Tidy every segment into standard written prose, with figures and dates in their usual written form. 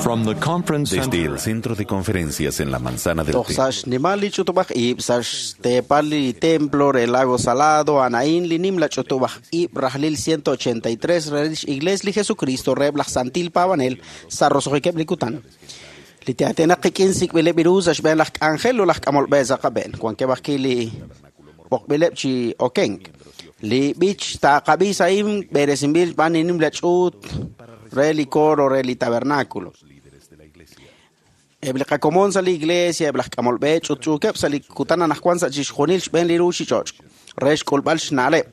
From the conference Desde center el centro de conferencias en la manzana del Toj templo. sa' xnimal li ch'utub'aj ib' sa' xteepal li templo re Lago Salado, Anaín, li nimla ch'utub'aj ib' rajlil 183 re lix Iglesia li Jesucristo reheb' laj Santil Paab'anel sa' roso'jikeb' li kutan. Li te'atenaq qik'in sik'b'ileb' iru sa' xb'een laj k'anjel ut laj k'amolb'e sa' qab'een. Wankeb' ajwi' li b'oqb'ileb' chi okenk. Li b'ich taaqab'i sa'in b'eresinb'il xb'aan li nimla ch'uut re li coro re li tabernáculo. Eb' li qakomon sa' li iglesia, eb' laj k'amolb'e ch'utch'uukeb' sa' li kutan anaqwan sa' chixjunil xb'een li ruuchich'och' re xk'ulb'al xna'leb'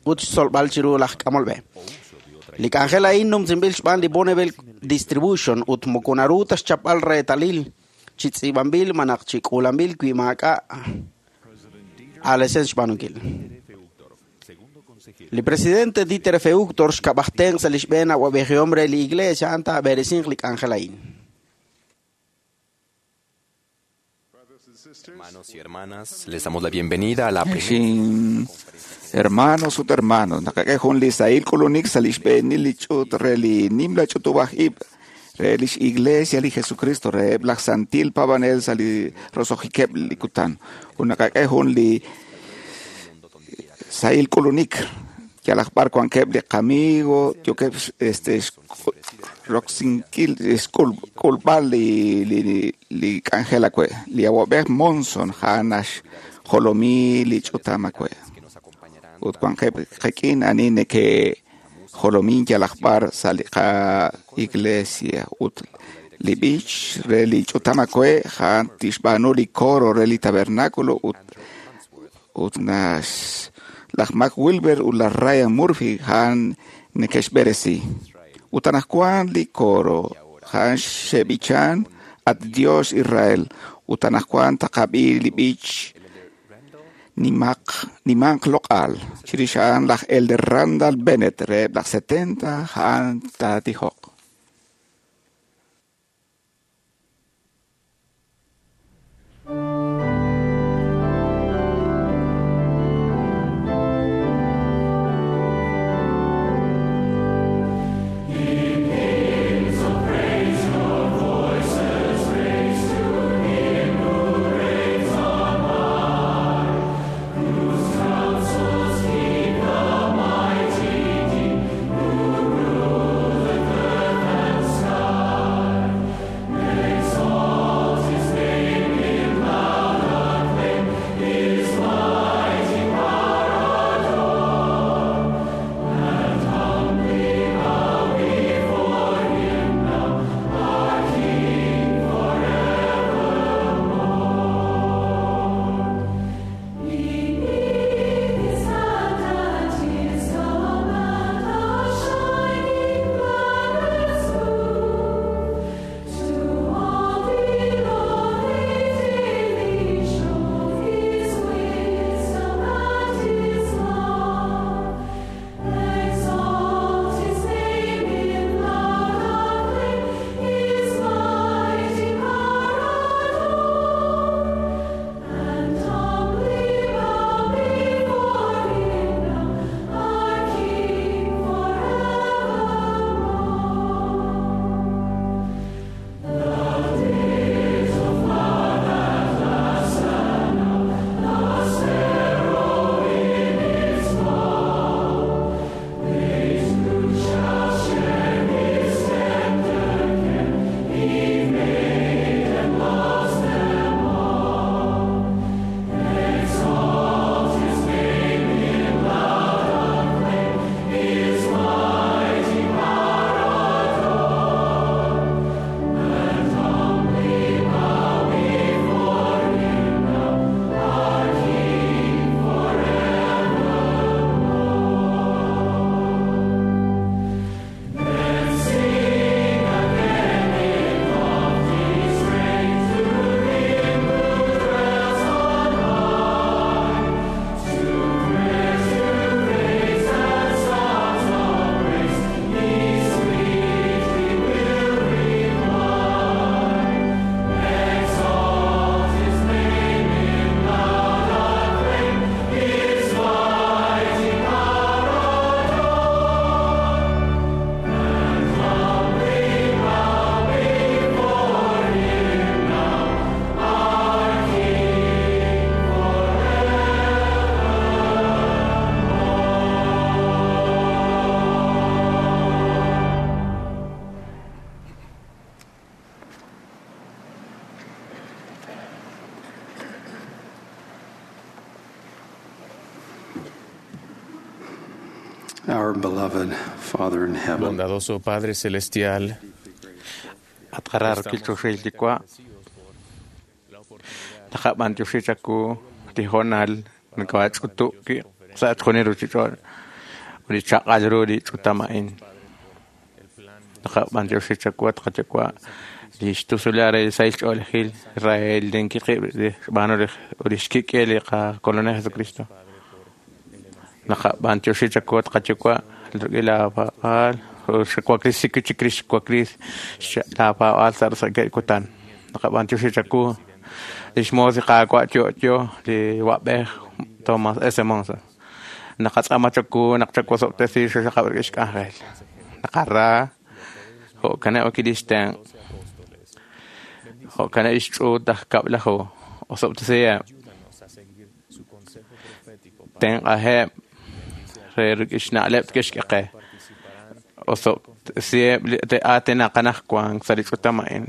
ut xtzolb'al chiru laj k'amolb'e. Li k'anjel a'in numsinb'il xb'aan li Bonneville Distribution ut moko naru ta xchapb'al reetalil chi tz'iib'anb'il malaj chi k'uulanb'il wi maak'a' aalesen xb'aanunkil. Li presidente Dieter F. Uchtdorf xkab'aj tenq' sa' li xb'een awa'b'ejihom re li iglesia a'an taab'eresinq li k'anjel a'in. Hermanos y hermanas, les damos la bienvenida a la primera Xin hermanos ut hermanos, naqak'e jun li sahil k'ulunik sa' li xb'eenil li ch'uut re li nimla ch'utub'aj ib' re lix Iglesia li Jesucristo reheb' laj Santil Paab'anel sa' li roso'jikeb' li kutan. Ut naqak'e jun li sahil k'ulunik yalaq b'ar wankeb' li qamigo yookeb' este roksinkil xk'ulb'al li li li k'anjel awe' li awa'b'ej Monson a'an naxjolomi li ch'utam awe' que nos acompañarán ut wankeb' qik'in ani neke'jolomin yalaq b'ar sa' li qa-iglesia ut li b'ich re li ch'utam awe' a'an tixb'aanu li coro re li tabernáculo ut ut nax laj Mac Wilber ut laj Ryan Murphy a'an neke'xb'eresi. Ut anaqwan li coro a'an xe'b'ichan At Dios Israel ut anaqwan taqab'i li b'ich nimaq nimanq loq'al chirix a'an laj Elder Randall Bennett reheb' laj 70 a'an taatijoq. Keep the mighty deep, who rule the Our beloved Father in heaven, Bondadoso Padre Celestial, Atqararkil chuxiltikua taqab'antiuxichaku tijonal nakawach'utu'ki sa'achjunil ruchich'ol ulichaq'al ru rich'utama'in taqab'antiuxichakua tqachakua lixtusulare sailch'oolejil Israel linkiqib' xb'aanu ulixkik'el li qakolonel Jesucristo naqab'antiuxichakua tqachakua ruk'il la pa'al xakuakris sikichikris xkuakris la pa'al sarsake kutan naqab'antiuxichaku lix moos li Qaawa' yo'yo li wab'ej Thomas S. Monson naqatz'amachaku naqchakuasob'tesi xaxaqab' rik'in xk'anjel naqara jo'kaneb' okilixten jo'kaneb' ixch'uut aj kab'laju osob'tesiheb' tenq'ajeb' re rik'in xna'leb' tkexk'eqe osob'tesiheb' te'aatinaqanajkuan sa' li ch'utam a'in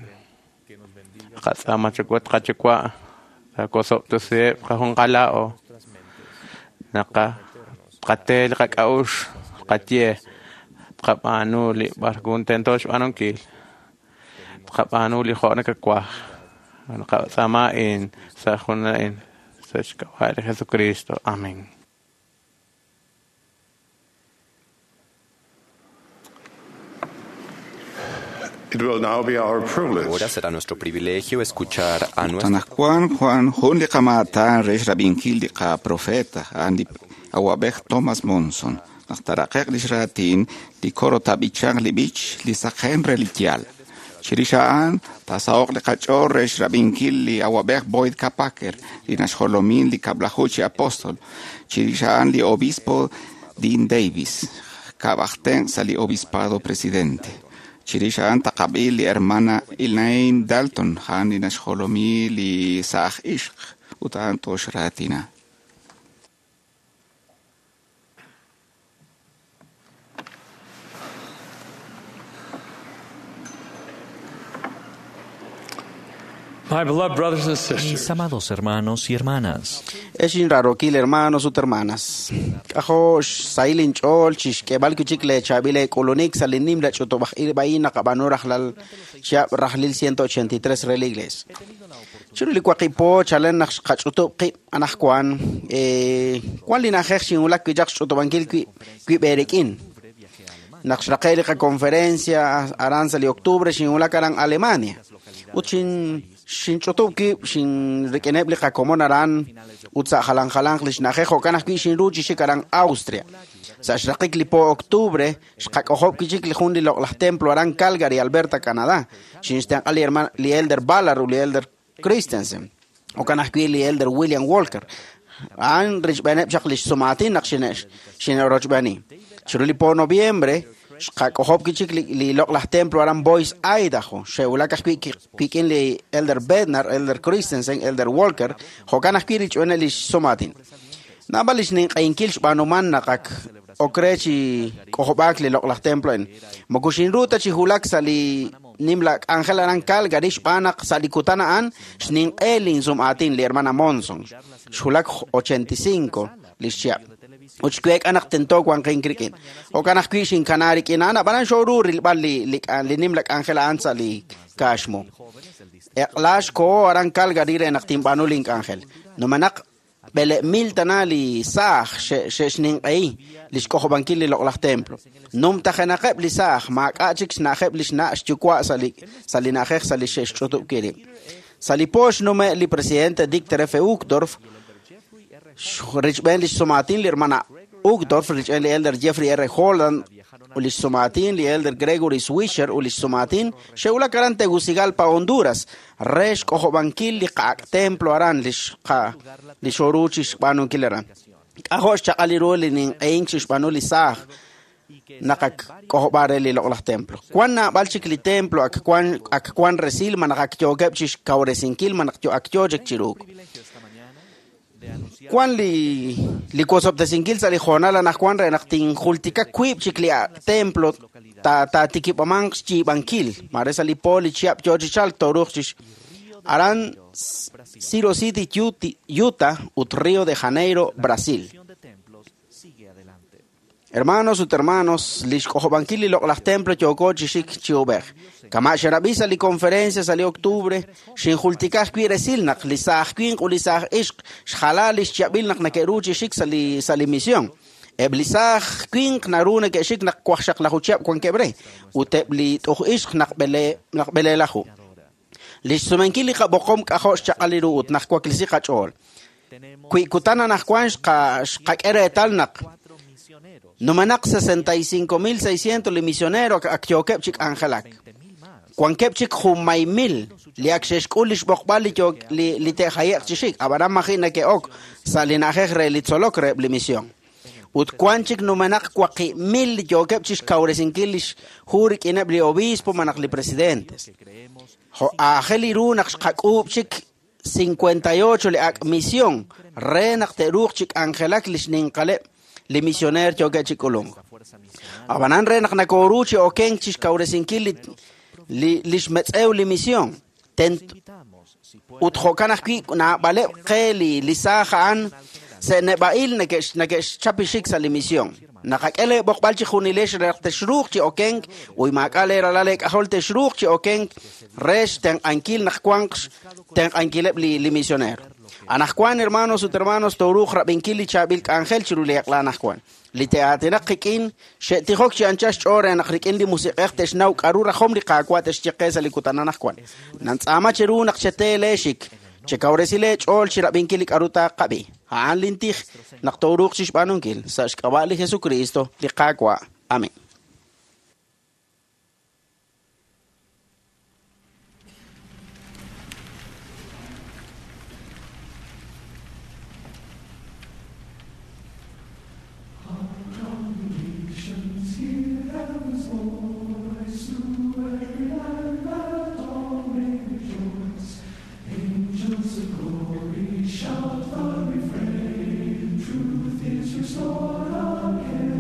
qatz'amachakua tqachakua takosob'tesiheb' qajunqala'o naqa tqate li qak'a'ux qaye tqab'aanu li b'arkun tento xb'aanunkil tqab'aanu li jo' nakakuaj naqatz'ama in sa' jun a'in sa' xk'ab'a' li Jesucristo. Amén. It will now be our privilege Ahora será nuestro privilegio escuchar a nuestro Tanajkuan Juan jun li qamaataan re xrab'inkil li qaprofeta a'an li awab'ej Thomas Monson naq taraqeq lix raatin li coro tab'ichanq li b'ich li saqen re li yaal. Chirix a'an taasaho'q li qach'ool re xrab'inkil li awab'ej Boyd K. Packer li naxjolomin li kab'laju chi apóstol. Chirix a'an li obispo Dean Davis kab'ajten sa' li obispado presidente. Chirix a'an taqab'i li hermana Elaine Dalton a'an li naxjolomi li sa'aj ixq ut a'an toxraatina. My beloved brothers and sisters, Mis amados hermanos y hermanas, Ex inrarokil hermanos ut hermanas. K'ajo xsahil inch'ool chixk'eeb'al kuchik leechab'il eek'ulunik sa' li nimla ch'utub'aj ib' a'in naqab'aanu rajlal chihab' rajlil 183 re la iglesia. Chiru li waqib' po chalen naq xqach'utub' qib' anajkuan wan li na'ajej xinwulak wi' chaq xch'utub'ankil wib' eerik'in. Naq xraqe' li qaconferencia aran sa' li octubre xinwulak aran Alemania. Ut xinch'utub' wib' xinrik'ineb' li qakomon aran ut sa' jalan jalanq li xna'ajej jo'kan ajwi' xinru chi xik aran Austria. Sa' xraqik li po octubre xqak'ojob' wi' chik li jun li loq'laj templo aran Calgary, Alberta, Canadá. Xinxtenq'a li hermano li Elder Ballard ut li Elder Christensen. Jo'kan ajwi' li Elder William Walker. A'an richb'eeneb' chaq li xsumaatin naq xine'rochb'eeni. Chiru li po noviembre xqak'ojob' wi' chik li loq'laj templo aran Boise, Idaho. Xe'wulak ajwi' kik'in li Elder Bednar, Elder Christensen, Elder Walker, jo'kan ajwi' richb'eeneb' li xsumaatin. Naab'al li xninq'ehinkil xb'aanuman naq ak ok re chi k'ojob'aak li loq'laj templo a'in. Moko xinru ta chi wulak sa' li nimla k'anjel aran Calgary xb'aan naq sa' li kutan a'an xninq'e linsum'aatin li hermana Monson. Xwulak 85 li xchihab'. Ut xweek'a naq tento wanqin rik'in. Jo'kan ajwi' xinkana rik'in a'an, ab'anan xooru rilb'al li nimla k'anjel a'an sa' li kaaxmu. Eq'la xkoho aran Calgary re naq tinb'aanu link'anjel. Numenaq b'ele'mil tana li saaj xe'xninq'ehi li xk'ojob'ankil li loq'laj templo. Numtajenaqeb' li saaj maak'a' chik xna'ajeb' li xna' xyuwa' sa' li na'ajej sa' li xe'xch'utub' rib'. Sa' li po xnume' li presidente Dictor F. Uchtdorf richb'een li xsumaatin li hermana Uchtdorf, richb'een li Elder Jeffrey R. Holland ut li xsumaatin li Elder Gregory Swisher ut li xsumaatin xe'wulak aran Tegucigalpa, Honduras, re xk'ojob'ankil li qa'ak templo aran li xooru chi xb'aanunkil aran. K'ajo' xchaq'al li ru li ninq'ehink chi xb'aanu li saaj naq ak k'ojob'a re li loq'laj templo. Wan naab'al chik li templo ak wan resil ma naq ak yookeb' chi xkawresinkil ma naq ak yoo chik chiruuk. Wan li wosob'tesinkil sa' li joonal anajwan re naq tinjultika wiib' chik li templo taatikib'amanq xyiib'ankil. Mare sa' li po li chihab' yoo chi chalk tooruuq chi aran Ciro City, Utah ut Rio de Janeiro, Brasil. Hermanos ut hermanos, li xk'ojob'ankil li loq'laj templo yooko chi xik chi ub'ej. Kama' xerab'i sa' li conferencia sa' li octubre, xinjultika ajwi' resil naq li saaj winq ut li saaj ixq xjala li xyab'il naq neke'ru chi xik sa' li misión. Eb' li saaj winq naru neke'xik naq wajxaqlaju chihab' wankeb' re, ut eb' li t'uj ixq naq b'eleelaju. Li xsumenkil li qab'oqom k'ajo' xchaq'al li ru ut naq waklisi qach'ool. Wi kutan anajwan xqak'e reetal naq numenaq 65,600 li misionero ak yookeb' chi k'anjelak. Wankeb' chik junmay mil li ak xe'xk'ul li xb'oqb'al li te'jaye'q chi xik, ab'anan maji' neke'ok sa' li na'ajej re li tzolok reheb' li misión. Ut wan chik numenaq 4,000 li yookeb' chi xkawresinkil li xhu rik'ineb' li obispo malaj li presidentes. Jo' aajel li ru naq xqak'uub' chik 58 li ak' misión re naq te'ruuq chi k'anjelak li xninqaleb' li misioner yookeb' chi k'ulunk. Ab'anan re naq nakooru chi okenk chi xkawresinkil li xmetz'ew li misión. Ut jo'kan ajwi' naab'aleb' qe li saaj a'an se'neb'a'il neke'xchapixik sa' li misión. Naqak'e leeb'oqb'al chi junilex re naq texruuq chi okenk uy maak'a' leeralal leek'ajol texruuq chi okenk re xtenq'ankil naq wanq xtenq'ankileb' li misionero. Anajwan, hermanos ut hermanos, tooruuq rab'inkil li chaab'il k'anjel chiru li eq'la anajwan. Li te'aatinaq qik'in xe'tijok chi anchal xch'ool re naq rik'in li musiq'ej te'xnaw k'aru rajom li Qaawa' te'xye qe sa' li kutan anajwan. Nantz'aama cheru naq chetee leexik, chekawresi leech'ool chi rab'inkil li k'aru taaqab'i. A'an lintij naq tooruuq chi xb'aanunkil sa' xk'ab'a' li Jesucristo li Qaawa'. Amén. Truth is restored again.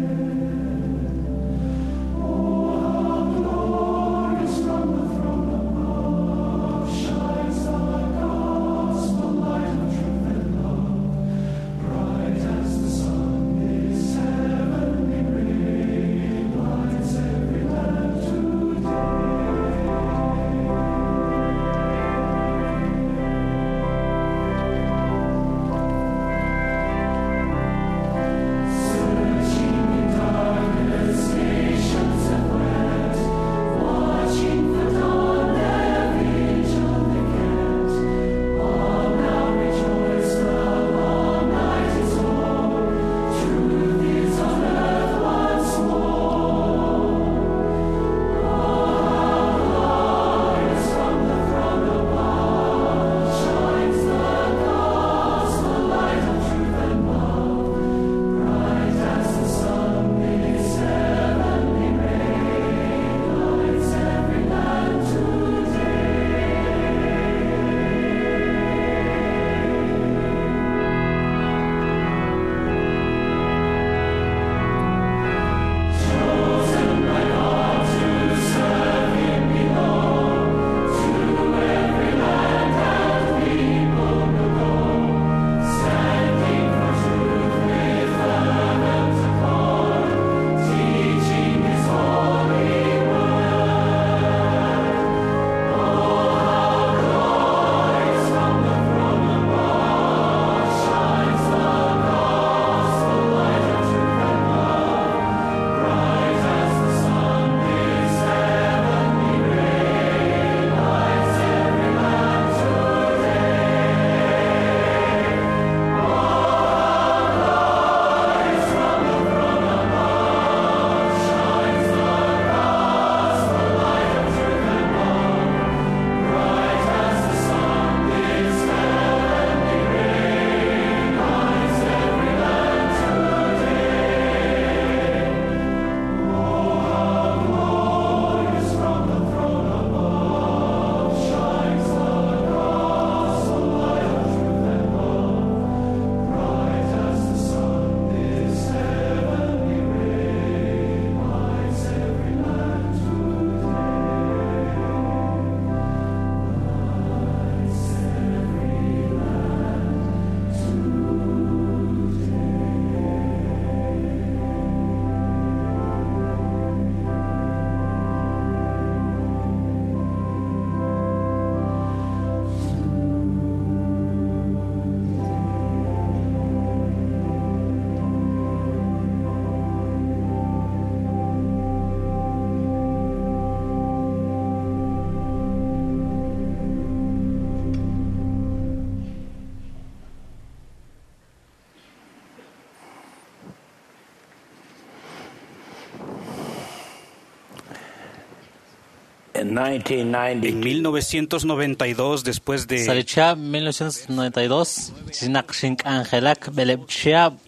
En 1992, después de Sa' li chihab' 1992, chinaq xink'anjelak b'eleb' chihab'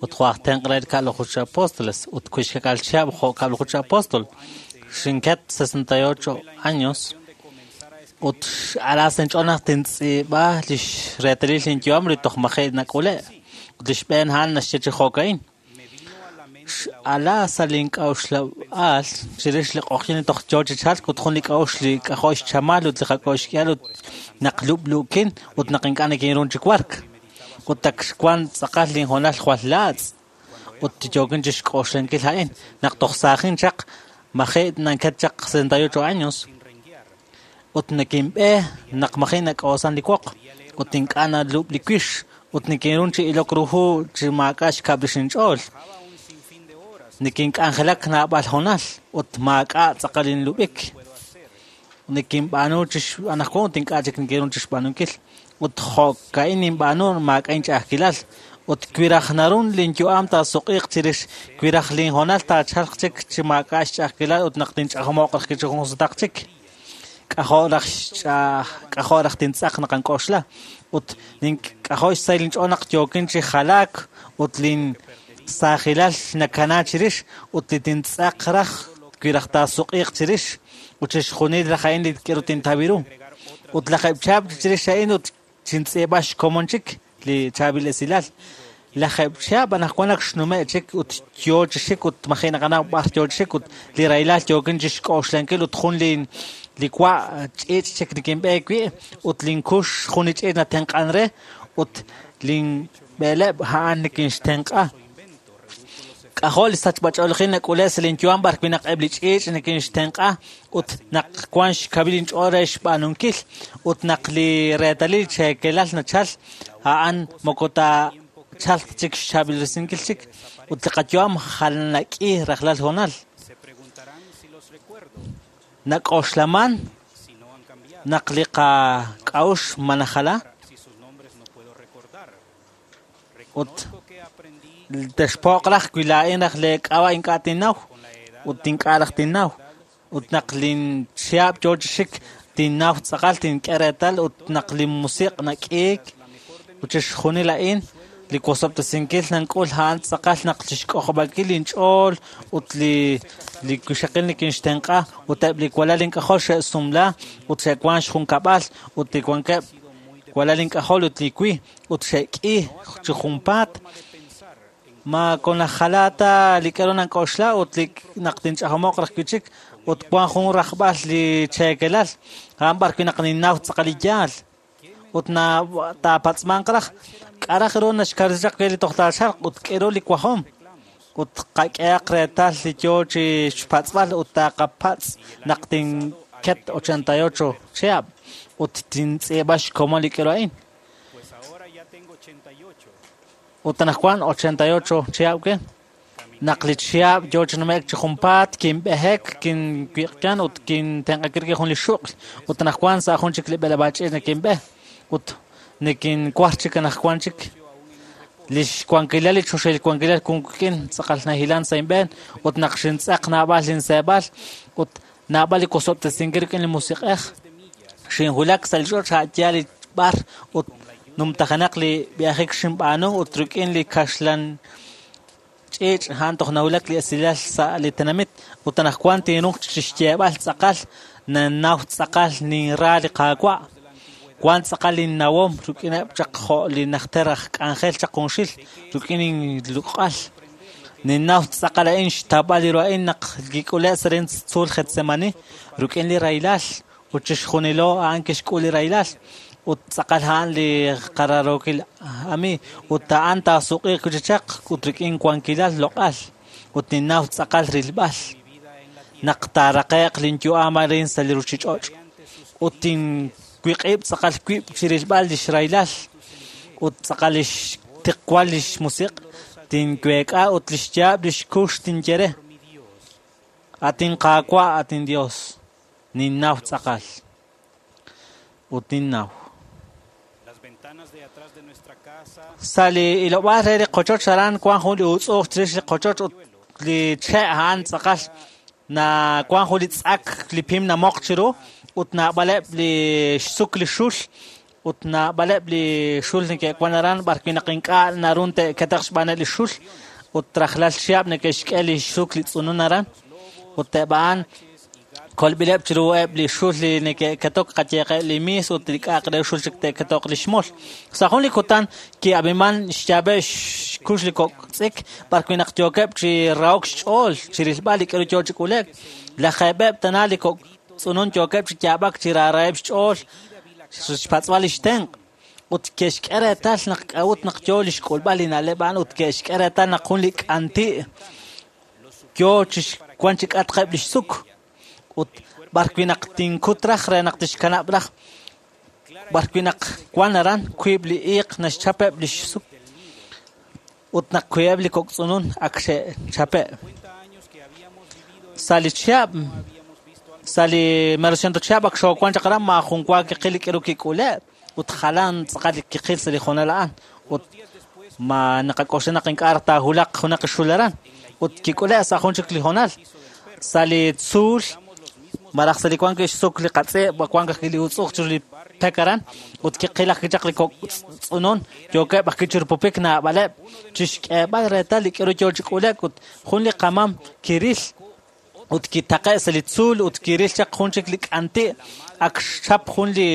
ut jo' aj tenq' re li kab'laju chi apóstoles ut kuixkak'al chihab' jo' kab'laju chi apóstol. Xinket 68 años ut ala sa' inch'ool naq tintz'iib'a lix reetalil linyu'am li toj maji' nak'ule' ut li xb'een a'an naxye chi jo'ka'in. X'ala sa' link'a'uxlab'aal chirix li q'oqyin li toj yoo chi chalk ut jun li k'a'uxl li k'ajo' xchamal ut li qak'o' xk'ihal ut naq lub'luukin ut naq ink'a' nikinruun chi wark. Ut ak xwan tz'aqal linhoonal jwal laatz' ut yookin chi xk'oxlankil a'in naq toj saajin chaq maji' nanket chaq 68 años ut nikinb'e naq maji' nak'oosan li woq ut ink'a' nalub' li wix ut nikinruun chi ilok ru hu chi maak'a' xkab' rix inch'ool. Nikink'anjelak naab'al hoonal ut maak'a' tz'aqal inlub'ik. Nikinb'aanu chi anaqwan ut ink'a' chik nikinruun chi xb'aanunkil. Ut jo'ka'in ninb'aanu maak'a' inch'a'ajkilal. Ut wi raj narun linyu'am taasuq'iiq chirix wi raj linhoonal taachalq chik chi maak'a' xch'a'ajkilal ut naq tinch'ajomo'q raj chi jun sutaq chik. K'ajo' raj k'ajo' raj tintz'aq naq ank'oxla. Ut nink'ajo' xsahil inch'ool naq yookin chi jalaak ut lin saajilal nakana chirix ut li tintz'aq raj wi raj taasuq'iiq chirix ut chixjunil raj a'in li k'eru tintawi ru. Ut lajeb' chihab' chirix a'in ut xintz'iib'a xkomon chik li chaab'il esilal. Lajeb' chihab' anaqwan ak xnume' chik ut yoo chi xik ut maji' naqanaw b'ar yoo chi xik ut li rahilal yookin chi xk'oxlankil ut jun li wa' ch'iich' chik nikinb'eek wi' ut linkux jun li ch'iich' natenq'an re ut linb'eleb' a'an nikinxtenq'a. K'ajo' li sachb'ach'oolejil nak'ule' sa' linyu'am b'ar wi' naq eb' li ch'iich' nikinxtenq'a ut naq wan xkawil inch'ool re xb'aanunkil ut naq li reetalil cheekelal nachal a'an moko taachalq chik xchaab'ilresinkil chik ut li qayu'am jalanak'i rajlal hoonal. Nak'oxlaman naq li qak'a'uxl ma najala ut texpo'q raj wi laa'in raj le k'ab'a' ink'a' tinnaw ut ink'a' raj tinnaw ut naq linchihab' yoo chi xik tinnaw tz'aqal tink'e reetal ut naq li musiq' nak'iik ut chixjunil a'in li wosob'tesinkil nank'ul a'an tz'aqal naq chixk'ojob'ankil inch'ool ut li wixaqil nikinxtenq'a ut eb' li walal ink'ajol xe'sumla ut xe'wan xjunkab'al ut li wankeb' walal ink'ajol ut li wi ut xe'k'i chi junpaat. Ma konajala ta li k'aru nank'oxla ut li naq tinch'ajomo'q raj wi' chik ut wan jun rajb'al li cheekelal a'an b'ar wi' naq ninnaw tz'aqal li yaal ut na taapatz'manq raj k'a' raj ru naxkawresi chaq li toj taachalq ut k'eru li wajom ut qak'ehaq reetal li yoo chi xpatz'b'al ut taaqapatz' naq tinket 88 chihab' ut tintz'iib'a xkomon li k'eru a'in. Ut anaqwan 88 chihab' ke naq li chihab' yoo chi nume'k chi junpaat kinb'ehek kinwiq'yan ut kintenq'akil rik'in jun li xuq'l ut anaqwan sa' jun chik li b'eleb'aal ch'iich' nikinb'e ut nikinwar chik anaqwan chik li xwankilal li choxahil wankilal kun wik'in tz'aqal nahilan sa' inb'een ut naq xintz'aq naab'al linseeb'al ut naab'al li wosob'tesinkil rik'in li musiq'ej xinwulak sa' li ch'och' a' yaal li b'ar ut numtajenaq li b'iajik xinb'aanu ut rik'in li kaxlan ch'iich' a'an toj nawulak li esilal sa' li tenamit ut anaqwan tinruuq chi xyeeb'al tz'aqal nannaw tz'aqal ninra li Qaawa'. Wan tz'aqal linnawom rik'ineb' chaq jo' li najter aj k'anjel chaq junxil rik'in inluq'al. Ninnaw tz'aqal a'in xtawb'al li ru a'in naq kik'ule' sa' rin tzuul Getsemani rik'in li rahilal ut chixjunilo a'an kixk'ul li rahilal ut tz'aqal a'an li qararookil ami ut a'an taasuq'iiq wi' chaq ut rik'in wankilal loq'al ut ninnaw tz'aqal rilb'al naq taaraqe'q linyu'am arin sa' li ruuchich'och' ut tinwiq'ib' tz'aqal wib' chi rilb'al lix rahilal ut tz'aqal lix tiqwal lix musiq' tinweek'a ut lix yaab' lix kux tinye re atin Qaawa' atin Dios ninnaw tz'aqal ut ninnaw. Sa' li ilob'aal re li qochoch aran wan jun li utz'uuj chirix li qochoch ut li che' a'an tz'aqal Na wan jun li tz'ak li pim namoq chiru ut naab'aleb' li xsuk li xul ut naab'aleb' li xul neke'wan aran b'ar wi' naq ink'a' narun te'ketaq xb'aaneb' li xul ut rajlal chihab' neke'xk'e li xsuk li tz'unun aran ut eb' a'an kolb'ileb' chiru eb' li xul li neke'ketok qayeqeb' li mis ut li k'a'aq re xul chik te'ketoq li xmol. Sa' jun li kutan ki'ab'iman xyaab'eb' xkux li kok' tz'ik b'ar wi' naq yookeb' chi rahok xch'ool chi rilb'al li k'aru yoo chi k'ulek. Lajeeb'eb' tana li kok' tz'unun yookeb' chi yaab'ak chi raaraheb' xch'ool xpatz'b'al li xtenq' ut ke'xk'e reetal naq k'a'ut naq yoo li xk'ulb'al li na'leb' a'an ut ke'xk'e reetal naq jun li k'anti' yoo chi wan chi k'atqeb' li xsuk ut b'ar wi' naq tinkut raj re naq tixkanab' raj b'ar wi' naq wan aran wiib' li iiq naxchapeb' li xsuk ut naq wiib'eb' li kok' tz'unun ak xe'chape'. Sa' li chihab' sa' li merociento chihab' ak xoowan chaq aran maajun wa kiqil li k'aru kik'ule' ut jalan tz'aqal li kiqil sa' li hoonal a'an ut ma naqak'oxla naq ink'a' raj taahulaq junaq xul aran ut kik'ule' sa' jun chik li hoonal sa' li tzuul maraj sa' li wan wi' xsuk li qatz'e' wan ajwi' li utz'uj chiru li pek aran ut kiqil ajwi' chaq li kok' tz'unun yookeb' ajwi' chi rupupik naab'aleb' chixk'eeb'al reetal li k'aru yoo chi k'ulek ut jun li qamam kiril ut kitaqe' sa' li tzuul ut kiril chaq jun chik li k'anti' ak xchap jun li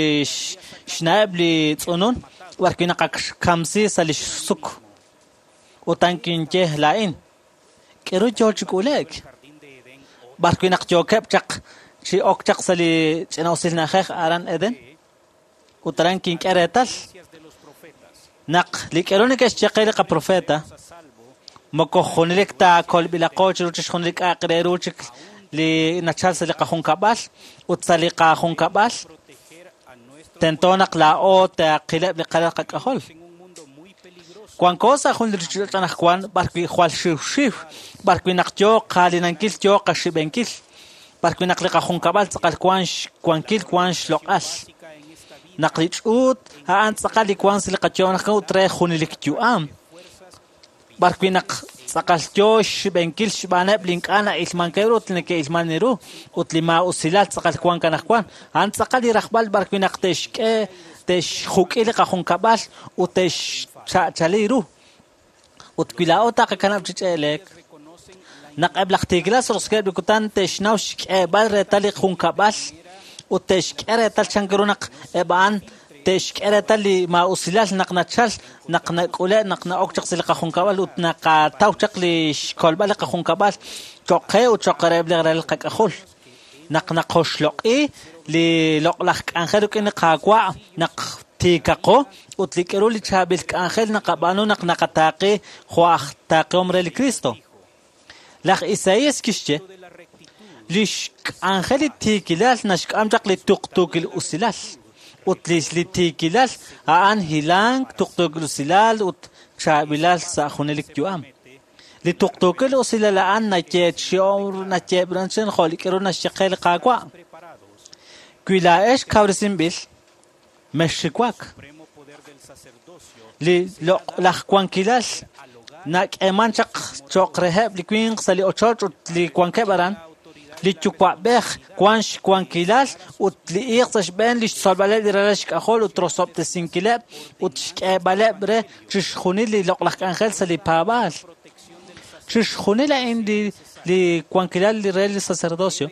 xna'eb' li tz'unun b'ar wi' naq ak xkamsi sa' li xsuk ut an kinye laa'in k'aru yoo chi k'ulek b'ar wi' naq yookeb' chaq chi ok chaq sa' li ch'ina'usil na'ajej aran Eden ut aran kink'e reetal naq li k'aru neke'xye qe li qaprofeta moko junelik taakolb'ilaqo chiru chixjunil li k'a'aq re ru chik li nachal sa' li qajunkab'al ut sa' li qajunkab'al tento naq laa'o taaqileb' li qalal qak'ajol. Wanko sa' jun li ruuchich'och' anaqwan b'ar wi' jwal xiwxiw b'ar wi' naq yoo qalinankil yoo qaxib'enkil b'ar wi' naq li qajunkab'al tz'aqal wan xwankil wan xloq'al naq li ch'uut a'an tz'aqal li wan sa' li qayo'on anaqwan ut re junelik yu'am b'ar wi' naq tz'aqal yoo xxib'enkil xb'aaneb' li ink'a' na'ilmankeb' ru ut li neke'ilman ru ut li maa'usilal tz'aqal wank anaqwan a'an tz'aqal li rajb'al b'ar wi' naq te'xk'e te'xjuk'i li qajunkab'al ut te'xcha'chali ru ut wi laa'o taqakanab' chi ch'e'lek naq eb' laj tiikilal roskeb' li kutan te'xnaw xk'eeb'al reetal li junkab'al ut te'xk'e reetal chan ru naq eb' a'an te'xk'e reetal li maa'usilal naq nachal naq nak'ule' naq na'ok chaq sa' li qajunkab'al ut naqataw chaq li xkolb'al li qajunkab'al cho'q qe ut cho'q reheb' li ralal qak'ajol naq naqoxloq'i li loq'laj k'anjel rik'in li Qaawa' naq tiikaqo ut li k'aru li chaab'il k'anjel naqab'aanu naq naqataaqi jo' aj taaqihom re li Cristo. Laj Isaías kixye li xk'anjel li tiikilal naxk'am chaq li tuqtuukil usilal ut li tiikilal a'an hilank tuqtuukil usilal ut chaab'ilal sa' junelik yu'am. Li tuqtuukil usilal a'an nayeeb'ranchen jo' li k'aru naxye qe li Qaawa'. Wi laa'ex kawresinb'il mexxiwak. Li loq'laj wankilal nak'eeman chaq cho'q reheb' li winq sa' li ochoch ut li wankeb' aran li yuwa'b'ej wan xwankilal ut li iiq sa' xb'een li xtzolb'aleb' li ralal xk'ajol ut rosob'tesinkileb' ut xk'eeb'aleb' re chixjunil li loq'laj k'anjel sa' li paab'aal. Chixjunil a'in li wankilal li re li sacerdocio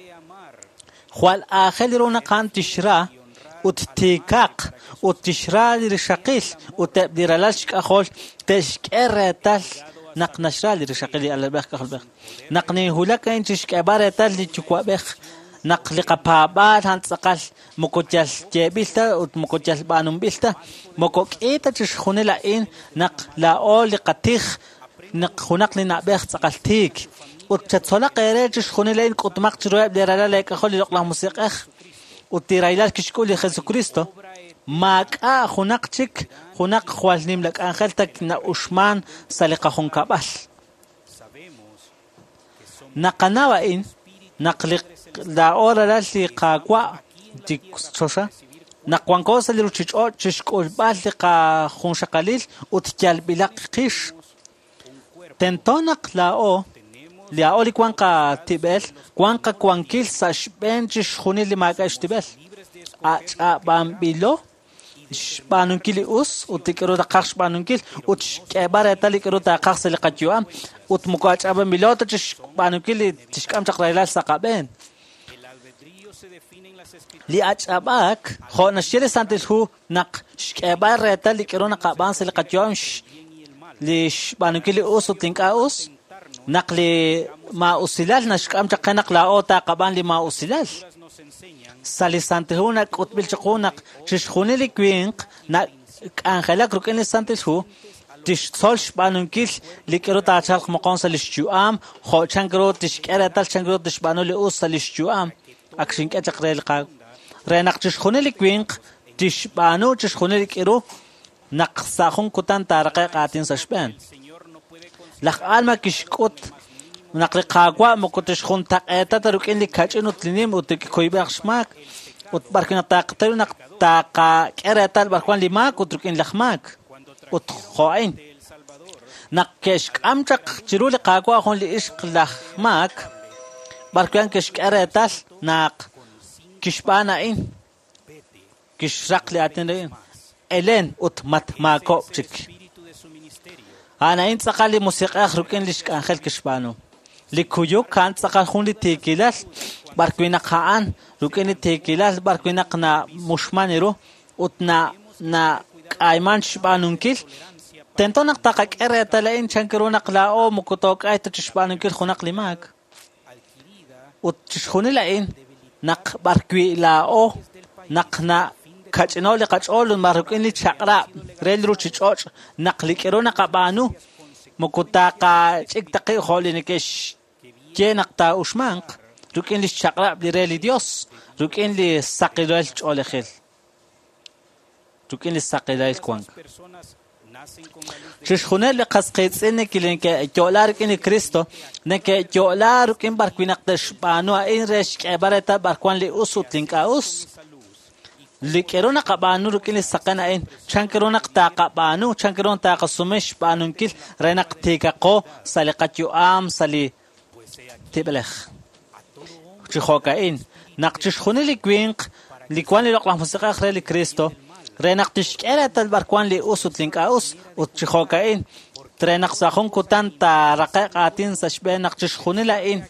jwal aajel ru naq a'an tixra ut tiikaq ut tixra li rixaqil ut eb' li ralal xk'ajol te'xk'e reetal naq naxra li rixaqil li alalb'ej k'ajolb'ej. Naq ninhulak a'in chixk'eeb'al reetal li yuwa'b'ej naq li qapaab'aal a'an tz'aqal moko yal yeeb'il ta ut moko yal b'aanunb'il ta moko k'i ta chixjunil a'in naq laa'o li qatij naq junaq li na'b'ej tz'aqal tiik ut chatzolaq eere chixjunil a'in k'utmaq chiruheb' li ralal eek'ajol li loq'laj musiq'ej ut li rahilal kixk'ul li Jesucristo maak'a' junaq chik junaq jwal nimla k'anjel ta na'uxman sa' li qajunkab'al. Naqanaw a'in naq li laa'o ralal li Qaawa' li choxa naq wanko sa' li ruuchich'och' chixk'ulb'al li qajunxaqalil ut yalb'ilaq qix. Tento naq laa'o Laa'o li wan qatib'el, wan qawankil sa' xb'een chixjunil li maak'a' xtib'el. Ach'ab'anb'ilo xb'aanunkil li us ut li k'aru taqaj xb'aanunkil ut xk'eeb'al reetal li k'aru taqaj sa' li qayu'am ut moko ach'ab'anb'ilo ta chixb'aanunkil li tixk'am chaq rahilal sa' qab'een. Li ach'ab'aak, jo' naxye li Santil Hu naq xk'eeb'al reetal li k'aru naqab'aan sa' li qayu'am li xb'aanunkil li us ut li ink'a' us, naq li maa'usilal naxk'am chaq qe naq laa'o taqab'aan li maa'usilal. Sa' li Santil Hu nak'utb'il chiqu naq chixjunil li winq nak'anjelak rik'in li Santil Hu tixtzol xb'aanunkil li k'aru taachalq moqon sa' li xyu'am, jo' chan ru tixk'e reetal chan ru tixb'aanu li us sa' li xyu'am. Ak xink'e chaq re li re naq chixjunil li winq tixb'aanu chixjunil li k'aru naq sa' jun kutan taaraqe'q aatin sa' xb'een. Laj Alma kixk'ut naq li Qaawa' moko tixjuntaq'eeta ta rik'in li kach'in ut li nim ut li kuyb'il xmaak ut b'ar naq taqataw naq taqak'e reetal b'ar wan li maak ut rik'in laj maak ut jo'ain. Naq ke'xk'am chaq chiru li Qaawa' jun li ixq laj maak b'ar wan ke'xk'e reetal naq kixb'aan a'in kixraq li aatin a'in Elen ut matmaakob' chik. A'an tz'aqal li musiq'ej rik'in li xk'anjel kixb'aanu. Li kuyuk a'an tz'aqal jun li tiikilal b'ar wi' naq a'an rik'in li tiikilal b'ar wi' naq namuxman ru ut nak'ayman xb'aanunkil. Tento naq taqak'e reetal a'in chan ru naq laa'o moko took'ay ta chixb'aanunkil junaq li maak. Ut chixjunil a'in naq b'ar wi' laa'o naq na kach'ino li qach'ool ut rik'in li chaq'rab' re li ruuchich'och' naq li k'aru naqab'aanu moko taqach'ik ta qib' jo' li neke'xye naq taa'uxmanq rik'in li xchaq'rab' li re li Dios, rik'in li saqilal ch'oolejil, rik'in li saqilal wank. Chixjunil li qas qiitz'in neke'yo'la rik'in li Cristo, neke'yo'la rik'in b'ar wi' naq te'xb'aanu a'in re xk'eeb'al reetal b'ar wan li us ut li ink'a' us. Li k'aru naqab'aanu rik'in li saqen a'in, chan ru naq taqab'aanu, chan ru naq taqasume xb'aanunkil re naq tiikaqo sa' li qayu'am, sa' li tib'elej. Chi jo'ka'in, naq chixjunil li winq li wan li loq'laj musiq'ej re li Cristo, re naq tixk'e reetal b'ar wan li us ut li ink'a' us, ut chi jo'ka'in, re naq sa' jun kutan taaraqe'q aatin sa' xb'een naq chixjunil a'in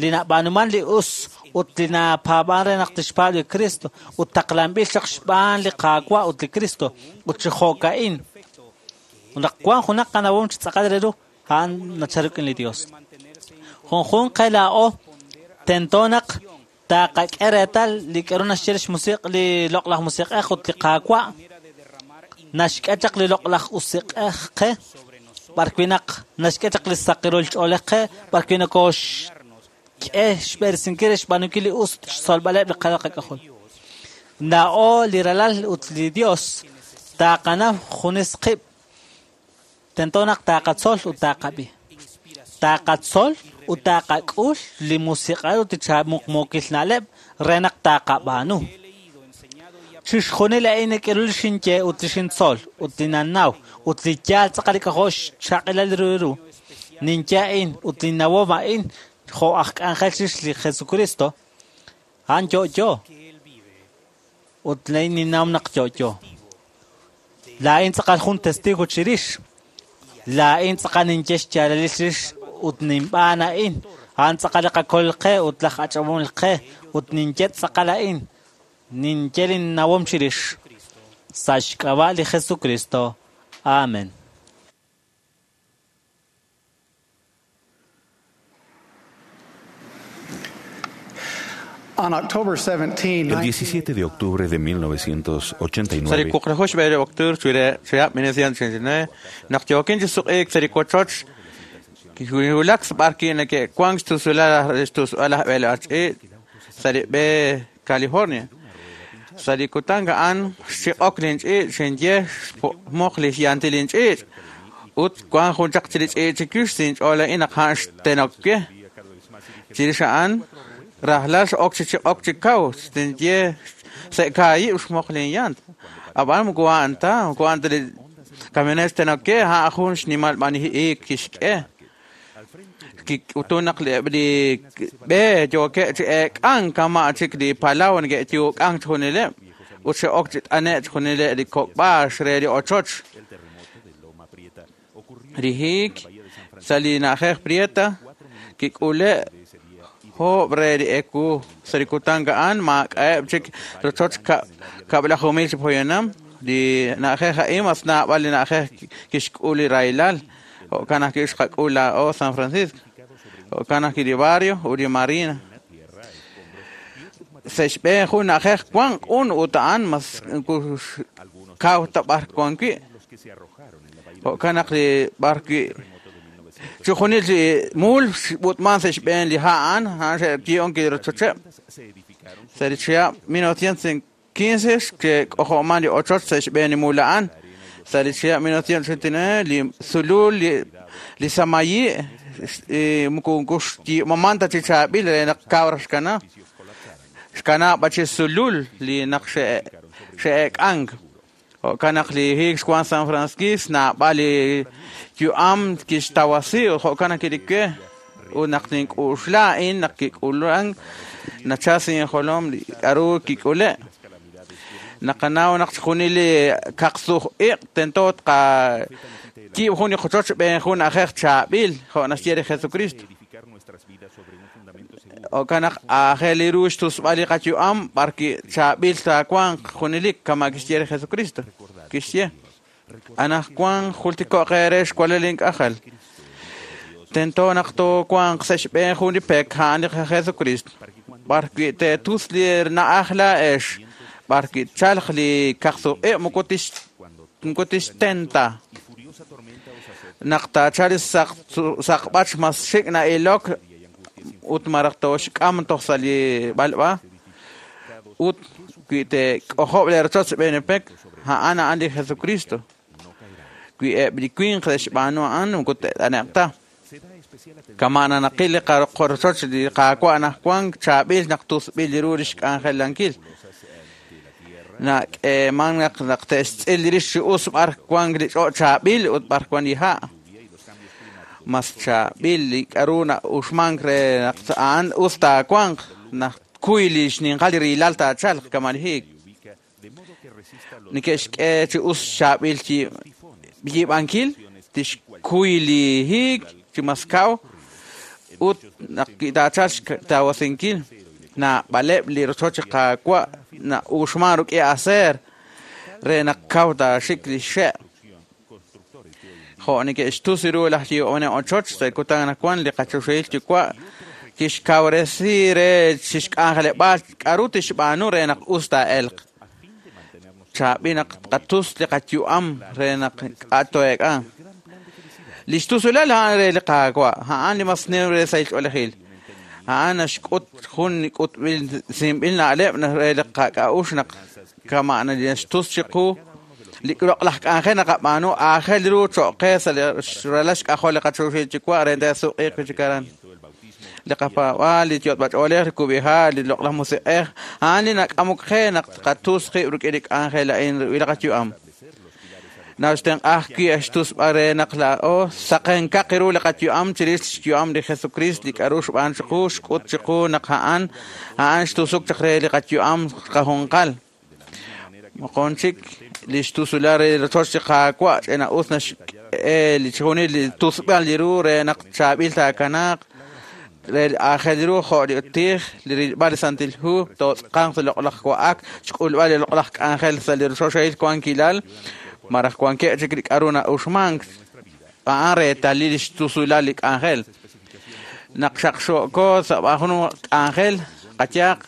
li nab'aanuman li us ut li napaab'an re naq tixpaab' li Cristo ut taqlanb'il chaq xb'aan li Qaawa' ut li Cristo ut chi jo'ka'in. Naq wan junaq qanawom chi tz'aqal re ru, a'an nachal rik'in li Dios. Junjun qe laa'o tento naq taqak'e reetal li k'aru naxye li xmusiq' li loq'laj musiq'ej ut li Qaawa' naxk'e chaq li loq'laj usiq'ej qe b'ar wi' naq naxk'e chaq li saqirul ch'oolej qe b'ar wi' nokoxk'e xb'eresinkil re xb'aanunkil li us xtzolb'aleb' li qalal qak'ajol. Laa'o li ralal ut li Dios taqanaw junes qib' tento naq taqatzol ut taqab'i. Taqatzol ut taqak'ul li musiq'al ut li muqmuukil na'leb' re naq taqab'aanu. Chixjunil a'in nak'eru li xinye ut li xintzol ut li nannaw ut li yaal tz'aqal li k'ajo' xchaq'ilal ru ru. Ninye a'in ut li nawom a'in jo' aj k'anjel chirix li Jesucristo, a'an yo'yo. Ut laa'in ninnaw naq yo'yo. Laa'in tz'aqal jun testigo chirix. Laa'in tz'aqal ninye xyaalalil chirix ut ninb'aan a'in. A'an tz'aqal li qakol qe ut laj ach'ab'onel qe ut ninye tz'aqal a'in. Ninye linnawom chirix. Sa' xk'ab'a' li Jesucristo. Amen. On October 17, El 17 de octubre de 1989, Sarikuqrajox b'e octubre chwire chwiyab 1989 naq yokin chi suq'iik sarikuachoch kiwulak b'ar kineke kwang xtusula xtusala b'e ach'i sarib'e California. Sarikutanga an xiq'ok linch'i xinye moq li yanti linch'i ut kwan jun chaq chilich'i chikux sinch'ola inaq han xtenokye chirix a'an rajlal x'ok chi chiq'ok chi kaw xtinye se'kaayib' xmoq linyant ab'an moko a'an ta moko a'an ta li camionet xtenokye ha' jun xnimal b'aniji'ik kixk'e. Kik'utun naq eb' li b'e yookeb' chi eek'ank kama' chik li palaw neke'yuuk'ank chixjunileb' ut xe'ok chi t'ane'k chixjunileb' li kok'b'aax re li ochoch. Li hiik sa' li na'ajej Prieta kik'ule' joob' re li ewu sa' li kutan a'an maak'a'eb' chik rochoch 20,000 chi poyanam. Li na'ajej a'in mas naab'al li na'ajej kixk'ul li rahilal. Jo'kan ajwi' xqak'ul laa'o San Francisco. Jo'kan ajwi' li barrio ut li marina. Sa' xb'een jun na'ajej wank un ut a'an mas kaw ta b'ar wan wi'. Jo'kan naq li b'ar wi' chixjunil li muul xb'ut'man sa' xb'een li ha' a'an, a'an xe'ki'on kirochocheb'. Sa' li chihab' 1915 xke'k'ojo'man li ochoch sa' xb'een li muul a'an. Sa' li chihab' 1989 li sulul li samayi' moko xyiib'aman ta chi chaab'il re naq kaw raj xkana. Xkana b'a chi sulul li naq xe'eek'ank. Jo'kan naq li hiik xwan San Francisco naab'al li yu'am kixtawasi ut jo'kan naq kirike ut naq nink'uxla a'in naq kik'ulan nachal sa' injolom li k'aru kik'ule'. Naqanaw naq chixjunil li kaqsuj iq' tento tqayiib' jun li qochoch xb'een jun na'ajej chaab'il jo' naxye li Jesucristo. Jo'kan naq aajel li ru xtusb'al li qayu'am b'ar chaab'il taawanq junelik kama' kixye li Jesucristo. Kixye anaqwan jultiko'q eere xwalel ink'ajel. Tento naq toowanq sa' xb'een jun li pek a'an li Jesucristo. B'ar wi' teetus li na'aj laa'ex, b'ar wi' tchalq li kaqsuq' moko tixtenta. Naq taachal li saqb'ach mas xik' na'ilok ut maraj tooxk'am toj sa' li b'alb'a ut wi teek'ojob' li rochoch xb'een li pek, a'an a'an li Jesucristo. Wi eb' li winq xb'aanu a'an moko te't'ane'q ta. Kama' nanaqil li qarochoch li Qaawa' anaqwan chaab'il naq tusb'il li ru li xk'anjelankil. Nak'eeman naq te'xtz'il rix chi us b'ar wank li ch'och' chaab'il ut b'ar wank li ha'. Mas chaab'il li k'aru na'uxmank re naq a'an us taawanq naq tkuy li xninqal li rilal taachalq kama' li hiik. Neke'xk'e chi us chaab'il yiib'ankil tixkuy li hiik chi mas kaw ut naq taachalq xtawasinkil naab'aleb' li rochoch Qaawa' na'uxman rik'in aseer re naq kaw taaxik li xe'. Jo' neke'xtus ru laj yiib'anel ochoch sa' kutan anaqwan li qachoxahil yuwa' kixkawresi re chixk'anjeleb'aal k'aru tixb'aanu re naq us taa'elq. Chaab'il naq tqatus li qayu'am re naq k'a' to'eek'a. Li xtusulal a'an re li Qaawa', a'an li mas nim re sahil ch'oolejil. A'an naxk'ut jun k'utb'il sinb'il na'leb' re li qak'a'uxl naq kama' naxtus chiqu li loq'laj k'anjel naqab'aanu aajel ru cho'q qe sa' li ralal xk'ajol li qachoxahil yuwa' re te'suq'iiq wi' chik aran. Li qapaab'aal, li yot'b'ach'oolej, li kub'iha', li loq'laj musiq'ej, a'an li nak'amok qe naq tqatus qib' rik'in li k'anjel a'in li qayu'am. Naxtenq'a ajwi' xtusb'al re naq laa'o saqenkaq ru li qayu'am chirix xyu'am li Jesucristo li k'aru xb'aan chiqu xk'ut chiqu naq a'an a'an xtusuk chaq re li qayu'am qajunqal. Moqon chik li xtusula re rochoch li Qaawa' ch'ina'us naxk'e li chixjunil li tusb'al li ru re naq chaab'il taakanaaq re aajel ru jo' li tij li rilb'al li Santil Hu tootz'aqanq sa' loq'laj wa'ak xk'ulb'al li loq'laj k'anjel sa' li rochochil wankilal maraj wankeb' chik li k'aru na'uxmank a'an reetalil li xtusulal li k'anjel. Naq xaqxo'ko sa' jun k'anjel qayaaq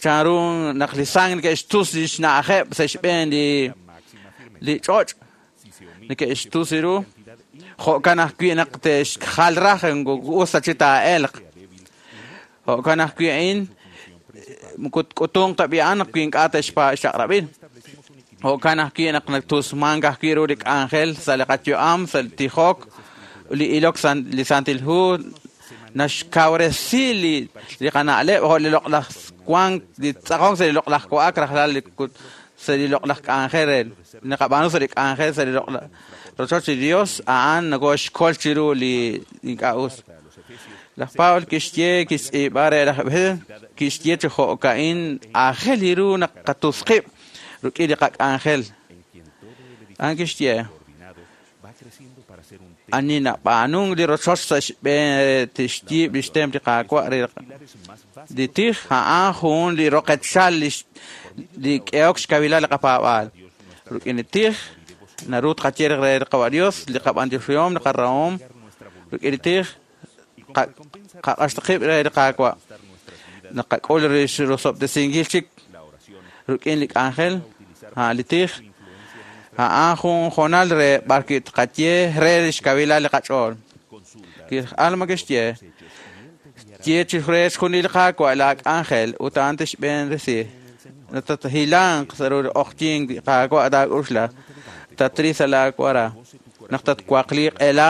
chanru naq li sang neke'xtus li xna'ajeb' sa' xb'een li ch'och' neke'xtus ru jo'kan ajwi' naq te'xjal raj us ta chi taa'elq. Jo'kan ajwi' a'in moko tk'utunq ta b'i a'an naq wi ink'a' te'xchaq'rab'il. Jo'kan ajwi' naq natusmank ajwi' ru li k'anjel sa' li qayu'am, sa' li tijok, li ilok li Santil Hu naxkawresi li qana'leb' jo' li loq'laj wank li tz'aqonk sa' li loq'laj wa'ak rajlal li sa' li loq'laj k'anjel re naqab'aanu sa' li k'anjel sa' li loq'laj rochoch li Dios a'an nokoxkol chiru li ink'a' us. Laj Pablo kixye kixtz'iib'a re laj Efesios kixye chi jo'ka'in aajel li ru naq qatusqib' rik'in li qak'anjel. A'an kixye ani nab'aanunk li rochoch sa' xb'een tixyiib' li xtemp li Qaawa' re li tij a'an jun li roqechal li k'ehok xkawilal li qapaab'aal. Rik'in li tij naru tqaye re li Qawa' Dios li qab'antioxihom li qarahom rik'in li tij qaq'axtaqib' re li Qaawa' naqak'ul rosob'tesinkil chik rik'in li k'anjel a'an li tij a'an jun jonal re b'ar wi' tqaye re li xkawilal li qach'ool. Alma kixye ye chi re xjunil li Qaawa' la k'anjel ut a'an tixb'een resi. Natahilanq sa' ru q'oqyink li Qaawa' taak'uxla tatri sa' laawara naq tatwaqliiq ela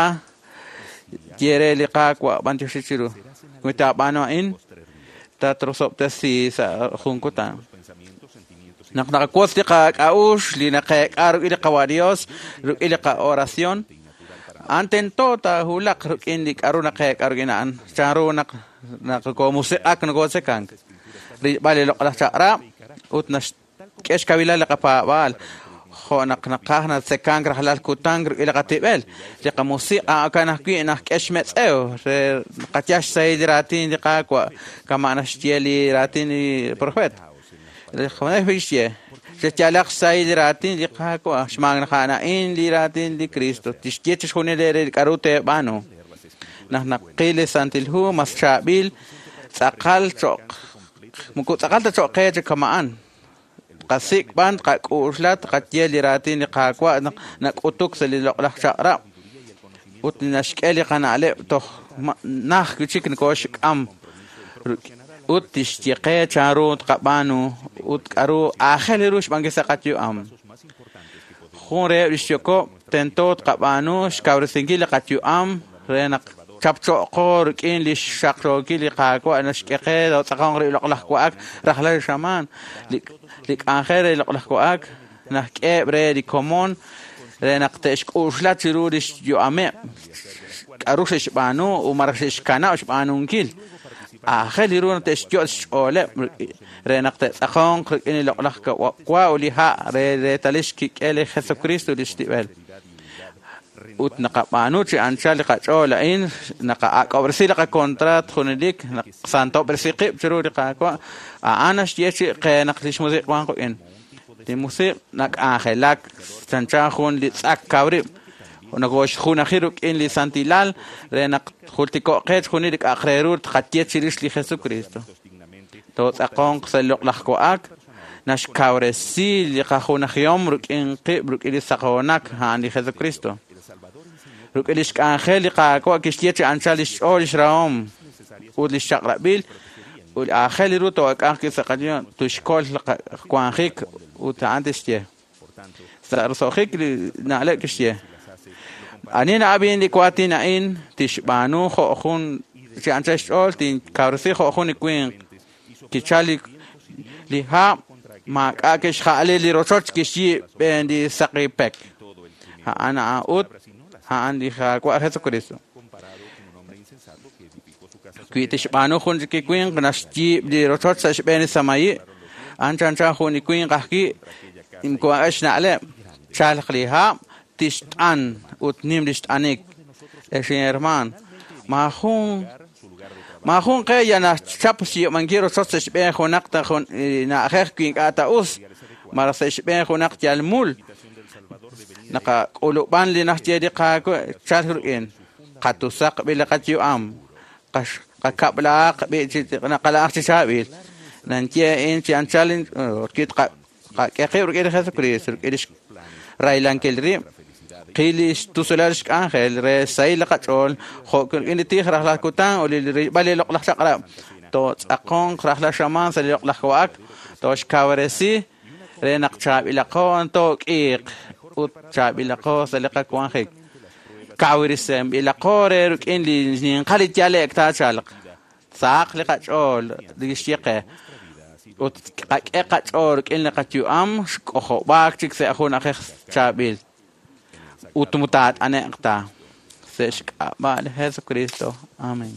ye re li Qaawa' b'antioxi chiru. Wi taab'aanu a'in tatrosob'tesi sa' jun kutan. Naq naqawotz li qak'a'ux li naqeek'a rik'in li Qawa' Dios rik'in li qa'oración a'an tento taahulaq rik'in li k'a'ru naqeek'a rik'in a'an chanru naq naqomusiq'ak nokotzekank rilb'al li loq'laj chaq'rab' ut naxk'e xkawilal li qapaab'aal jo' naq naqaj natzekank rajlal kutan rik'in li qatib'el li qamusiq' a'an ajwi' naqk'e xmetz'ew re qayal xsahil li raatin li Qaawa' kama' naxye li raatin li profeet. Li Juan kixye xyalaq xsahil li raatin li Qaawa' xmaak naq a'an a'in li raatin li Cristo tixye chixjunil re li k'a'ru teeb'aanu. Naq naqil li Santil Hu mas chaab'il tz'aqal cho'q moko tz'aqal ta cho'q qe chi kama'an. Qasik' b'an qak'uxla tqaye li raatin li Qaawa' naq nak'utuk sa' li loq'laj chaq'rab' ut naxk'e li qana'leb' toj naj chik nokooxk'am ut tixye qe chanru tqab'aanu ut k'a'ru aajel ru xb'aankil sa' qayu'am. Jun reheb' li xyokob' tento tqab'aanu xkawresinkil li qayu'am re naq chapcho'qo rik'in li xxaqxookil li Qaawa' naxk'e qe tz'aqonq ri loq'laj wa'ak rajlal xamaan li k'anjel re loq'laj wa'ak naxk'eheb' re li komon re naq te'xk'uxla chiru li xyu'ameb' k'a'ru xe'xb'aanu u malaj xe'xkanab' xb'aanunkil. Aajel li ru naq te'xyo' xch'ooleb' re naq te'tz'aqonq rik'in li loq'laj wa ut li ha' re reetalil xkik'el li Jesucristo li xtib'el. Ut naqab'aanu chi anchal li qach'ool a'in naqa'ak'ob'resi li qakontraat junelik naqsantob'resi qib' chiru li Qaawa' a'an naxye chi qe naq li xmusiq' wan qik'in. Li musiq' nak'anjelak chanchan jun li tz'ak kaw rib' nokoxjunaji rik'in li santilal re naq jultiko'q qe chixjunil li k'a'aq re ru tqaye chirix li Jesucristo. Tootz'aqonq sa' li loq'laj wa'ak naxkawresi li qajunajihom rik'in qib' rik'in li saqoonak a'an li Jesucristo. Rik'in li xk'anjel li Qaawa' kixye chi anchal li xch'ool li xrahom ut li xchaq'rab'il ut aajel li ru took'anq sa' qayu'am tuxkol wanjik ut a'an tixye. Sa' roso'jik li na'leb' kixye ani na'ab'in li waatin a'in tixb'aanu jo' jun chi anchal xch'ool tinkawresi jo' jun li winq kichal li hab' maak'a' kixja'ali li rochoch kixyiib' b'een li saqi pek. A'an a'an ut a'an li Qaawa' Jesucristo. Wi tixb'aanu jun chik li winq naxyiib' li rochoch sa' xb'een li samayi' a'an chanchan jun li winq ajwi' moko xna'leb' chalq li hab' tixt'an ut nim li xt'anik. Ex hermaan maajun qe ya naxchap xyiib'ankil rochoch sa' xb'een junaq ta jun na'ajej wi ink'a' ta us malaj sa' xb'een junaq yal mul. Naqak'ulub'an li naxye li Qaawa' chalk rik'in qatusaq b'i li qayu'am qakab'laaq b'i chi naqala'aq chi chaab'il. Nanye a'in chi anchal qak'e qib' rik'in li Jesucristo rik'in li raylankil rib' qil li xtusulal xk'anjel re xsahil li qach'ool jo' rik'in li tij rajlal kutan ut li rilb'al li loq'laj chaq'rab' tootz'aqonq rajlal xamaan sa' li loq'laj wa'ak tooxkawresi re naq chaab'ilaqo took'iiq ut chaab'ilaqo sa' li qawanjik. Kawresinb'ilaqo re rik'in li ninqal li yale'k taachalq sahaq li qach'ool li xye qe ut qak'e qach'ool rik'in li qayu'am xk'ojob'aak chik sa' jun na'ajej chaab'il ut mutaat'ane'q ta. Sa' xk'ab'a' li Jesucristo. Amén.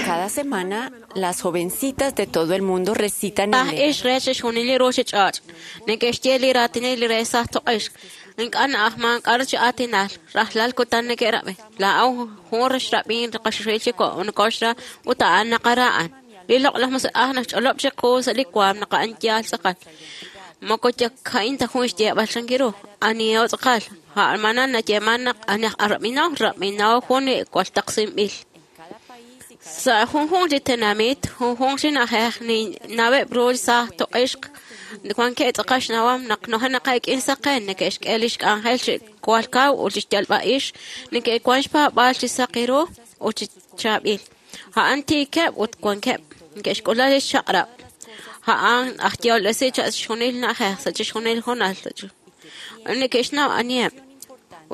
Cada semana, las jovencitas de todo el mundo recitan Ah, el ix re chixjunil li ruuchich'och'. Neke'xye li raatinil li re saj toq'ix. Ink'a' na'ajman k'aru chi aatinal. Rajlal kutan neke'rab'i. Laa'aw jun rixrab'in qaxuxil chi nokoxra ut a'an naqara'an. Li loq'laj musiq'aj naxch'olob' chiqu sa' li waam naq a'an yaal tz'aqal. Moko yaka'in ta jun xyeeb'al chankiru. Aniho tz'aqal. A'manan nayeeman naq anaj arab'inaw rab'inaw jun li waltaqsinb'il. Sa' junjunq li tenamit, junjunq chi na'ajej ninnaweb' ru saj toq'ixq wankeb' tz'aqal xnawam naq nojenaqak'in saqen neke'xk'e lix k'anjel chi kwal kaw ut lix yalb'a'ix neke'wan xpaab'aal chi saqi ru ut chi chaab'il. A'an tiikeb' ut wankeb' neke'xk'ula lix chaq'rab'. A'an aj yolb'esi sa' chixjunil na'ajej sa' chixjunil hoonal neke'xnaw aniheb'.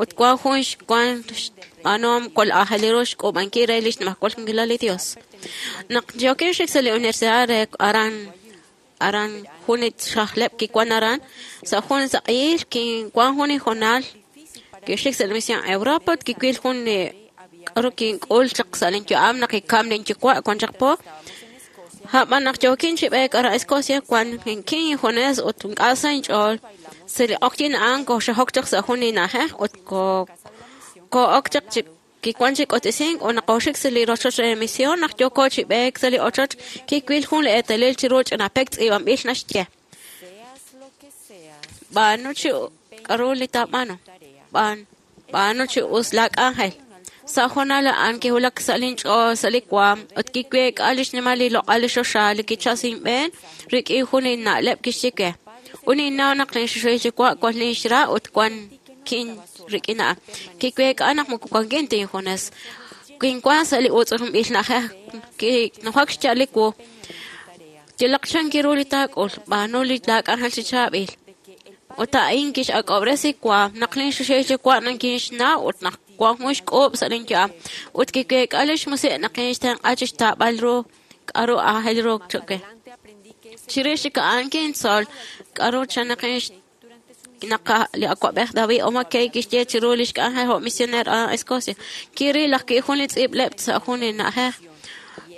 Ut wan jun xwan xb'aanuhom kwal aajel ru xk'uub'ankil re lix nimajwal li Dios. Naq yookin xik sa' li universidad re aran aran jun li xajleb' kiwan aran sa' jun saq'iil kinwan jun li hoonal kixik sa' li misión Europa ut kiwil jun li k'aru kink'ul chaq sa' linyu'am naq kikam linyuwa' wan chaq po. A'b'an naq yookin chi b'eek aran Escocia wan kin injunes ut ink'a' sa inch'ool sa' li q'oqyin a'an kooxajok chaq sa' jun li na'ajej ut koo'ok chaq chi kiwan chi k'otisink ut naq kooxik sa' li rochoch re misión naq yooko chi b'eek sa' li ochoch kiwil jun li eetalil chiru ch'ina pek tz'iib'anb'il naxye. B'aanu chi k'aru li taab'aanu. B'aanu chi us laak'anjel. Sa' hoonal a'an kiwulak sa' linch'ool sa' li waam ut kiweek'a li xnimal li loq'al li xoxa li kichal inb'een rik'in jun li na'leb' kixye we. Ut ninnaw naq linxuxuhil yuwa' wan linxra ut wan kin rik'in a'an. Kiweek'a naq moko wankin ta injunes. Kinwan sa' li utz'umb'il na'ajej kinujak xcha'al li wu. Yalaq chan kiru li taak'ul b'aanu li laak'anjel chi chaab'il. Ut a'in kix'ak'ob'resi waam naq linxuxuhil yuwa' nakinxnaw ut naq wan jun xk'uub' sa' linyu'am. Ut kiweek'a lix musiq' naq kinxtenq'a chixtaab'al ru k'aru aajel ru cho'q we. Chirix chik a'an kintzol k'aru chan naq naq li awa'b'ej David O. McKay kixye chiru lix k'anjel jo' misioneer aran Escocia. Kiril ajwi' jun li tz'iib'leb' sa' jun li na'ajej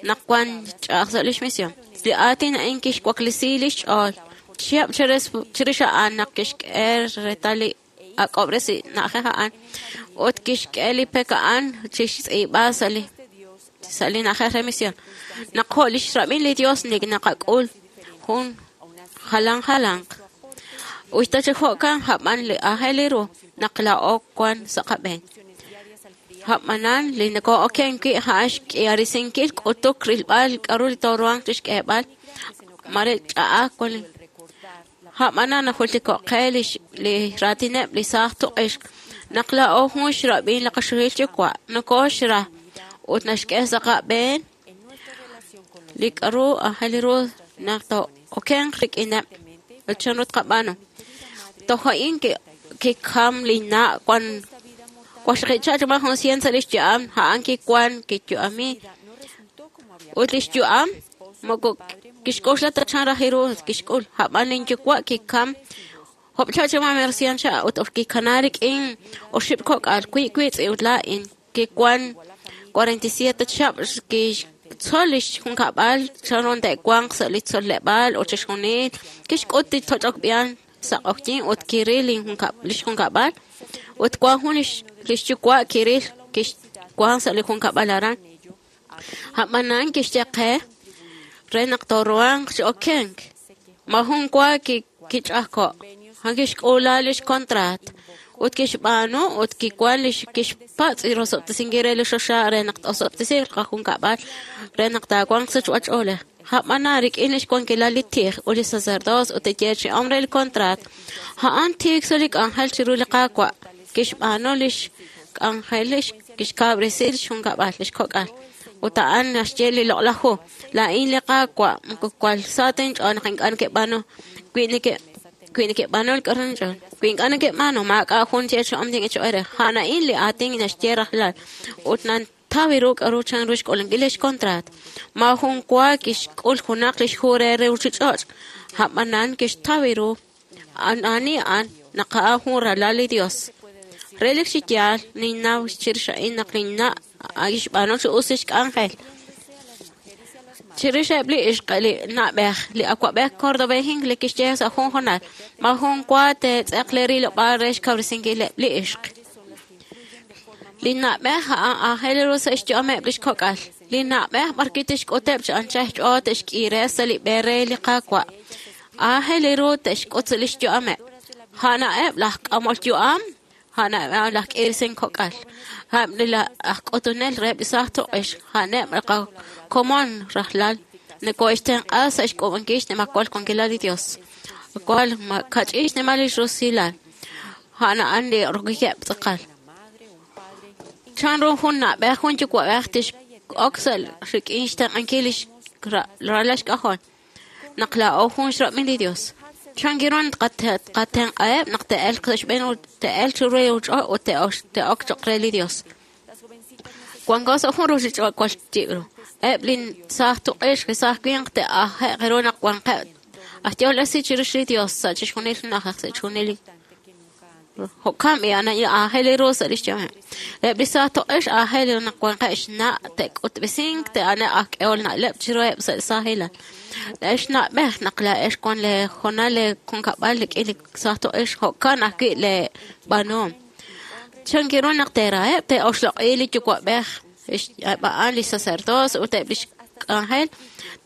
naq wan ch'a'aj sa' lix misión. Li aatin a'in kixwaklesi lix ch'ool. Chihab' chirix a'an naq kixk'e reetal li ak'ob'resi na'ajej a'an ut kixk'e li pek a'an chixtz'iib'a sa' li na'ajej re misión. Naq jo' lix rab'in li Dios naqak'ul jun jalan jalanq. Uxta chi jo'kan a'b'an li aajel ru naq laa'o wan sa' qab'een. A'b'anan li nokoo'oken wi' a'an xk'iharisinkil k'utuk rilb'al k'aru li tooruhanq chixk'eeb'al mare ch'a'aj wan. A'b'anan najultiko'q qe li raatineb' li saaj tuq'ixq naq laa'o jun xrab'in li qaxuhil yuwa' nokooxra ut naxk'e sa' qab'een li k'aru aajel ru naq too'okenq rik'ineb' ut chanru tqab'aanu. Toj a'in kikam linna' wan waxaqicha' chuma jun cien sa' lix yu'am a'an kiwan kiyu'ami ut lix yu'am moko kixk'oxla ta chan raj ru kixk'ul a'b'an linyuwa' kikam job'cha' chuma mer cien cha' ut kikana rik'in oxib' kok'al wii' wiitz'in ut laa'in kiwan 47 chihab' kixtzol lix junkab'al chanru te'wanq sa' li tzoleb'aal ut chixjunil kixk'ut li toch'ok b'ihan sa' q'oqyin ut kiril lix junkab'al ut wan jun lix yuwa' kiril kixwan sa' li junkab'al aran. A'b'anan kixye qe re naq tooruhanq chi okenk. Majun wa kich'ajko'. A'an kixk'uula lix contraat ut kixb'aanu ut kiwan lix kixpatz' rosob'tesinkil re li xoxa re naq t'osob'tesiiq qajunkab'al re naq taawanq sa' ch'oolej. A'b'anan rik'in lix wankilal li tij ut li sacerdocio ut li yeechi'om re li contraat. A'an tiik sa' li k'anjel chiru li Qaawa' kixb'aanu lix k'anjel kixkab'resi lix junkab'al lix kok'al. Ut a'an naxye li loq'laj hu. Laa'in li Qaawa' moko kwal sa ta inch'ool naq ink'a' neke'b'aanu wi neke'b'aanu li k'aru inch'ool. Wi ink'a' neke'b'aanu maak'a' jun yeechi'om tin'echo'ere. A'an a'in li aatin naxye rajlal ut Kixtaw ru k'aru chanru xk'uulankil lix kontraat. Maajun wa kixk'ul junaq lix hu re ruuchich'och', a'b'anan kixtaw ru ani a'an naq a'an jun ralal li Dios. Relik chi yaal ninnaw chirix a'in naq linna' kixb'aanu chi us lix k'anjel. Chirix eb' li ixq li na'b'ej, li awa'b'ej Córdoba Hinckley kixye sa' jun hoonal, maajun wa teetz'eq lee rilob'aal re xkawresinkileb' li ixq. Li na'b'ej a'an aajel ru sa' xyu'ameb' lix kok'al. Li na'b'ej b'arwi' tixk'uteb' chi anchal xch'ool te'xk'iire sa' li b'e re li Qaawa'. Aajel ru te'xk'ut sa' lix yu'ameb'. A'aneb' laj k'amol yu'am, a'aneb' laj k'iirisin kok'al, a'aneb' laj k'utunel reheb' li saaj tuq'ix, a'aneb' li qakomon rajlal nokohe'xtenq'a sa' xk'uub'ankil xnimajwal wankilal li Dios. Wal kach'in xnimal lix rusilal, a'an a'an li rokikeb' tz'aqal. Chanru jun na'b'ej jun yuwa'b'ej tix'ok sa' rik'in xtenq'ankil lix ralal xk'ajol naq laa'o jun xrab'in li Dios. Chankiru tqatenq'aheb' naq te'elq sa' xb'een te'elq chiru li ruuchich'och' ut te'ok cho'q re li Dios. Wanko sa' jun ruuchich'och' jwal yib' ru. Eb' li saaj tuq'ix li saaj winq te'aje'q ru naq wanqeb' aj yehol esil chirix li Dios sa' chixjunil li na'ajej sa' chixjunil li jo'kan b'i' aajel ru sa' lix yu'ameb'. Eb' li saaj tuq'ix aajel ru naq wanqeb' xna' te'k'utb'esink te'ane' aj k'ehol na'leb' chiruheb' sa' saajilal. Ex na'b'ej naq laa'ex wan lee hoonal lee junkab'al rik'in li saaj tuq'ix jo'kan ajwi' lee b'aanuhom. Chankiru naq teeraheb' te'oxloq'i li yuwa'b'ej eb' a'an li sacerdocio ut eb' lix k'anjel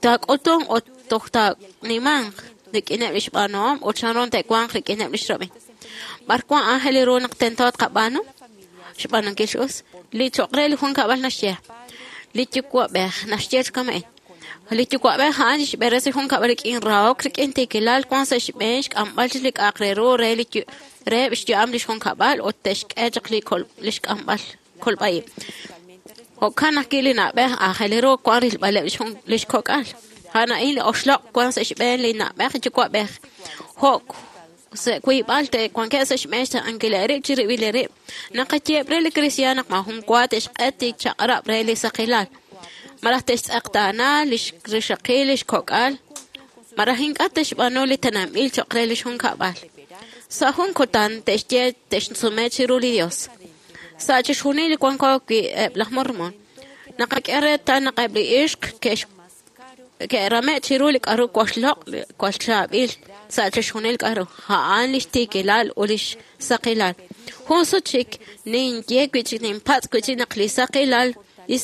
taak'utunq ut toj taanimanq rik'ineb' lix b'aanuhom ut chanru te'wanq rik'ineb' lix rab'in. B'ar wan aajel ru naq tento tqab'aanu? Xb'aanunkil chi us. Li cho'q re li junkab'al naxye. Li yuwa'b'ej naxye chi kama'in. Li yuwa'b'ej a'an xb'eresi junkab'al rik'in rahok, rik'in tiikilal, wan sa' xb'een xk'amb'al li k'a'aq re ru re li reheb' xyu'am lix junkab'al ut te'xk'e chaq li xk'amb'al kolb'a'ib'. Jo'kan ajwi' li na'b'ej aajel ru wan rilb'aleb' lix kok'al. A'an a'in li oxloq' wan sa' xb'een li na'b'ej yuwa'b'ej. Jo' sa' wiib'al te'wankeb' sa' xb'een xtenq'ankil eerib' chirib'il eerib'. Naqayeeb' re li kristiaan naq maajun wa te'xq'et li chaq'rab' re li saqilal. Malaj te'xtz'eqtaana lix rixaqil lix kok'al. Malaj ink'a' te'xb'aanu li tenamb'il cho'q re lix junkab'al. Sa' jun kutan te'xye te'xsume chiru li Dios. Sa' chixjunil li wanko wi' eb' laj Mormon. Naqak'e reetal naq eb' li ixq ke'rame' chiru li k'aru waxloq' wal chaab'il sa' chixjunil k'aru. A'an lix tiikilal ut lix saqilal. Jun sut chik ninye wi' ninpatz' wi' chik naq li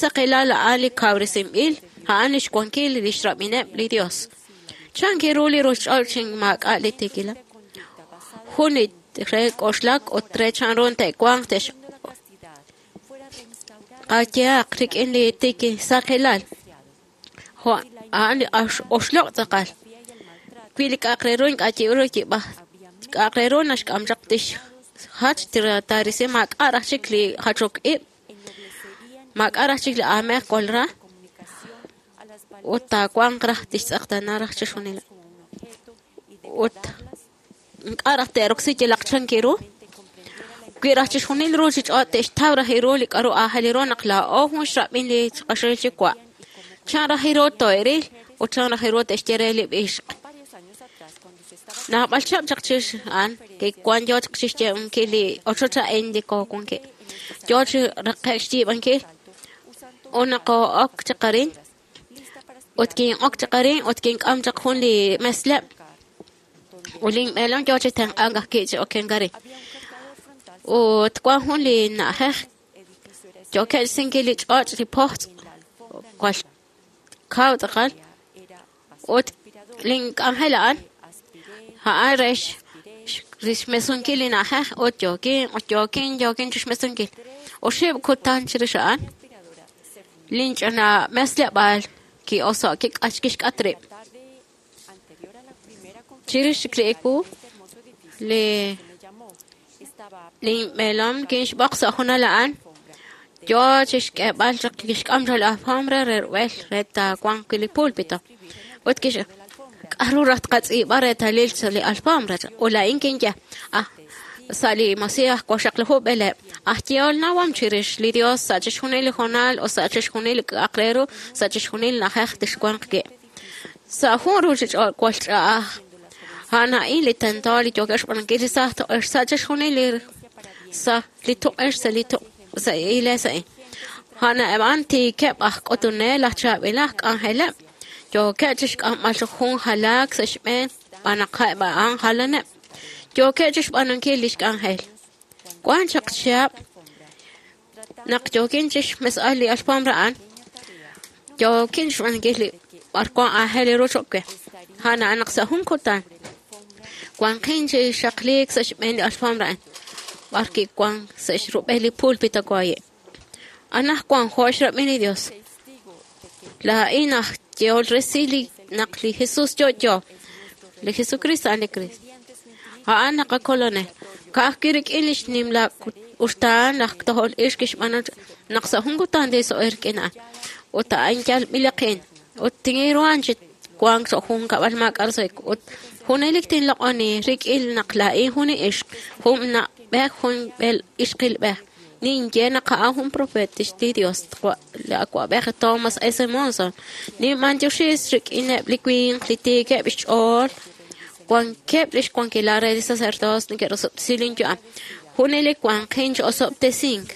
saqilal a'an li kawresinb'il, a'an lix wankil lix rab'ineb' li Dios. Chankiru li ruuchich'och' chi maak'a' li tiikilal. Jun li re k'oxlak ut re chanru te'wanq te'x qayehaq rik'in li tiki saqilal. Jo' a'an li oxloq' tz'aqal. Wi li k'a'aq re ru ink'a' yib' ru yib'aj. K'a'aq re ru naxk'am chaq tixjach taarisi maak'a' raj chik li jachok ib'. Maak'a' raj chik li aamej wal ra. Ut taawanq raj tixtz'eqtaana raj chixjunil. Ut ink'a' raj te'roksi yalaq chankiru. Wi raj chixjunil ruuchich'och' te'xtaw raj ru li k'aru aajel ru naq laa'o jun xrab'in li qaxol yuwa'. Chan raj ru to'eril ut chan raj ru te'xye re li ixq. Naab'al chab' chaq chix a'an kiwan yo chaq chixye'unkil li ochoch a'in li koowankil. Yo chi raqe'k xyiib'ankil ut naqoo'ok chaq arin ut kin'ok chaq arin ut kink'am chaq jun li mesleb' ut linb'eelom yo chi tenq'ank ajwi' chi okenk arin. Ut wan jun li na'ajej yookeb' xsinkil li ch'och' li pojtz' wal kaw tz'aqal ut link'anjel a'an a'an re xmesunkil li na'ajej ut yookin chixmesunkil. Oxib' kutan chirix a'an linch'ina mesleb'aal ki'oso' kixk'at rib'. Chirix chik li ewu li linb'eelom kinxb'oq sa' junal a'an yo chixk'eeb'al chaq kixk'am chaq li alfombra re rub'el re taawanq wi' li púlpito. Ut k'aru raj tqatz'iib'a reetalil sa' li alfombra ut laa'in kinye ah Sa' li Mosiah waqxaqlaju b'eleb', aj yehol nawom chirix li Dios sa' chixjunil li hoonal ut sa' chixjunil li k'a'aq re ru sa' chixjunil na'ajej tixwanq wi'. Sa' jun ruuchich'och' jwal ch'a'aj, a'an a'in li tento li yookeb' xb'aanunkil li saaj tuq'ix sa' chixjunil li sa' li tuq'ix sa' li sa' iglees a'in. A'an eb' a'an tiikeb' aj k'utunel aj chaab'il aj k'anjeleb', yookeb' chixk'amb'al jun jalaak sa' xb'een xb'aan naq eb' a'an jalaneb'. Yookeb' chixb'aanunkil lix k'anjel. Wan chaq chihab' naq yookin chixmesb'al li alfombra a'an, yookin xb'aanunkil li b'arwan aajel ru choq' we. A'an a'an naq sa' jun kutan wanqin chi xaqliik sa' xb'een li alfombra a'an, b'ar kiwan sa' xrub'el li púlpito waye'. Anajwan jo' xrab'in li Dios. Laa'in aj yehol resil li naq li Jesus yo'yo, li Jesucristo a'an li Cristo. A'an naqakolonel. Ka'ajwi' rik'in lix nimla uxtaan laj tojol ix kixb'aanu naq sa' jun kutan tinso'e rik'in a'an. Ut a'an yalb'ilaqin. Ut tinruhan chi wank sa' jun kab'al maak'a' roso'jik. Ut junelik tinloq'oni rik'in naq laa'in jun li ixq, jun na'b'ej, jun b'el ixqilb'ej. Ninye naq a'an jun profeet li Dios, li awa'b'ej Thomas S. Monson. Ninb'antioxis rik'ineb' li winq li tiikeb' xch'ool, wankeb' lix wankilal re li sacerdocio neke'rosob'tesi lin yu'am. Junelik wanqin chi osob'tesink.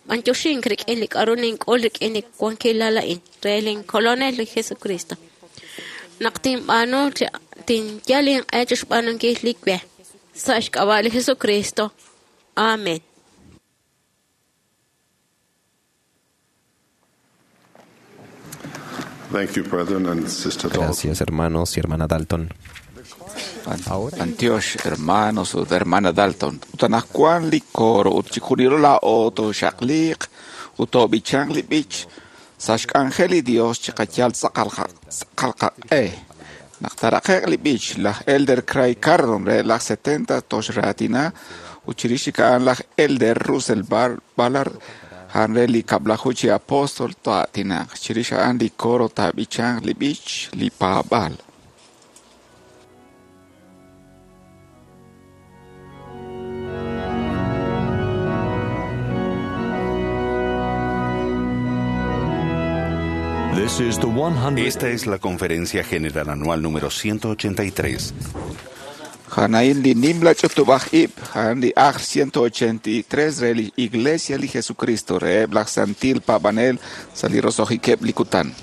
B'antioxink rik'in li k'a'ru nink'ul rik'in li wankilal a'in re lin kolonel li Jesucristo. Naq tinb'aanu tinyal inq'e chixb'aanunkil li we. Sa' xk'ab'a' li Jesucristo. Amen. Thank you, brethren and Sister Dalton. Gracias, hermanos y hermana Dalton. Antioch, hermanos ut hermana Dalton. Ut anaqwan li coro ut chixjunilo laa'o tooxaqliiq ut toob'ichanq li b'ich sa' xk'anjel li Dios chiqayal tz'aqal qaq'e. Naq taraqe'q li b'ich, laj Elder Craig Cardon re laj 70 toxraatina ut chirix chik a'an laj Elder Russell Ballard a'an re li kab'laju chi apóstol to'aatinaq. Chirix a'an li coro taab'ichanq li b'ich li paab'aal. Esta es la Conferencia General Anual número 183. Janain li nimla ch'utub'aj ib', a'an li ajl 183 re li Iglesia li Jesucristo reheb' laj Santil Paab'anel sa' li roso'jikeb' li kutan.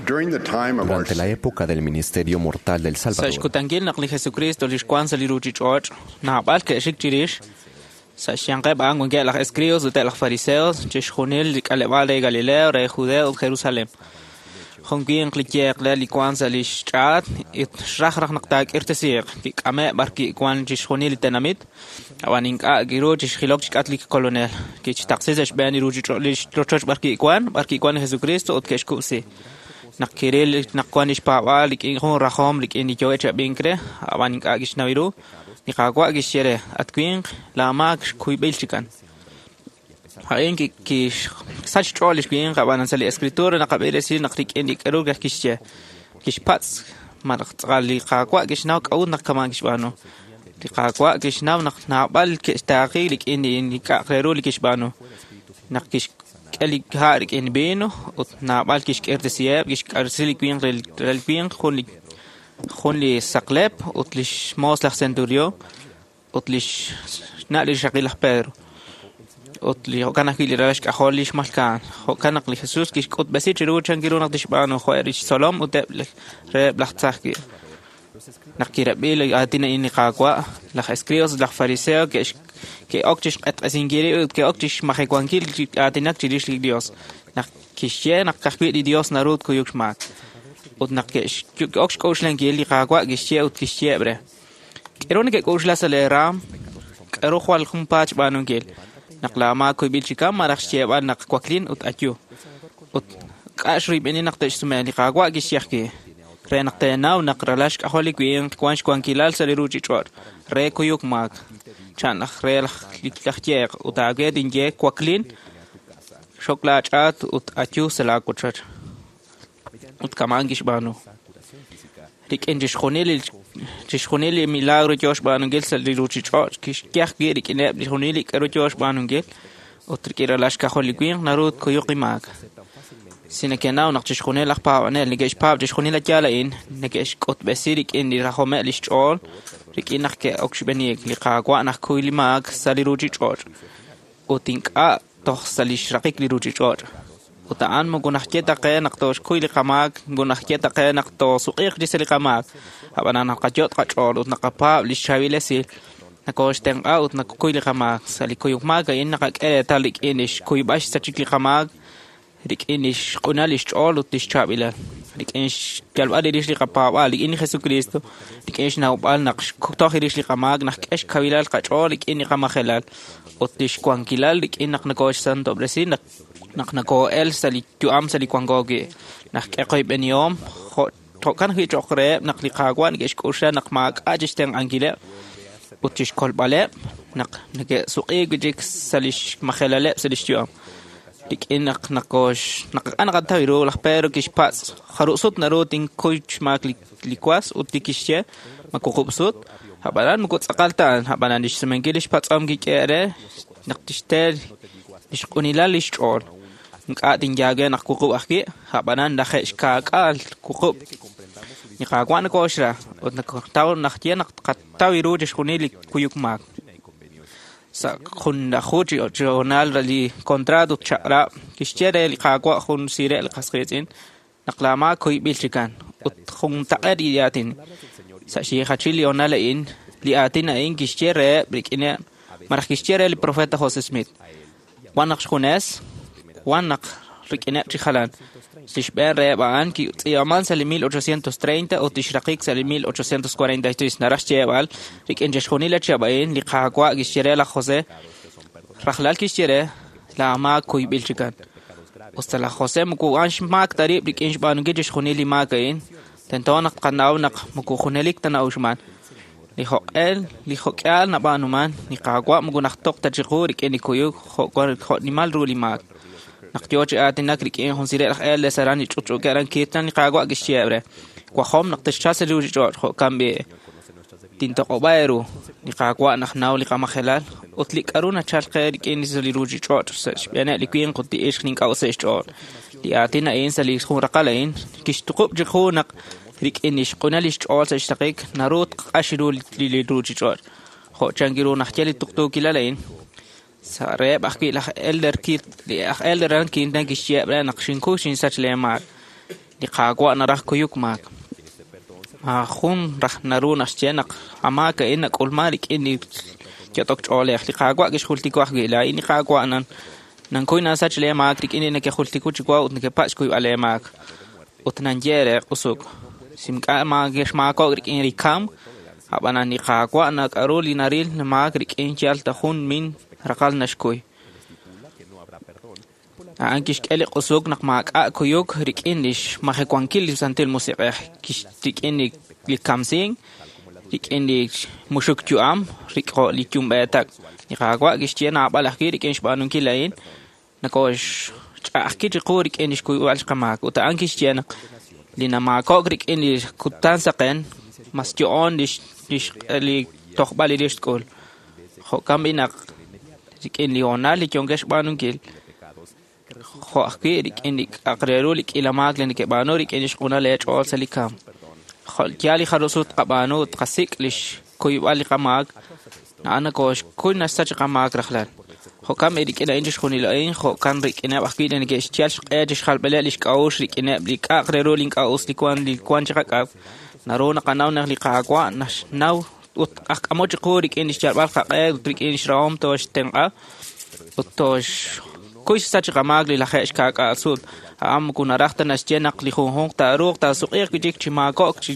Durante la época del ministerio mortal del Sa' Salvador, xkutankil naq li Jesucristo li xwank sa' li ruuchich'och', naab'al ke'xik chirix, sa' xyanqeb' a'an wankeb' laj escribas ut eb' laj fariseos, chixjunil li k'aleb'aal re Galileo, re Judeo ut Jerusalem. Jun winq li yeeq le li wank sa' li xch'aat ut xraj raj naq taak'irtesiiq, kik'ame' b'ar kiwank chixjunil li tenamit, ab'an ink'a' kiru chixjilok chixk'atq li Kolonel. Kixtaqsi sa' xb'een li ruuchich'och' li rochoch b'ar kiwank li Jesucristo ut ke'xkub'si. Naq kiril naq wank lix paab'aal rik'in jun rajom rik'in li yo'e chi ab'ink re, ab'an ink'a' kixnaw ru, li Qaawa' kixye re: At winq, laa maak xkuyb'il chikan. A'in kixsach xch'ool li winq, ab'an sa' li Escritura naqab'i resil naq rik'in li k'aru kixye, kixpatz' malaj tz'aqal li Qaawa' kixnaw k'a'ut naq kama'an kixb'aanu. Li Qaawa' kixnaw naq naab'al ke'xtaaqi rik'in li k'a'aq re ru li kixb'aanu. Naq kixk'e li ha' rik'in vino ut naab'al kixk'irtesiheb', kixk'arsi li winq re li winq jun li saqlep ut li xmoos laj centurión ut li xna' li rixaqil laj Pedro. Ut li jo'kan ajwi' li ralal xk'ajol li xmalka'an. Jo'kan naq li Jesús kixk'utb'esi chiru chan kiru naq tixb'aanu jo' eb' lix tzolom ut eb' reheb' laj tzaj wi'. Naq kirab'i li aatin a'in li Qaawa', laj escribas ut laj fariseo ke'ok chixq'etq'esinkil rib' ut ke'ok chixmajewankil chi aatinak chirix li Dios. Naq kixye naq ka'ajwi' li Dios naru tkuyuk xmaak. Ut naq ke'ok xk'oxlankil li Qaawa' kixye ut kixyeeb' re: K'aru neke'k'oxla sa' lee raam? K'aru jwal junpaat xb'aanunkil? Naq laa maak kuyb'il chikan malaj xyeeb'al naq waklin ut ayu. Ut k'a' xruyb'eni naq te'xsume li Qaawa' kixye ajwi' re naq teenaw naq ralal xk'ajol li winq wank xwankilal sa' li ruuchich'och' re kuyuk maak. Chan laj re laj yeeq ut aawe tinye waklin, xok laach'aat ut ayu sa' laawochoch. Ut kama'an kixb'aanu. Rik'in chixjunil li milagro yoo xb'aanunkil sa' li ruuchich'och' kixye ajwi' rik'ineb' chixjunil li k'aru yoo xb'aanunkil ut rik'in ralal xk'ajol li winq naru tkuyuq li maak. Si nekenaw naq chixjunil laj paab'anel neke'xpaab' chixjunil li yaal a'in, neke'xk'utb'esi rik'in li rajomeb' lix ch'ool, rik'in naq ke'ok xb'eniik li Qaawa' naq kuy li maak sa' li ruuchich'och' ut ink'a' toj sa' li xraqik li ruuchich'och'. Ut a'an moko naxye ta qe naq tooxkuy li qamaak, moko naxye ta qe naq toosuq'iiq chi sa' li qamaak. Ab'an naqayot' qach'ool ut naqapaab' li xchaab'il esil, nakooxtenq'a ut nakuy li qamaak. Sa' li kuyuk maak a'in naqak'e reetal rik'in li xkuyb'al xsachik li qamaak, rik'in li xq'unal li xch'ool ut li xchaab'ilal, rik'in xyalb'al rix li qapaab'aal rik'in li Jesucristo, rik'in xnawb'al naq xtoj rix li qamaak, naq k'e xkawilal qach'ool rik'in li qamajelal ut li xwankilal rik'in naq nakooxsantob'resi naq nakoo'el sa' li yu'am sa' li wanko wi', naq k'e qoyb'enihom jo'kan ajwi' cho'q reheb' naq li Qaawa' neke'xk'oxla naq maak'a' chixtenq'ankileb' ut chixkolb'aleb' naq neke'suq'iik wi' chik sa' li xmajelaleb' sa' li xyu'am. Rik'in naq naqataw ru laj Pedro kixpatz' jarub' sut naru tinkuy xmaak li was ut li kixye ma wuqub' sut, ab'anan moko tz'aqal ta a'an, ab'anan li xsumenkil li xpatz'om kik'e re naq tixte li xq'unilal li xch'ool. Ink'a' tinyaage naq wuqub' ajwi', ab'anan laje'xkaak'aal wuqub'. Li Qaawa' nakooxra ut nakataw naxye naq tqataw ru chixjunil li kuyuk maak. Sa' junlaju chi hoonal li contrato ut chaq'rab' kixye re li Qaawa' jun sire' li qas qiitz'in naq laa maak kuyb'il chikan ut juntaq'eet li aatin. Sa' xyiijachil li hoonal a'in, li aatin a'in kixye reheb' rik'ineb' malaj kixye re li profeta José Smith. Wan naq xjunes, wan naq rik'ineb' chi jalan. Li xb'een reheb' a'an kitz'iib'aman sa' li 1830 ut tixraqik sa' li 1843. Naraj xyeeb'al rik'in chixjunil li chihab' a'in li Qaawa' kixye re laj José, rajlal kixye re laa maak kuyb'il chikan. Usta laj José moko wan xmaak ta rib' rik'in xb'aanunkil chixjunil li maak a'in, tento naq tqanaw naq moko junelik ta na'uxman. Li jo'q'el, li jo'k'ihal nab'aanuman, li Qaawa' moko najtoq ta chiqu rik'in li kuyuk jo' nimal ru li maak. Naq yoo chi aatinak rik'in jun sire' laj Elders aran li ch'utch'uukeb' aran Kirtland, li Qaawa' kixyeeb' re: Wajom naq texchalq sa' li ruuchich'och' jo'kan b'i' tintoq'ob'a eeru. Li Qaawa' najnaw li qamajelal ut li k'aru nachalk qe rik'in li ruuchich'och' sa' xb'eeneb' li winq ut li ixq li ink'a' us sa' xch'ool. Li aatin a'in sa' li jun raqal a'in kixtuqub' chiqu naq rik'in li xq'unal li xch'ool sa' xraqik naru tq'ax ru li ruuchich'och'. Jo' chan ru naxye li tuqtuukilal a'in, sa' reheb' ajwi' laj Elder Kirtland kixyeeb' re naq xinkuy xinsach lee maak. Li Qaawa' naraj kuyuk maak. Maajun raj naru naxye naq amaak a'in nak'ulman rik'in li yot'ok ch'oolej. Li Qaawa' kixjultiko ajwi'. Laa'in li Qaawa' nankuy nasach lee maak rik'in li nekejultiku chiwa ut nekepatz' xkuyb'al lee maak. Ut nanye re q'usuk. Simk'a maakexmaakok' rik'in li kamk, ab'anan li Qaawa' nak'aru li naril maak rik'in yal ta jun min raqal naxkuy. A'an kixk'e li q'usuk naq maak'a' kuyuk rik'in li xmajewankil li Santil Musiq'ej, rik'in li kamsink, rik'in li muxuk yu'am, rik'o li yumb'eetak. Li Qaawa' kixye naab'al ajwi' rik'in xb'aanunkil a'in, nakoxch'a'ajki chiqu rik'in li xkuyb'al qamaak. Ut a'an kixye naq li namaakok' rik'in li kutan saqen, mas yo'on li tojb'al li rix tk'ul. Jo'kan b'i naq rik'in li hoonal li yonkex xb'aanunkil, jo' ajwi' rik'in li k'aq re ru li k'iila maak li nekeb'aanu rik'in li xq'unal eech'ool sa' li kamk. Jo' yaal li jarusut tqab'aanu ut tqasik' li xkuyb'al li qamaak, a'an nakoxkuy naxsach qamaak rajlal. Jo'kan b'i rik'in a'in chixjunil a'in, jo'kan rik'ineb' ajwi' li neke'xyal xq'e chixjalb'aleb' li xk'a'uxl rik'ineb' li k'aq re ru li ink'a' us li wan chiqak'ab'. Naru naqanaw naq li Qaawa' naxnaw ut ajk'amo chiqu rik'in li xyalb'al qaq'e ut rik'in xrahom tooxtenq'a ut tooxkuy xsach qamaak li laje' xka'k'aal sut. A'an moko naraj ta naxye naq li junjunq taaruuq taasuq'iiq wi' chik chi maakok' chi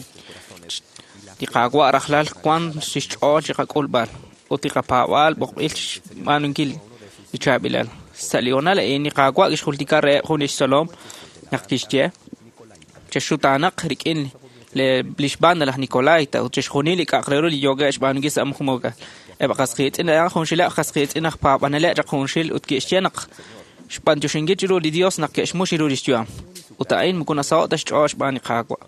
li Qaawa' rajlal wan xch'ool chiqak'ulb'al ut li qapaab'aal b'oqb'il xb'aanunkil li chaab'ilal. Sa' li hoonal a'in li Qaawa' kixjultika reheb' jun li xtzolom naq kixye chexxutaanaq rik'in li xb'aan laj Nicolaita ut chixjunil li k'aq re ru li yookeb' xb'aanunkil sa' muqmuka. Eb' qasqiitz'in a'an junxileb' qasqiitz'in aj paab'aneleb' chaq junxil ut kixye naq xb'antioxinkil chiru li Dios naq ke'xmux ru li xyu'am. Ut a'in moko nasaho' ta xch'ool xb'aan li Qaawa'.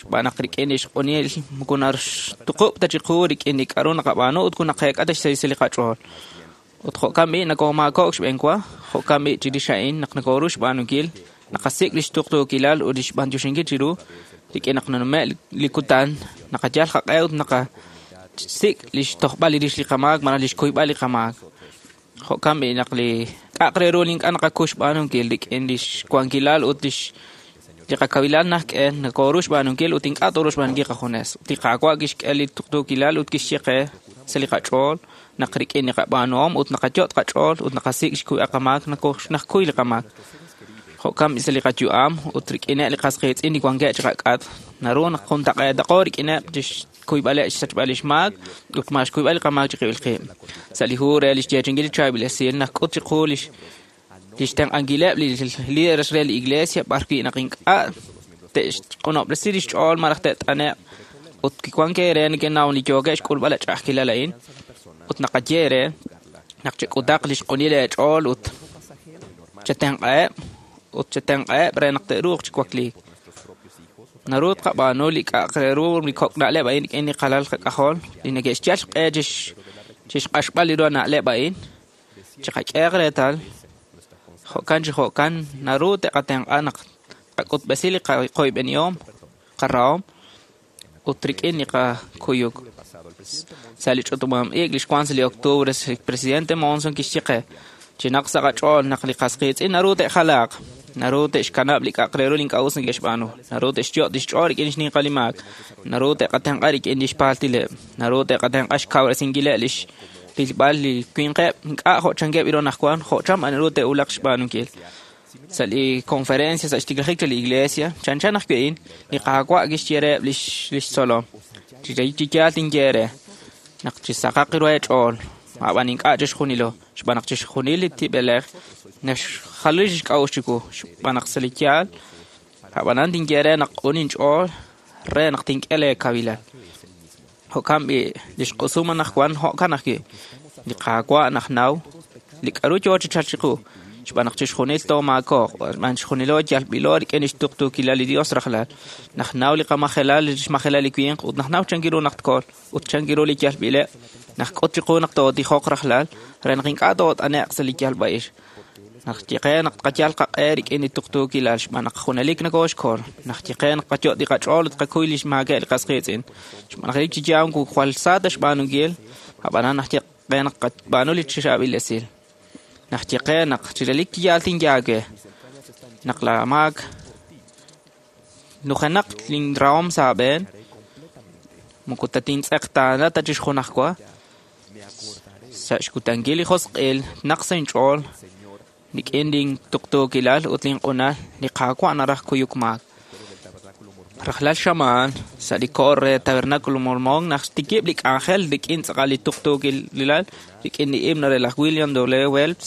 Xb'aan naq rik'in li xq'unil moko naxtuqub' ta chiqu rik'in li k'aru naqab'aanu ut kunaqeek'a ta xsahil li qach'ool. Ut jo'kan b'i nakomaakok' xb'eenwa, jo'kan b'i chirix a'in naq nakoru xb'aanunkil, naqasik' li xtuqtuukilal ut li xb'antioxinkil chiru rik'in naq nanume' li kutan, naqayal qaq'e ut naqasik' li xtojb'al li rix li qamaak malaj li xkuyb'al li qamaak. Jo'kan b'i naq li k'aq re ru li ink'a' naqakuy xb'aanunkil rik'in li xwankilal ut li qakawilal najk'e nakoru xb'aanunkil ut ink'a' toru xb'aanunkil qajunes. Ut li Qaawa' kixk'e li tuqtuukilal ut kixye qe sa' li qach'ool naq rik'in li qab'aanuhom ut naqayot' qach'ool ut naqasik' xkuyb'al qamaak najkuy li qamaak. Jo'kan b'i sa' li qayu'am ut rik'ineb' li qasqiitz'in li wankeb' chiqak'at. Naru naq juntaq'eetaqo rik'ineb' chixkuyb'aleb' xsachb'al li xmaak ut ma xkuyb'al li qamaak chiqib'il qib'. Sa' li hu re li xyeechinkil li chaab'il esil naqk'ut chiqu li xtenq'ankileb' li líderes re li iglesia b'ar wi' naq ink'a' te'xq'unob'resi li xch'ool malaj te't'ane'q ut kiwank eere neke'naw li yookeb' xk'ulb'al ch'a'ajkilal a'in ut naqaye eere naq chek'utaq li xq'unil eech'ool ut chetenq'aheb' re naq te'ruuq chi wakliik. Naru tqab'aanu li k'aq re ru li kok' na'leb' a'in rik'in li qalal qak'ajol li neke'xyal xq'e chixq'axb'al li ru na'leb' a'in chiqak'ehaq reetal jo'kan chi jo'kan naru te'qatenq'a naq qak'utb'esi li qoyb'enihom qarahom ut rik'in li qakuyuk. Sa' li ch'utumam-ik li xwan sa' li octubre, el presidente Monson kixye qe chinaq sa' qach'ool naq li qasqiitz'in naru te'jalaaq, naru te'xkanab' li k'aq re ru li ink'a' us neke'xb'aanu, naru te'xyot' li xch'ool rik'in xninqal li maak, naru te'qatenq'a rik'in li xpaaltileb', naru te'qatenq'a xkawresinkileb' li xrilb'al li winqeb' ink'a' jo' chankeb' iro najwan, jo' cham naru te'wulaq xb'aanunkil. Sa' li conferencia sa' xtiklajik li iglesia, chanchan ajwi' a'in, li Qaawa' kixye reheb' li xtzolom. Chi yaal tinye eere naq chisaqaq ru eech'ool, ab'an ink'a' chixjunilo, xb'aan naq chixjunil li tib'elej naxjalu li xk'a'uxl chiwu, xb'aan naq sa' li yaal, ab'anan tinye eere naq q'un inch'ool re naq tink'e leekawilal. Jo'kan b'i li xq'usum anaqwan jo'kan ajwi' li Qaawa' najnaw li k'aru yoo chi chalk chiqu, xb'aan naq chixjunil toomaakooq, xb'aan chixjunilo yalb'ilo rik'in li xtuqtuukilal li Dios rajlal. Najnaw li qamajelal, li xmajelal li winq ut najnaw chankiru naq tkool ut chankiru li yalb'ileb'. Naqk'ut chiqu naq tootijoq rajlal re naq ink'a' toot'ane'q sa' li yalb'a'ix. Naq yeqe naq tqayal qaq'e rik'in li tuqtuukilal xb'aan naq junelik nakooxkol. Naq yeqe naq qayot' li qach'ool ut qakuy li xmaakeb' li qasqiitz'in. Xb'aan naq chi yaal jwal sa ta xb'aanunkil, ab'anan naq yeqe naq qab'aanu li chaab'il esil. Naq yeqe naq chirelik yaal tinyaake naq la maak Nujenaq linrahom sa' aab'een. Moko tatintz'eqtaana ta chixjunajwa. Sa' xkutankil li josq'il naq sa' inch'ool rik'in lintuqtuukilal ut linq'unal li Qaawa' naraj kuyuk maak. Rajlal xamaan sa' li koor re Tabernáculo Mormón naq xtikib' li k'anjel rik'in tz'aqal li tuqtuukilal rik'in li himno re laj William W. Phelps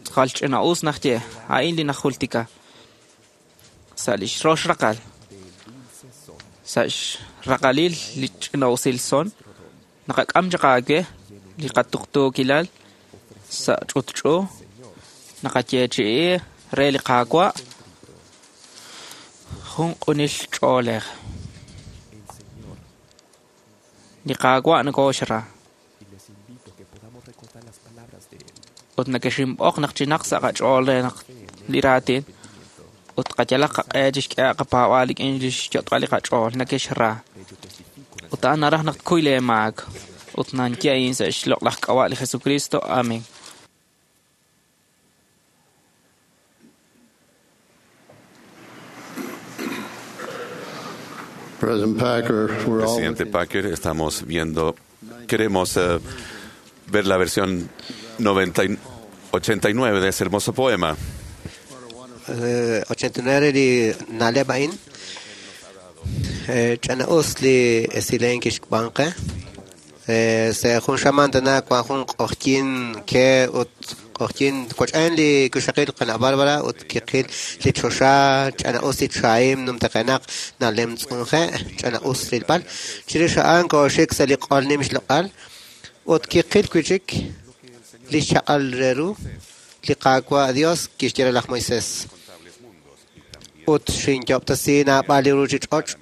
tz'aqal ch'ina'us naxye a'in li najultika sa' li xrox raqal sa' xraqalil li ch'ina'usil son naqak'am chaq aawe li qatuqtuukilal sa' ch'utch'u naqayeechi'i re li Qaawa' jun q'unil ch'oolej. Li Qaawa' nokooxra. Ut nakexinb'oq naq chinaq sa' qach'ool re naq li raatin ut qayalaq qaq'e chixk'ehaq qapaab'aal rik'in li xyot'b'al li qach'ool nakexra. Ut a'an naraj naq tkuy leemaak. Ut nanye a'in sa' xloq'laj k'ab'a' li Jesucristo. Amén. Presidente Packer, estamos viendo, queremos ver la versión 89 de ese hermoso poema. 89 li na'leb' a'in ch'ana'us li esilen kixb'anqe se jun xamaan tana wan jun q'oqyin ke ut q'oqyin wach'en li kuxaqil qana' Bárbara ut kiqil li choxa ch'ana'us li chaim numtaqenaq na'lem tz'unje ch'ana'us rilb'al chirix a'an kooxik sa' li q'ol nim xloq'al ut kiqil wi'chik li xchaq'al re ru li Qaawa' Dios kixye re laj Moisés ut xinyob'tasi naab'al li ruuchich'och'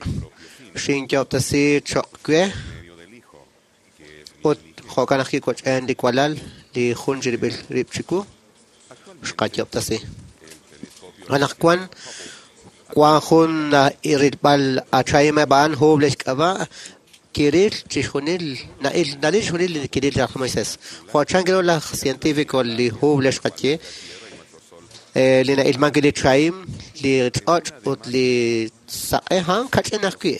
xinyob'tasi choq' we ut jo'kan ajwi' wach'en li walal li jun chirib'il rib' chiwu xqayob'tasi. Anaqwan wan jun rilb'al achaim a'an Hubble xk'ab'a' kiril chixjunil na'il nalil chixjunil li kiril laj Moisés. Jo' chan kiru laj científico li Hubble xqaye li na'ilman li chaim li ch'och' ut li saq'e a'an kach'in ajwi'.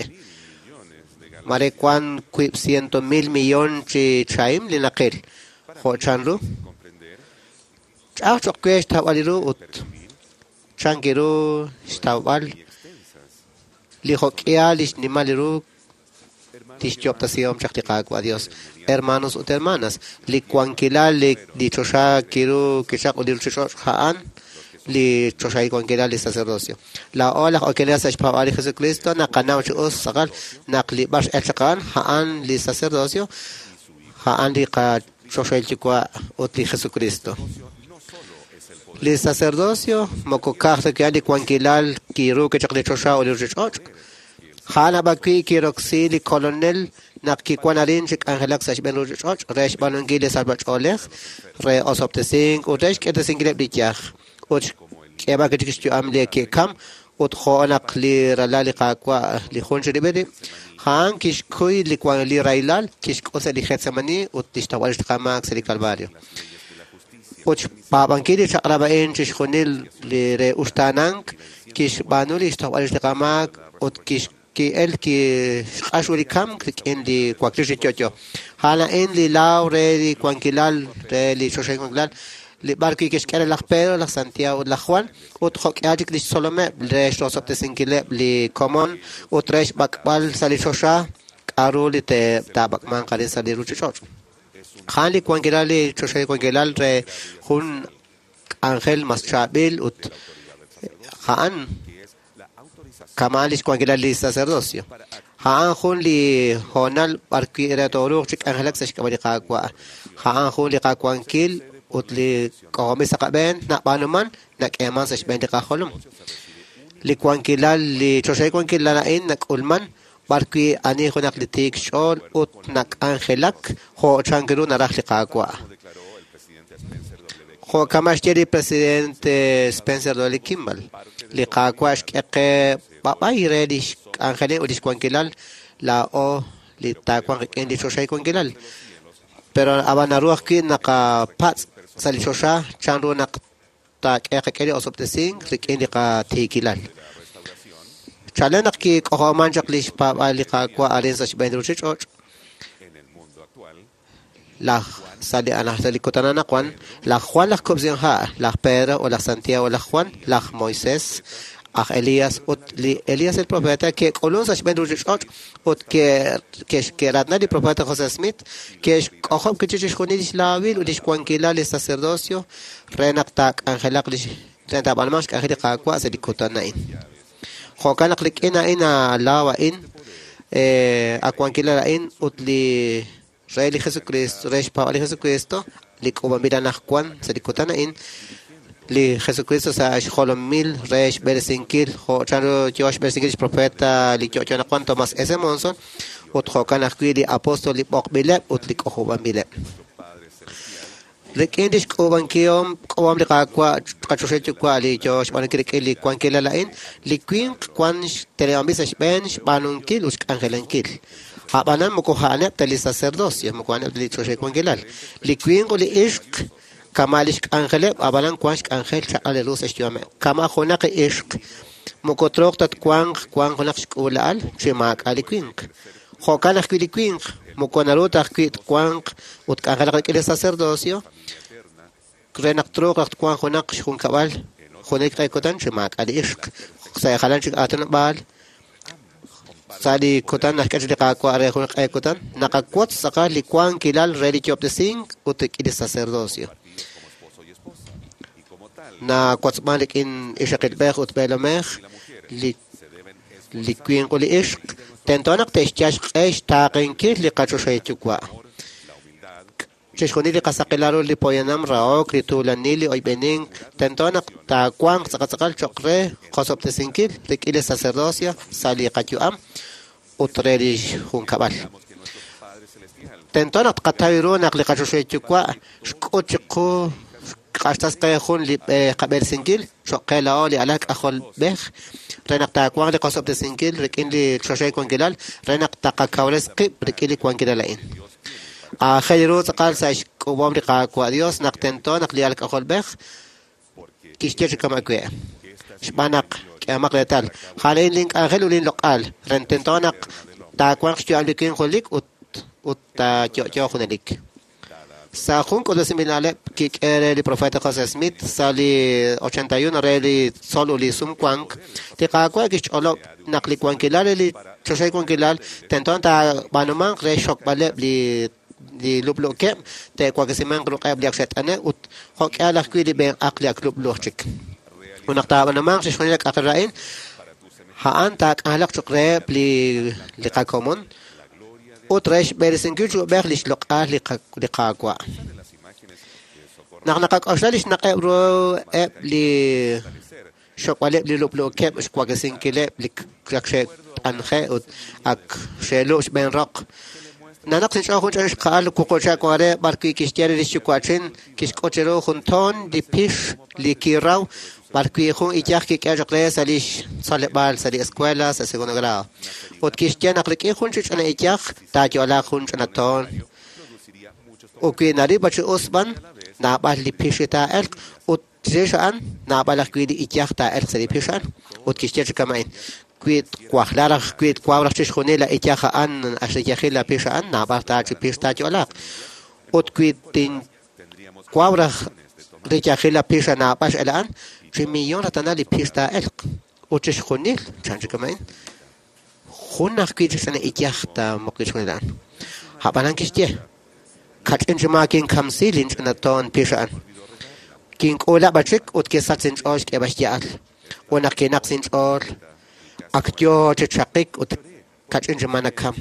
Mare wan 200,000 millón chi chaim li naqil. Jo' chan ru ch'aj choq' we xtawb'al ru ut chan kiru xtawb'al li jo'k'ihal li xnimal ru tixyob'tasihom chaq li Qaawa' Dios. Hermanos ut hermanas, li wankilal li choxa kiru kichaq ut li ruuchich'och' a'an li choxahil wankilal li sacerdocio. Laa'o laj okenel sa' xpaab'aal li Jesucristo naqanaw chi us tz'aqal naq li b'ar x'el chaq a'an a'an li sacerdocio a'an li qachoxahil yuwa' ut li Jesucristo. Li sacerdocio moko ka'aj ta wi' li wankilal kiru kichaq li choxa ut li ruuchich'och'. A'an ab'awi' kiroksi li kolonel naq kiwan arin chi k'anjelak sa' xb'een ruuchich'och' re xb'aanunkil li salb'ach'oolej, re osob'tesink ut re xk'irtesinkileb' li yaj ut xk'eeb'al chik xyu'am li ke'kam ut jo' naq li ralal li Qaawa' li jun chirib'il rib'. A'an kixkuy li rahilal kixk'ut sa' li Getsemani ut li xtawb'al xqamaak sa' li Calvario. Ut xpaab'ankil li chaq'rab' a'in chixjunil li re uxtaanank kixb'aanu li xtawb'al xqamaak ut ki'el kixq'ax li kamk rik'in li wakliil chi yo'yo. A'an a'in li laaw re li wankilal re li choxahil wankilal li b'ar wi' kixk'e re laj Pedro, laj Santiago ut laj Juan ut jo'k'ihal chik li xtzolomeb' re xrosob'tesinkileb' li komon ut re xb'ak'b'al sa' li choxa k'a'ru li taab'ak'manq arin sa' li ruuchich'och'. A'an li wankilal li choxahil wankilal re jun k'anjel mas chaab'il ut a'an kama' li xwankilal li sacerdocio. A'an jun li hoonal b'ar wi' re tooruuq chi k'anjelak sa' xk'ab'a' li Qaawa'. A'an jun li qawankil ut li k'ojob'il sa' qab'een nab'aanuman nak'eeman sa' xb'een li qajolom. Li wankilal li choxahil wankilal a'in nak'ulman b'ar wi' ani junaq li tiik xch'ool ut nak'anjelak jo' chan ru naraj li Qaawa'. Jo' kama' xye li presidente Spencer W. Kimball, li Qaawa' xk'e qe b'ab'ay re li xk'anjelil ut li xwankilal laa'o li taawanq rik'in li choxahil wankilal. Pero ab'an naru ajwi' naqapatz' sa' li choxa chan ru naq taak'e qak'e li osob'tesink rik'in li qatiikilal. Chalen naq kik'ojob'man chaq lix paab'aal li Qaawa' arin sa' xb'een li ruchich'och', laj sa' li sa' li kutan anaqwan, laj Juan laj Kub'sinha', laj Pedro ut laj Santiago laj Juan, laj Moisés, aj Elías ut li Elías el profeta ke'k'ulun sa' xb'een ruchich'och' ut ke'ratna li profeta José Smith, ke'xk'ojob' kichi chixjunil lix laawil ut lix wankilal li sacerdocio re naq taak'anjelaq lix re taab'anumanq xk'anjel li Qaawa' sa' li kutan a'in. Jo'kan naq rik'in a'in laaw a'in, a wankilal a'in ut li re li Jesucristo, re xpaab'al li Jesucristo, li k'uub'anb'il anaqwan sa' li kutan a'in, li Jesucristo sa' xjolomil re xb'eresinkil jo' chanru yo xb'eresinkil lix profeta li yo'yo anaqwan Thomas S. Monson, ut jo'kan ajwi' li apóstol li b'oqb'ileb' ut li k'ojob'anb'ileb'. Rik'in lix k'uub'ankihom k'uub'am li Qaawa' qachoxahil Yuwa' li yo xb'aanunkil rik'in li wankilal a'in, li winq wan xteneb'anb'il sa' xb'een xb'aanunkil ut xk'anjelankil. A'b'anan moko a'aneb' ta li sacerdocio, moko a'aneb' ta li choxahil wankilal. Li winq ut li ixq kama' lix k'anjeleb', a'b'anan wan xk'anjel chaq'al ru sa' xyu'ameb'. Kama' junaq ixq moko truuq ta twanq wan junaq xk'uula'al chi maak'a' li winq. Jo'kan ajwi' li winq moko naru ta ajwi' twanq ut k'anjelaq rik'in li sacerdocio re naq truuq raj twanq junaq xjunkab'al junelik q'e kutan chi maak'a' li ixq. Sa' jalan chik aatinob'aal, sa' li kutan naxk'e chaq li Qaawa' re jun q'e kutan, naqawotz tz'aqal li wankilal re li yo'ob'tesink ut rik'in li sacerdocio. Nawotzman rik'in ixaqilb'ej ut b'eelomej li li winq ut li ixq tento naq te'xyal xq'e xtaaqenkil li qachoxahil Yuwa'. Chixjunil li qasaqilal ru li poyanam rahok, li tuulanil, li oyb'enink, tento naq taawanq tz'aqal cho'q re qosob'tesinkil rik'in li sacerdocio sa' li qayu'am ut re li junkab'al. Tento naq tqataw ru naq li qachoxahil Yuwa' xk'ut chiqu xq'axtas qe jun li qab'eresinkil cho'q qe laa'o li alal k'ajolb'ej re naq taawanq li qosob'tesinkil rik'in li choxahil wankilal re naq taqakawres qib' rik'in li wankilal a'in. Aajel ru tz'aqal sa' xk'uub'om li Qaawa' Dios naq tento naq li alal k'ajolb'ej kixye chi kama' we'. Xb'aan naq k'ehomaq reetal, a'an link'anjel ut linloq'al re tento naq taawanq xyu'am li winq junelik ut ut taayo'yo junelik. Sa' jun k'utb'esinb'il na'leb' kik'e re li profeta José Smith sa' li 81 re li tzol ut li sumwank, li Qaawa' kixch'olob' naq li wankilal re li choxahil wankilal tento taab'aanumanq re xxokb'aleb' li li lub'luukeb', te'waklesimanq ruq'eb' li ak xe't'ane' ut jo'k'ihal ajwi' li b'enq'aq li ak lub'luuq chik. Ut naq taab'aanumanq chixjunil li k'anjel a'in, a'an taak'anjelaq cho'q reheb' li li qakomon ut re xb'eresinkil chi ub'ej lix loq'al li Qaawa'. Naq naqak'oxla lix naq'eb' ru eb' li xokb'aleb' li lub'luukeb' xwaklesinkileb' li ak xe't'anje' ut ak xe'lub' xb'een roq, nanaq sinch'ool jun ch'ina xqa'al wuqub' wan re b'arwi' kixye re lix yuwa'chin kixk'ut chiru jun toon li pix li kiraw b'arwi' jun iyaj kik'e chaq re sa' lix tzoleb'aal sa' li escuela sa' segundo grado. Ut kixye naq rik'in jun chi ch'ina iyaj taayo'laaq jun ch'ina toon. Ut wi narib' chi us b'an, naab'al li pix li taa'elq ut chirix a'an naab'al ajwi' li iyaj taa'elq sa' li pix a'an. Ut kixye chi kama'in, wi twajla raj wi twaw raj chixjunil la iyaj a'an axriyajil la pix a'an, naab'al ta chi pix taayo'laaq. Ut wi tinwaw raj riyajil la pix naab'al x'el a'an, chi millón ratana li pix taa'elq. Ut chixjunil, chan chi kama'in, jun ajwi' chi ch'ina iyaj taamuq chixjunil a'an. A'b'anan kixye, kach'in chi maa kinkamsi linch'ina toon pix a'an. Kink'uula b'achik ut kisach inch'ool xk'eeb'al xya'al. Ut naq kinaq sinch'ool, ak yoo chi chaqik ut kach'in chi maa nakam.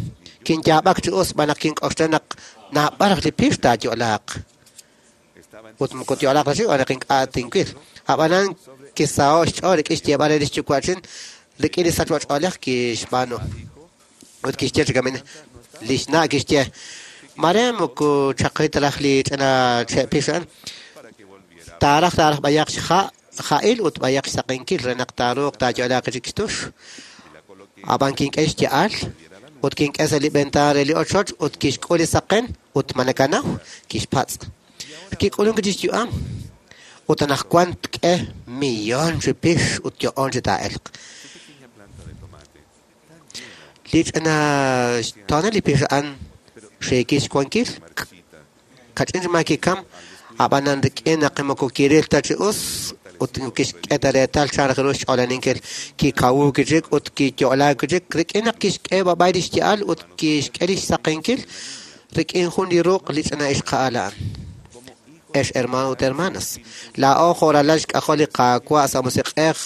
Kinyaab'ak chi us xb'aan naq kink'oxla naq naab'al raj li pix taayo'laaq. Ut moko tyo'laaq ta chik xb'aan naq ink'a' tinwil. A'b'anan kisaho' xch'ool rik'in xyeeb'al re lix yuwa'chin rik'in li sachb'a-ch'oolej kixb'aanu. Ut kixye chi kama'in, lix na' kixye, mare moko chaqi ta raj li ch'ina che' pix a'an. Taaraj taaraj b'ayaq xha' ja'il ut b'ayaq xsaqenkil re naq taaruuq taayo'laaq chik xtux. A'b'an kink'e xya'al ut kink'e sa' li ventaan re li ochoch ut kixk'ul li saqen ut ma nakanaw, kixpatz'. Kik'ulunk chi xyu'am ut anaqwan tk'e millón chi pix ut yo'on chi taa'elq. Li ch'ina xtoonal li pix a'an xiikil xwankil, kach'in ma kikam, ab'anan rik'in naq moko kiril ta chi us ut kixk'e ta reetal chan raj ru xch'oolaninkil, kikawu kichik ut kiyo'laak kichik rik'in naq kixk'e b'ab'ay li xya'al ut kixk'e li xsaqenkil rik'in jun li ruq' li ch'ina ixqa'al a'an. Ex hermano ut hermanas, laa'o jo'ralal xk'ajol li Qaawa' sa' musiq'ej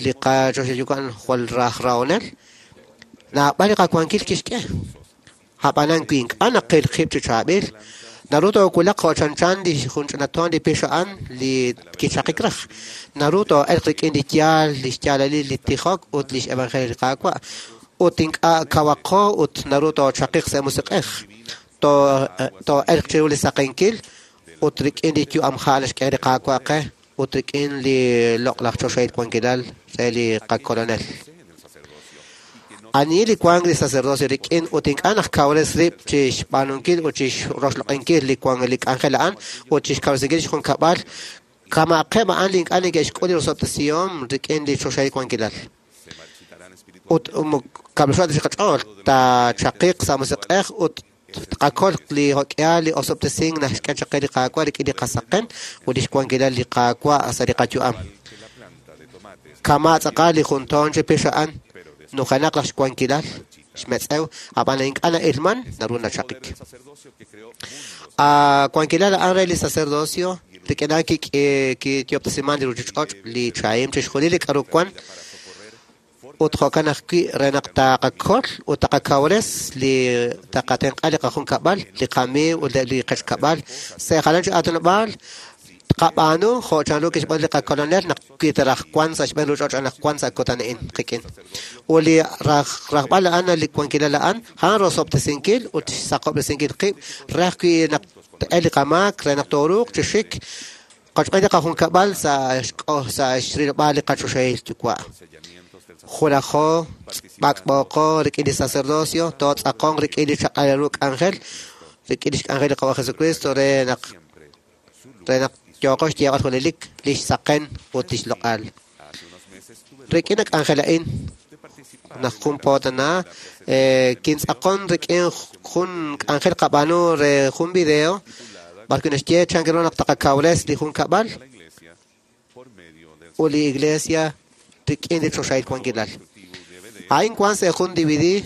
li qachoxayukan jwal raj rahonel, naab'al li qawankil kixk'e. Ab'anan wi ink'a' naqil qib' chi chaab'il, naru toowulaq jo' chanchan li jun ch'ina toon li pix a'an li kichaqik raj. Naru too'elq rik'in li yaal, li xyaalalil li tijok ut li xevangelio li Qaawa'. Ut ink'a' kawaqo ut naru toochaqiq sa' musiq'ej. Too'elq chiru li saqenkil ut rik'in li yu'am ha' naxk'e li Qaawa' qe ut rik'in li loq'laj choxahil wankilal re li qakolonel. Ani li wank li sacerdocio rik'in ut ink'a' naq kawres rib' chi xb'aanunkil ut chi xroxloq'inkil li wank li k'anjel a'an ut chi xkawresinkil xjunkab'al, kama'aqeb' a'an li ink'a' neke'xk'ul li rosob'tesihom rik'in li choxahil wankilal. Ut kab'lxo' chi qach'ool taachaqiq sa' musiq'ej ut tqakol li jok'ihal li osob'tesink naxk'e chaq qe li Qaawa' rik'in li qasaqen ut li xwankilal li Qaawa' sa' li qayu'am. Kama' tz'aqal li jun toon chi pix a'an, nujenaq laj xwankilal, xmetz'ew, ab'an ink'a' na'ilman, naru nachaqik. A wankilal a'an re li sacerdocio, rik'in a'an kiyob'tesiman li ruchich'och', li chahim chixjunil li k'aru wan, ut jo'kan ajwi' re naq taqakol ut taqakawres li taqatenq'a li qajunkab'al, li qamiiw ut li qechkab'al. Sa' jalan chi aatinob'aal, tqab'aanu jo' chanru kixb'aanu li qakolonel naq wi taraj wan sa' xb'een ruchich'och' naq wan sa' kutan a'in qik'in. Ut li rajb'al a'an li wankilal a'an, a'an rosob'tesinkil ut xsaqob'resinkil qib' re ajwi' naq te'el li qamaak re naq tooruuq chi xik qochb'een li qajunkab'al sa' xrilb'al li qachoxahil yuwa'. Junajo b'ak'b'oqo rik'in li sacerdocio, tootz'aqonq rik'in li chaq'al ru k'anjel, rik'in li xk'anjel li Qawa' Jesucristo re naq yooqo xyeeb'al junelik li xsaqen ut li xloq'al. Rik'in li k'anjel a'in, naq jun po tana, kintz'aqon rik'in jun k'anjel qab'aanu re jun video, b'ar wi' naxye chan ru naq taqakawres li junkab'al ut li iglesia rik'in li choxahil wankilal. A'in wan sa' jun DVD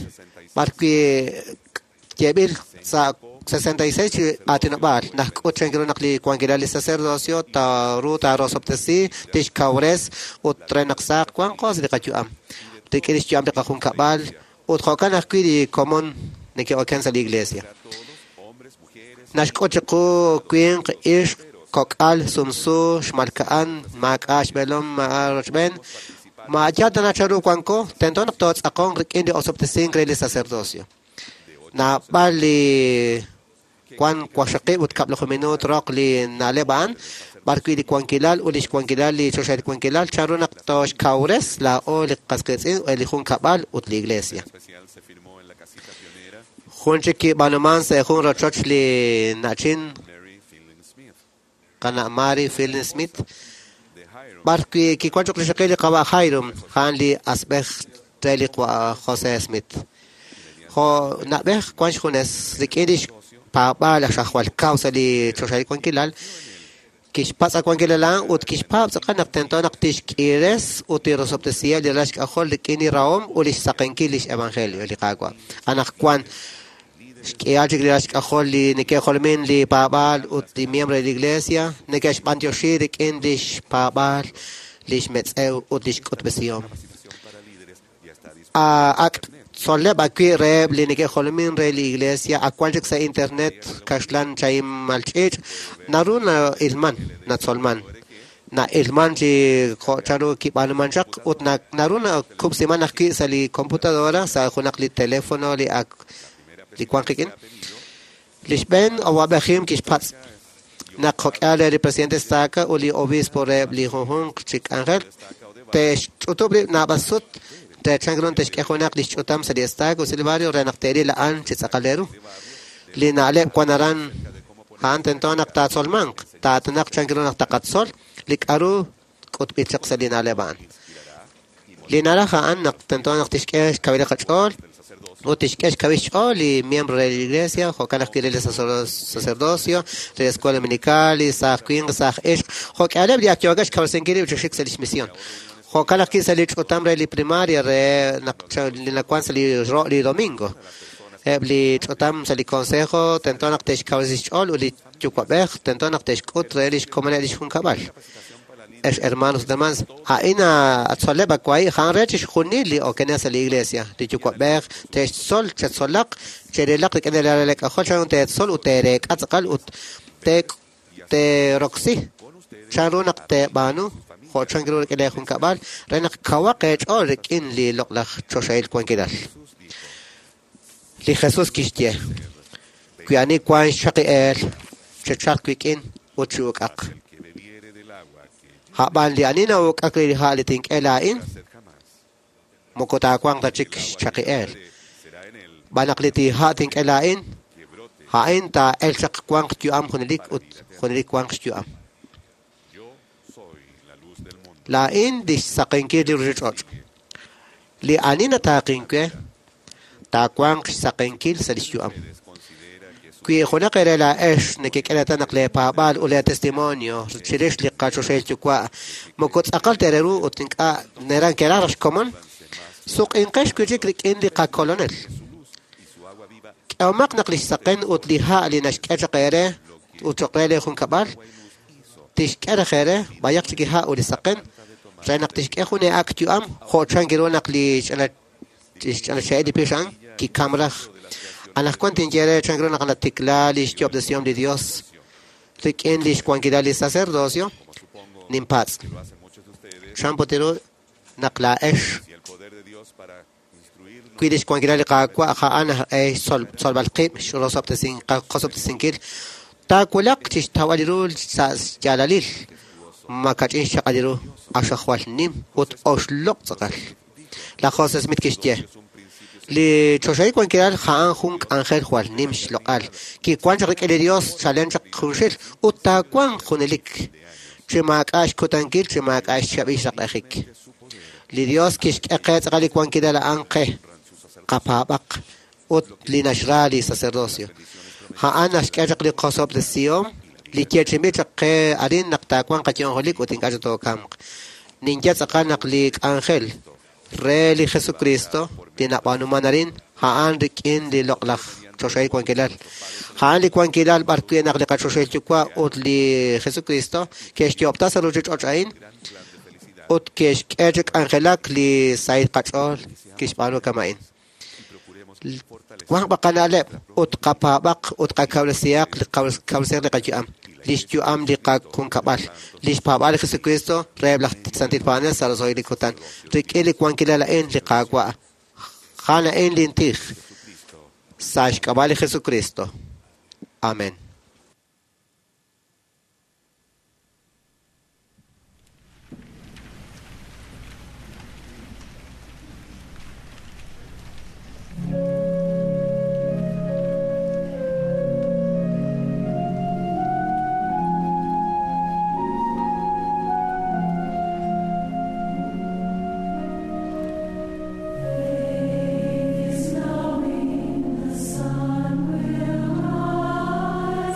b'ar wi' yeeb'il sa' 66 chi aatinob'aal naq k'ut chan ru naq li wankilal li sacerdocio taaru taarosob'tesi, tixkawres ut re naq saq wanqo sa' li qayu'am rik'in li xyu'am li qajunkab'al ut jo'kan ajwi' li komon neke'oken sa' li iglesia. Naxk'ut chiqu winq, ixq, kok'al, sumsu, xmalka'an, maak'a' xb'eelom, maak'a' rochb'een. Maayal tana chanru wanko, tento naq tootz'aqonq rik'in li osob'tesink re li sacerdocio. Naab'al li wan waqxaqib' ut kab'laju minuut roq li na'leb' a'an, b'ar wi' li wankilal ut li xwankilal li choxahil wankilal chanru naq tooxkawres laa'o li qas qiitz'in, li junkab'al ut li iglesia. Jun chik kib'aanuman sa' jun rochoch li na'chin qana' Mary Fielding Smith, b'ar wi' kiwan choq' rixaqil li qawa' Hyrum, a'an li asb'ej re li Jose Smith. Jo' na'b'ej wan xjunes rik'in li xpaab'aal aj xajwal kaw sa' li choxahil wankilal, kixpatz' wankilal a'an ut kixpaab' tz'aqal naq tento naq tixk'iires ut tirosob'tesiheb' li ralal xk'ajol rik'in li rahom ut li xsaqenkil li xevangelio li Qaawa'. Anaqwan xk'ihal chik li ralal xk'ajol li neke'jolomin li paab'aal ut li miembro de la iglesia neke'xb'antioxi rik'in li xpaab'aal, li xmetz'ew ut li xk'utb'esihom. Ak' tzol'leb' ajwi' reheb' li neke'jolomin re li iglesia ak wan chik sa' internet kaxlan chahim malch'iich' naru na'ilman, natzolman. Na'ilman chi jo' chanru kib'aanuman chaq ut naru nakub'siman ajwi' sa' li computadora sa' junaq li teléfono li ak li wan qik'in. Li xb'een awa'b'ejim kixpatz' naq jo'k'ihal re li presidente estaca ut li obispo reheb' li junjunq chi k'anjel te'xch'utub' rib' naab'al sut re chan ru te'xk'e junaq li xch'utam sa' li estaca ut sa' li barrio re naq te'ril a'an chi tz'aqal re ru. Li na'leb' wan aran a'an tento naq taatzolmanq, taatinaq chan ru naq taqatzol li k'aru k'utb'il chaq sa' li na'leb' a'an. Li naraj a'an naq tento naq tixk'e xkawil qach'ool ut tixk'e xkawil xch'ool li miembro re la iglesia, jo'kan ajwi' re li sacerdocio, re la escuela dominical, li saaj winq, saaj ixq, jo'k'ihaleb' li ak yookeb' xkawresinkil rib' chi xik sa' lix misión. Jo'kan ajwi' sa' li ch'utam re li primaria re naq li nawan sa' li ro' li domingo. Eb' li ch'utam sa' li consejo tento naq te'xkawresi xch'ool ut li yuwa'b'ej tento naq te'xk'ut re lix komoneb' lix junkab'al. Ex hermanos ut hermanas, a'in atzoleb' awahi' a'an re chixjunil li okenel sa' li iglesia. Li yuwa'b'ej te'xtzol, chetzolaq, cherilaq rik'in li ralal k'ajol chan ru teetzol ut teereek'a tz'aqal ut teeroksi chan ru naq teeb'aanu jo' chan ru rik'in lee junkab'al re naq kawaq eech'ool rik'in li loq'laj choxahil wankilal. Li Jesús kixye, wi ani wank xchaqi-eel, chechalq wik'in ut chi'uk'aq. A'b'an li ani na'uk'ak re li ha' li tink'e laa'in, moko taawanq ta chik xchaqi-eel. Xb'aan naq li ha' tink'e laa'in, a'in taa'elq chaq wanq yu'am junelik ut junelik wanq xyu'am. Laa'in lix saqenkil li ruchich'och'. Li ani nataaqink we, taawanq xsaqenkil sa' lix yu'am. Wi junaq eere laa'ex nekek'e reetal naq lee paab'aal ut lee testimonio chirix li qaChoxahil Yuwa' moko tz'aqal ta ru ut ink'a' keraj raj xkomon, suq'inqex wi'chik rik'in li qaKolonel. K'ehomaq naq lix saqen ut li ha' li naxk'e chaq eere ut choq' re lee junkab'al, tixk'e raj eere b'ayaq chik li ha' ut li saqen re naq tixk'e jun ee'ak' yu'am jo' chan ru naq li ch'ina xe'el li pix a'an kikam raj. Anaqwan tinye re chan ru naq natikla lix yo'ob'tesihom li Dios rik'in lix wankilal li sacerdocio, ninpatz'. Chan put ru naq laa'ex wi lix wankilal li Qaawa' a'an xtzolb'al qib' qosob'tesinkil, taawulaq chixtawb'al ru sa' xyaalalil, ma kach'in xchaq'al ru, q'axal jwal nim ut oxloq' tz'aqal. Laj José Smith kixye, li choxahil wankilal a'an jun k'anjel jwal nim xloq'al, kiwan chaq rik'in li Dios chalen chaq junxil ut taawanq junelik, chi maak'a' xkutankil, chi maak'a' xchab'il xraq'ejik. Li Dios kixk'e qe tz'aqal li wankilal a'an qe, qapaab'aq ut li naxra li sacerdocio. A'an naxk'e chaq li qosob'tesihom li yeechi'inb'il chaq qe arin naq taawanq qayu'am junelik ut ink'a' chik tookamq. Ninye tz'aqal naq li k'anjel re li Jesucristo li nab'aanuman arin a'an rik'in li loq'laj choxahil wankilal. A'an li wankilal b'ar wi' naq li qaChoxahil Yuwa' ut li Jesucristo ke'xyo'ob'ta sa' ruchich'och' a'in ut ke'xk'e chi k'anjelak li sahil qach'ool kixb'aanu kama'in. Wanq b'aq qana'leb' ut qapaab'aq ut qakawresihaq li qayu'am, lix yu'am li qajunkab'al, lix paab'aal li Jesucristo reheb' laj santil paab'anel sa' roso'jik li kutan. Rik'in li wankilal a'in li Qaawa', a'an a'in lin tij sa' xk'ab'a' li Jesucristo. Amén. The sun will rise.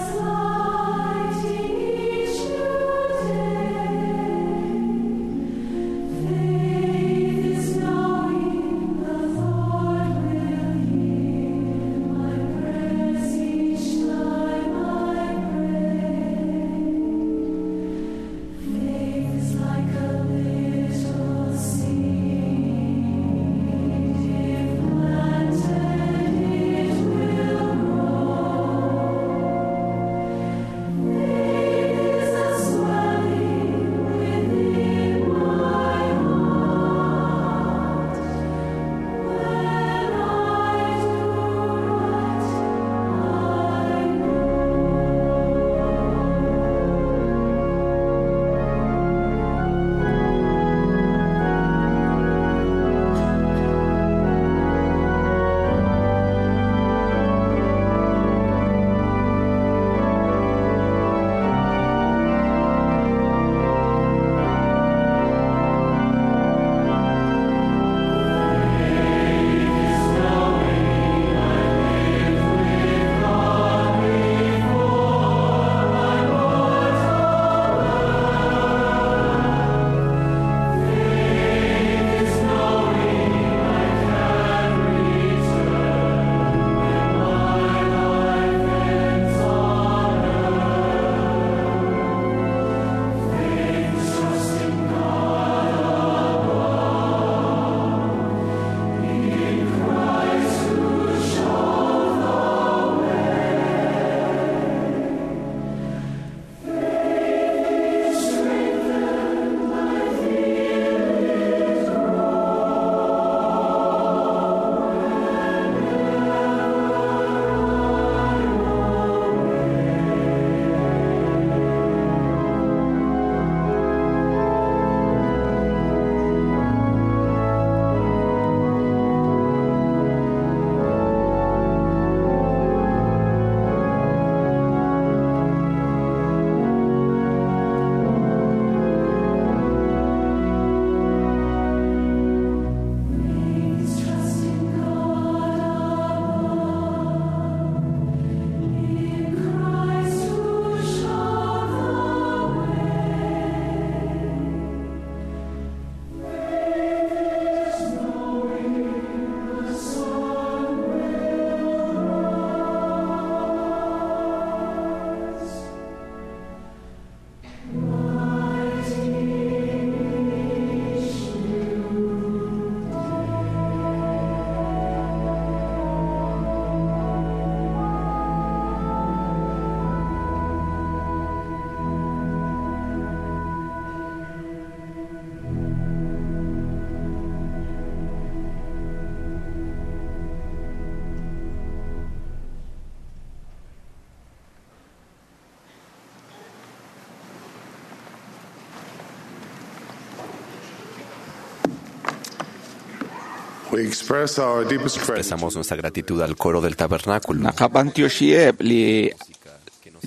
Expresamos nuestra gratitud al coro del tabernáculo. Naqab'antioxieb' li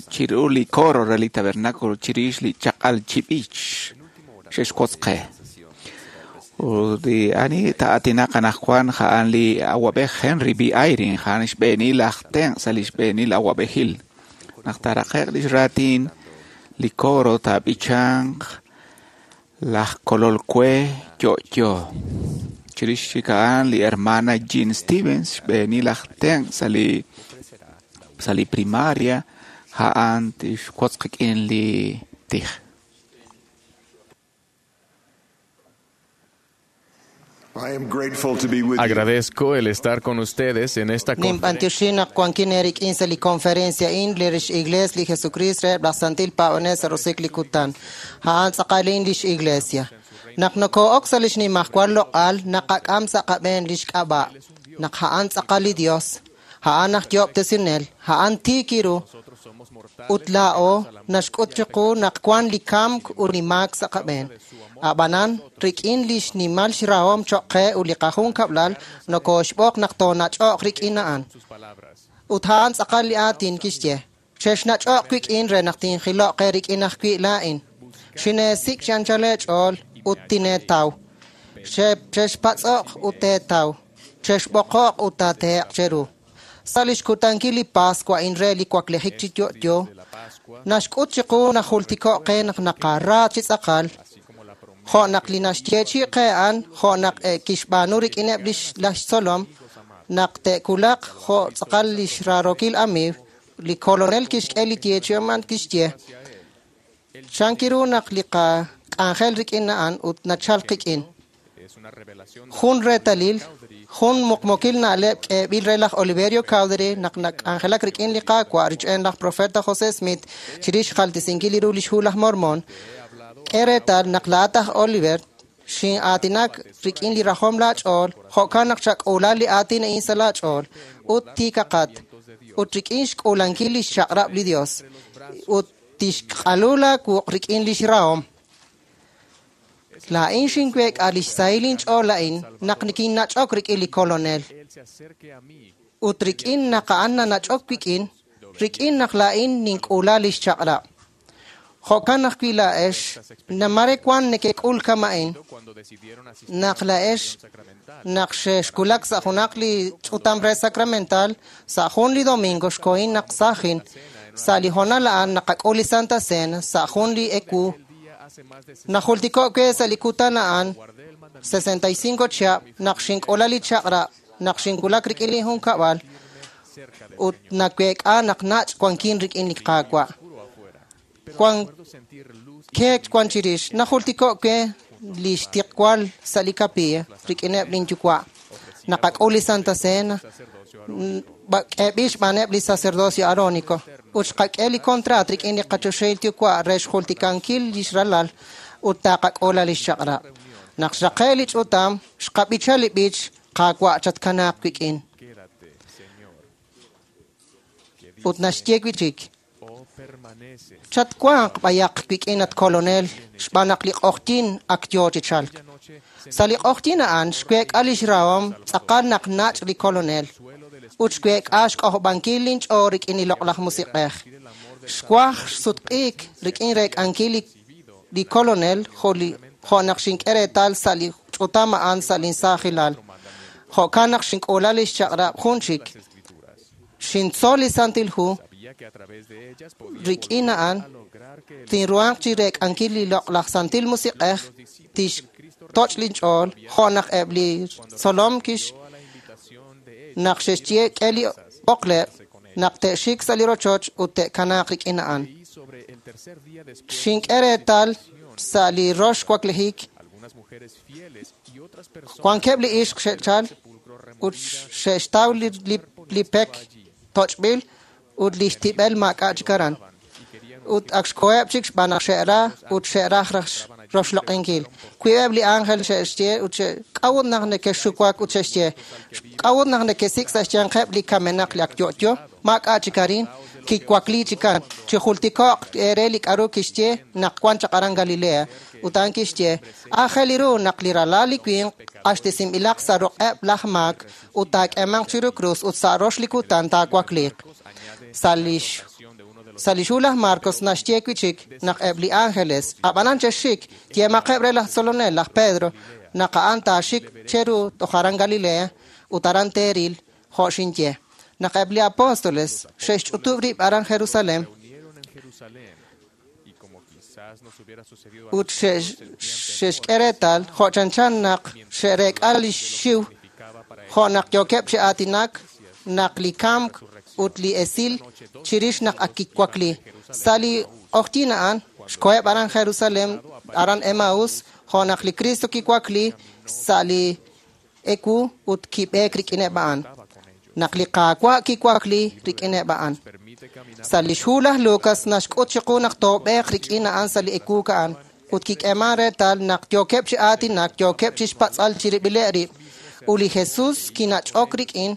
chiru li coro re li tabernáculo chirix li chaq'al chib'ich xe'xwotz qe. Ut li ani ta'atinaq anaqwan ja'an li awab'ej Henry B. Eyring ja'an xb'eenil aj tenq' sa' li xb'eenil awab'ejil. Naq taaraqe'q lix raatin li coro taab'ichanq laj kolol we yo'yo. Chirix chik a'an li hermana Jean Stevens xb'eenil aj tenq' sa' li primaria ja'an tixwotz qik'in li tij. Agradezco el estar con ustedes en esta conferencia. Ninb'antioxin naq wankin eerik'in sa' li conferencia a'in li rix iglees li Jesucrist reheb' laj Santil Paab'anel sa' rosik li kutan. A'an tz'aqal lix iglesia. Naq nokoo'ok sa' lix nimajwal loq'al naqak'am sa' qab'een lix k'ab'a'. Naq a'an tz'aqal li Dios, a'an aj yoob'tesinel, a'an tiik iru ut laa'o naxk'ut chiqu naq wan li kamk ut li maak sa' qab'een. Ab'anan, rik'in li xnimal xrahom choq' qe ut li qajunkab'lal nokooxb'oq naq toonach'oq rik'in a'an. Ut a'an tz'aqal li aatin kixye: Chexnach'oq wik'in re naq tinjiloq qe rik'in ajwi' laa'in. Xineesik' chi anchal eech'ool ut tineetaw. Chexpatz'oq ut teetaw. Chexb'oqoq ut taatehe'q cheru. Sa' lix kutankil li Pascua a'in re li waklejik chi yo'yo, naxk'ut chiqu naq jultiko'q qe naq naqara chi tz'aqal, jo' naq li naxyeechi'i qe a'an, jo' naq kixb'aanu rik'ineb' lix tzolom, naq te'kulaq jo' tz'aqal lix raarokil amiiw, li kolonel kixk'e li yeechi'om a'an kixye. Chankiru naq li qak'anjel rik'in a'an ut nachal qik'in. Jun reetalil, jun muqmukil na'leb' k'eeb'il re laj Oliverio Cowdery naq nak'anjelak rik'in li Qaawa' rich'en laj profeta José Smith chirix xjaltesinkil ru lix hu laj Mormon. K'e reetal naq laa'at aj Oliver xin'aatinak rik'in li rajom laach'ool, jo'kan naq chak'uula li aatin a'in sa' laach'ool ut tiikaqat ut rik'in xk'uulankil lix chaq'rab' li Dios ut tixq'alu laawuq' rik'in lix rahom. Laa'in xinweek'a lix sahil inch'ool a'in naq nikinnach'ok rik'in li kolonel. Ut rik'in naq a'an nanach'ok wik'in, rik'in naq laa'in nink'uula lix chaq'rab'. Jo'kan ajwi' laa'ex, namare wan nekek'ul kama'in, naq laa'ex naq xexkulak sa' junaq li ch'utam re sacramental, sa' jun li domingo xkohin naq sajin, sa' li hoonal a'an naqak'ul li Santa Cena, sa' jun li ewu. Najultiko' we sa' li kutan a'an 65 chihab' naq xink'ula li chaq'rab' naq xinkulak rik'in li junkab'al ut naweek'a naq nach' wankin rik'in li Qaawa'. Wan keek wan chirix najultiko' we li xtiqwal sa' li kapilla rik'ineb' linyuwa'. Naqak'ul li Santa Cena k'eeb'il xb'aaneb' li sacerdocio arónico ut xqak'e li contrat rik'in li qachoxahil yuwa' re xjultikankil lix ralal ut taqak'ula lix chaq'rab'. Naq xraqe' li ch'utam, xqab'icha li b'ich Qaawa' chatkanaaq wik'in. Ut naxye wi'chik: Chatwanq b'ayaq wik'in at kolonel xb'aan naq li q'oqyin ak yoo chi chalk. Sa' li q'oqyin a'an xweek'a lix rahom tz'aqal naq nach' li kolonel ut xweek'a xk'ojob'ankil linch'ool rik'in li loq'laj musiq'ej. Xwaj xsutq'iik rik'in reek'ankil li kolonel jo' naq xink'e reetal sa' li ch'utam a'an sa' linsaajilal. Jo'kan naq xink'uula lix chaq'rab' jun chik. Xintzol li Santil Hu rik'in a'an tinruhanq chi reek'ankil li loq'laj Santil Musiq'ej tixtoch' linch'ool jo' naq eb' li tzolom kix naq xe'xye k'e li b'oqleb' naq te'xik sa' li rochoch ut te'kanaaq rik'in a'an. Xink'e reetal sa' li rox waklejik wankeb' li ixq xe'chal ut xe'xtaw li pek toch'b'il ut li xtib'el maak'a' chik aran. Ut ak xkoheb' chik xb'aan naq xe'ra ut xe'raj roxloq'inkil. Wiib'eb' li ángel xe'xye ut k'a'ut naq nekexxuwak ut xe'xye k'a'ut naq nekesik' sa' xyanqeb' li kamenaq li ak yo'yo maak'a' chik arin kiwakli chikan chi jultiko'q eere li k'aru kixye naq wan chaq aran Galilea. Ut a'an kixye aajel ru naq li ralal li winq q'axtesinb'ilaq sa' ruq'eb' laj maak ut taak'eemanq chiru krus ut sa' rox li kutan taawakliiq. Sa' lix hu laj Marcos naxye wi' chik naq eb' li ángeles, ab'anan chexxik, yeemaqeb' re laj tzolonel, laj Pedro, naq a'an taaxik cheru toj aran Galilea ut aran teeril jo' xinye. Naq eb' li apóstoles xe'xch'utub' rib' aran Jerusalén ut xe'xk'e reetal jo' chanchan naq xe'reek'a li xiw jo' naq yookeb' chi aatinak naq li kamk ut li esil chirix naq ak kiwakli. Sa' li q'oqyink a'an xkoheb' aran Jerusalén, aran Emaús, jo' naq li Cristo kiwakli sa' li ewu ut kib'eek rik'ineb' a'an. Naq li Qaawa' kiwakli rik'ineb' a'an. Sa' lix hu laj Lucas naxk'ut chiqu naq toob'eeq rik'in a'an sa' li ewu a'an ut kik'eeman reetal naq yookeb' chi aatinak, yookeb' chi xpatz'al chirib'ileb' rib' ut li Jesus kinach'ok rik'in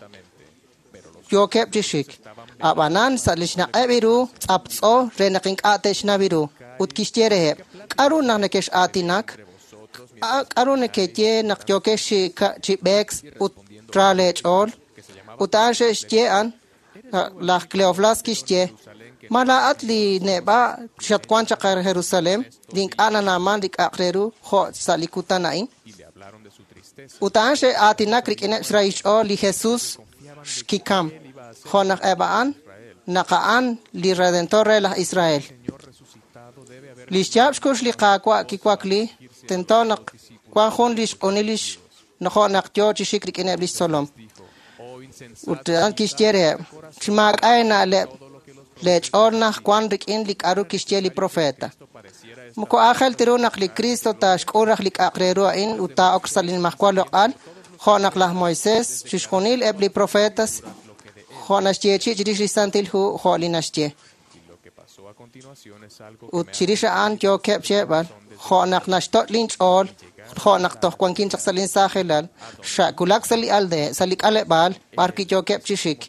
yookeb' chi xik. Ab'anan sa' lix naq'eb' ru tz'aptz'o re naq ink'a' te'xnaw ru ut kixye reheb', k'aru naq nekex'aatinak? K'aru nekeye naq yookex chi b'eek ut ra leech'ool? Ut a'an xe'xye a'an, laj Cleoflas kixye, ma laa'at li neb'a' xatwan chaq Jerusalén, li ink'a' nanaaman li k'a'aq re ru jo' sa' li kutan a'in? Ut a'an xe'aatinak rik'ineb' xrahil xch'ool li Jesus xkikam, jo' naq eb' a'an, naq a'an li Redentor re laj Israel. Li xyaab' xkux li Qaawa' kiwakli, tento naq wan jun li xq'unil lix jo' naq yoo chi xik rik'ineb' lix tzolom. Ut a'an kixye reheb', chi maak'a' eena'leb', leech'ool naj wan rik'in li k'aru kixye li profeta. Moko aajel ta ru naq li Cristo taaxk'ul raj li k'a'aq re ru a'in ut taa'ok sa' li nimajwal loq'al, jo' naq laj Moisés, chixjunil eb' li profetas, jo' naxyeechi' chirix li Santil Hu, jo' li naxye. Ut chirix a'an yookeb' xyeeb'al, jo' naq naxtoch' linch'ool, jo' naq toj wankin chaq sa' linsaajelal, xa'wulak sa' li aldea, sa' li k'aleb'aal, b'ar wi' yookeb' chi xik.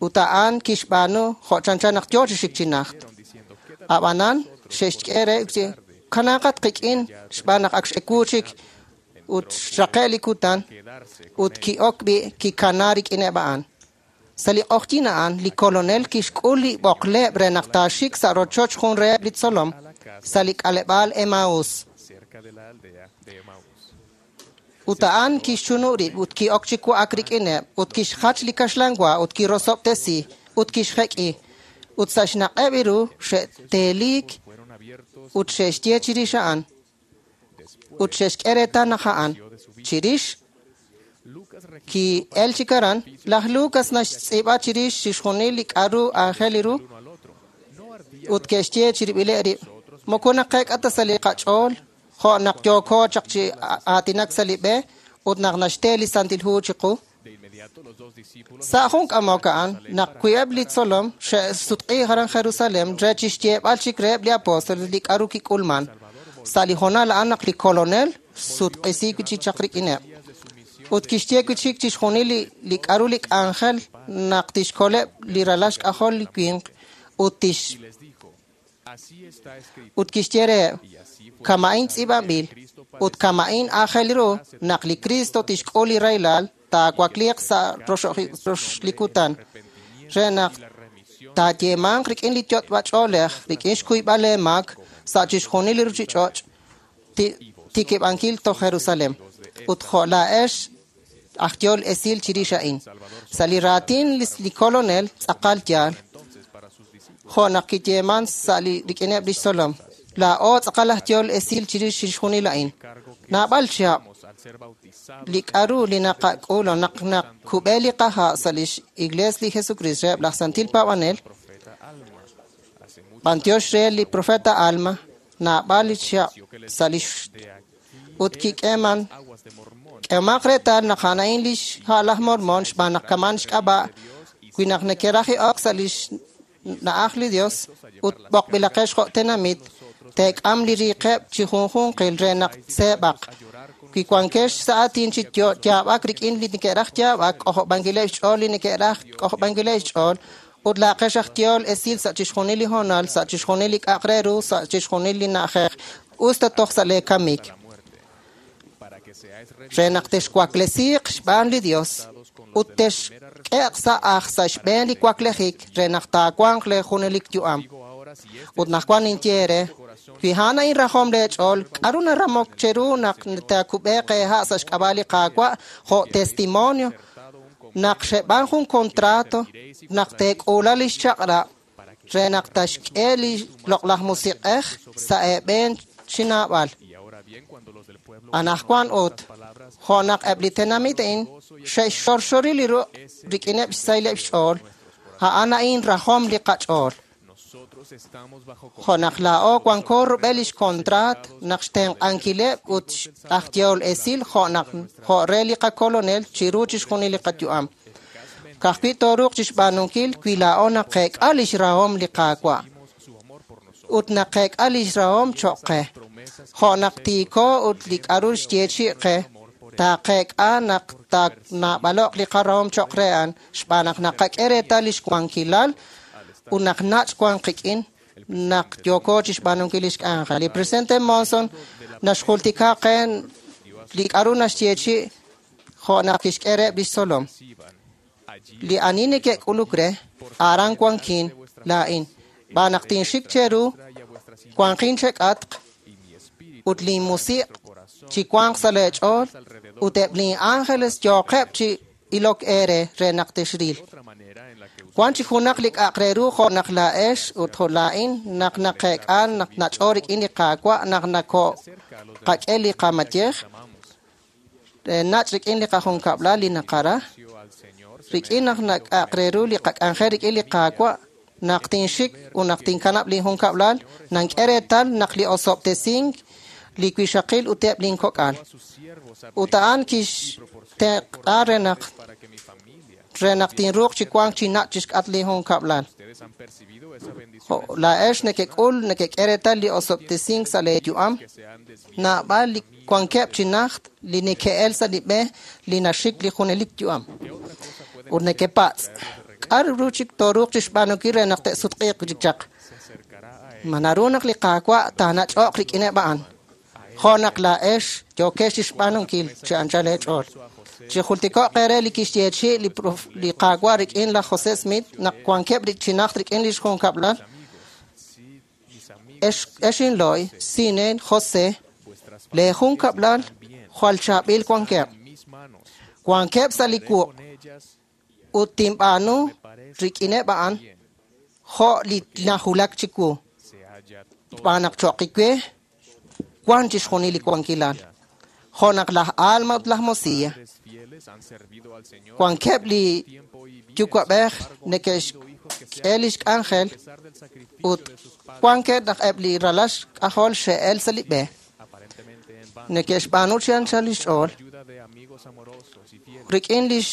Ut a'an kixb'aanu jo' chanchan naq yoo chi xik chi najt. Ab'anan xe'xk'e re kanaaqat qik'in xb'aan naq ak x'ewu chik ut xraqe' li kutan ut ki'ok b'i' kikana rik'ineb' a'an. Sa' li q'oqyink a'an, li kolonel kixk'ul li b'oqleb' re naq taaxik sa' rochoch jun reheb' li tzolom sa' li k'aleb'aal Emaús. Ut a'an kixchunu' rib' ut ki'ok chi wa'ak rik'ineb' ut kixjach li kaxlan wa ut kirosob'tesi ut kixjek'i. Ut sa' xnaq'eb' ru xe'teeliik ut xe'xye chirix a'an ut xe'xk'e reetal naq a'an chirix ki'el chik aran. Laj Lucas naxtz'iib'a chirix chixjunil li k'aru aajel ru ut ke'xye chirib'ileb' rib', moko naqeek'a ta sa' li qach'ool jo' naq yooko chaq chi aatinak sa' li b'e ut naq naxte li Santil Hu chiqu. Sa' jun k'amok a'an, naq wi'eb' li tzolom xe'sutq'i aran Jerusalén re chixyeeb'al chik reheb' li apóstoles li k'aru kik'ulman. Sa' li hoonal a'an naq li kolonel sutq'isi wi' chik chaq rik'ineb'. Ut kixye wi' chik chixjunil li k'aru li k'anjel naq tixkoleb' li ralal xk'ajol li winq ut tix ut kixye reheb', kama'in tz'iib'anb'il ut kama'in aajel ru naq li Cristo tixk'ul li rahilal taawakliiq sa' rox li kutan re naq taayeemanq rik'in li yot'b'ach'oolej rik'in xkuyb'al eemaak sa' chixjunil li ruchich'och' tikib'ankil toj Jerusalén ut jo' laa'ex aj yool esil chirix a'in. Sa' li raatin li kolonel tz'aqal yaal jo' naq kiyeeman sa' li rik'ineb' lix tzolom. Laa'o tz'aqal aj yool esil chirix chixjunil a'in. Naab'al chihab' li k'aru li naqak'ul naq nakub'e li qaha' sa' lix Iglees li Jesucristo reheb' laj Santil Paab'anel, b'antiox re li profeta Alma, naab'al li chihab' sa' lix ut kik'eeman k'eemaq reetal naq a'an a'in lix ha' laj Mormon xb'aan naq kaman xk'ab'a' wi naq nekeraj ok sa' lix na'aj li Dios ut b'oqb'ilaqex jo' tenamit teek'am li riiqeb' chi junjunqil re naq tseeb'aq. Wi wankex sa' aatin chi yaab'ak rik'in li neke'raj yaab'ak, k'ojob'ankileb' xch'ool li neke'raj k'ojob'ankileb' xch'ool ut laaqex aj yool esil sa' chixjunil li hoonal, sa' chixjunil li k'a'aq re ru, sa' chixjunil li na'ajej, us ta toj sa' lee kamik. Re naq texwaklesiiq xb'aan li Dios ut texk'e'q sa' aj sa' xb'een li waklejik re naq taawanq le junelik yu'am. Ut naq wan ninye eere, wi a'an a'in rajom leech'ool, k'aru naramok cheru naq taakub'eeq eeha' sa' xk'ab'a' li Qaawa' jo' testimonio naq xeb'aan jun contrato naq teek'uula lix chaq'rab' re naq taxk'e li loq'laj musiq'ej sa' eeb'een chi naab'al. Anajwan ut, jo' naq eb' li tenamit a'in xe'xxorxori li ruq' rik'ineb' xsahileb' xch'ool, a'an a'in rajom li qach'ool. Jo' naq laa'o wanko rub'el lix contrat naq xtenq'ankileb' ut aj yehol esil jo' naq jo' re li qakolonel chiru chixjunil li qayu'am. Ka'ajwi' tooruuq chixb'aanunkil wi laa'o naqeek'a lix rahom li Qaawa' ut naqeek'a lix rahom choq' qe. Jo' naq tiiko ut li k'aru xyeechi' qe, taaqeek'a naq taanaab'alo'q li qarahom choq' re a'an xb'aan naq naqak'e reetal lix wankilal ut naq nach' wan qik'in naq yooko chixb'aanunkil lix k'anjel. Li presidente Monson naxjultika qe li k'aru naxyeechi' jo' naq kixk'e reheb' lix tzolom. Li ani neke'k'uluk re, aran wankin laa'in. B'aan naq tinxik cheru, wanqin chek'atq ut linmusiq' chiwanq sa' leech'ool ut eb' lin ángeles yooqeb' chi ilok eere re naq texril. Wan chi junaq li k'a'aq re ru jo' naq laa'ex ut jo' laa'in naq naqeek'a naq nach'o rik'in li Qaawa' naq nako qak'e li qamayej nach' rik'in li qajunkab'lal li naqara rik'in naq nak'a'aq re ru li qak'anjel rik'in li Qaawa' naq tinxik ut naq tinkanab' li junkab'lal nank'e reetal naq li osob'tesink li wixaqil ut eb' linkok'al. Ut a'an kixtenq'a re naq tinruuq chi wank chi nach' chixk'atq li junkab'lal. Laa'ex nekek'ul nekek'e reetal li osob'tesink sa' leeyu'am, naab'al li wankeb' chi najt li neke'el sa' li b'e li naxik li junelik yu'am. Ut nekepatz', k'aru ru chik tooruuq chixb'aanunkil re naq te'sutq'iiq chik chaq? Ma naru naq li Qaawa' taanach'o'q rik'ineb' a'an? Jo' naq laa'ex yookex chixb'aanunkil chi anchal eech'ool. Chijultiko'q eere li kixyeechi' li Qaawa' rik'in laj José Smith naq wankeb' chi najt rik'in lix junkab'lal. Ex inlo'y, Sinen, José, le junkab'lal jwal chaab'il wankeb'. Wankeb' sa' li wuq' ut tinb'aanu rik'ineb' a'an jo' li najulak chiwu. Xb'aan naq cho'q we wan chixjunil li wankilal. Jo' naq laj Alma ut laj Mosiah wankeb' li yuwa'b'ej neke'xk'e lix k'anjel ut wankeb' naq eb' li ralal xk'ajol xe'el sa' li b'e. Neke'xb'aanu chi anchal lix ch'ool rik'in lix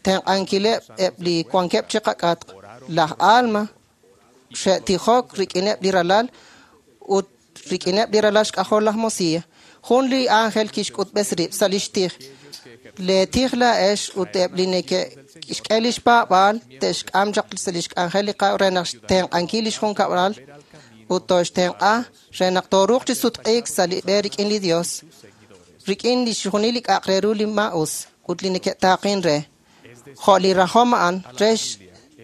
tenq'ankileb' eb' li wankeb' chi qak'atq. Laj Alma xe'tijok rik'ineb' li ralal ut rik'ineb' li ralal xk'ajol laj Mosiah. Jun li ángel kixk'utb'es rib' sa' lix tij. Le tij laa'ex ut eb' li neke'xk'e lix paab'aal te'xk'am chaq sa' lix k'anjel li re naq xtenq'ankil lix junkab'lal ut toxtenq'a re naq tooruuq chi sutq'iik sa' li b'e rik'in li Dios, rik'in li xjunil li k'a'aq re ru li maa'us ut li neke'taaqin re. Jo' li rajom a'an re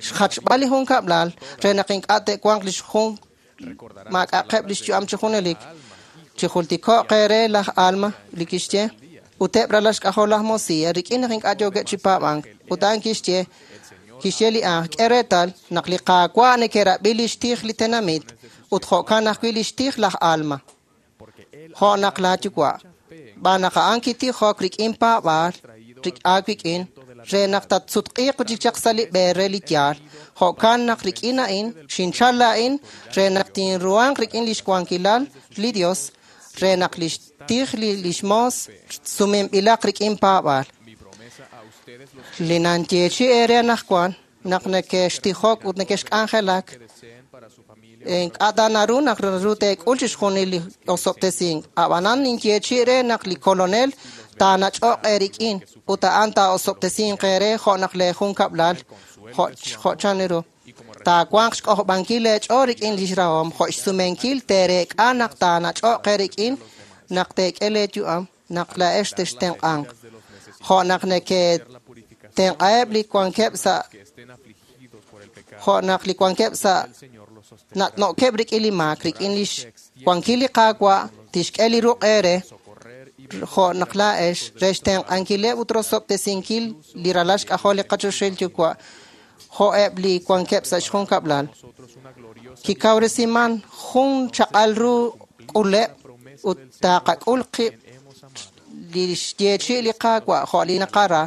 xjachb'al li junkab'lal re naq ink'a' te'wanq lix jun maak'a'qeb' lix yu'am chi junelik. Chijultiko'q eere laj Alma li kixye ut eb' ralal xk'ajol laj Mosiah rik'in naq ink'a' yookeb' chi paab'ank. Ut a'an kixye li anjel k'e reetal naq li Qaawa' neke'rab'i lix tij li tenamit ut jo'kan ajwi' lix tij laj Alma. Jo' naq laa yuwa'. B'aan naq a'an kitijok rik'in paab'aal aawik'in re naq tatsutq'iiq chik chaq sa' li b'e re li yaal. Jo'kan naq rik'in a'in xinchal laa'in re naq tinruhanq rik'in lix wankilal li Dios re naq lix tij lix moos sumenb'ilaq rik'in paab'aal. Li nanyeechi eere anaqwan naq neke'xtijok ut neke'xk'anjelak ink'a' ta naru naq naru teek'ul chixjunil li osob'tesink. Ab'anan ninyeechi re naq li kolonel taanach'o'q eerik'in ut a'an taa'osob'tesinq eere jo' naq lee junkab'lal jo' chan ru. Taawanq xk'ojob'ankil leech'ool rik'in lix rahom jo' xsumenkil teereek'a naq taanach'o'q eerik'in naq teek'e leeyu'am naq laa'ex textenq'anq. Jo' naq neketenq'aheb' li wankeb' sa' jo' naq li wankeb' sa' nat'no'keb' rik'in li maak, rik'in lix wankil li Qaawa' tixk'e li ruq' eere jo' naq laa'ex re xtenq'ankileb' ut rosob'tesinkil li ralal xk'ajol li qachoxahil Yuwa' jo'eb' li wankeb' sa' xjunkab'lal. Kikawresiman jun chaq'al ru k'uleb' ut taqak'ul qib' li xyeechi' li Qaawa' jo' li naqara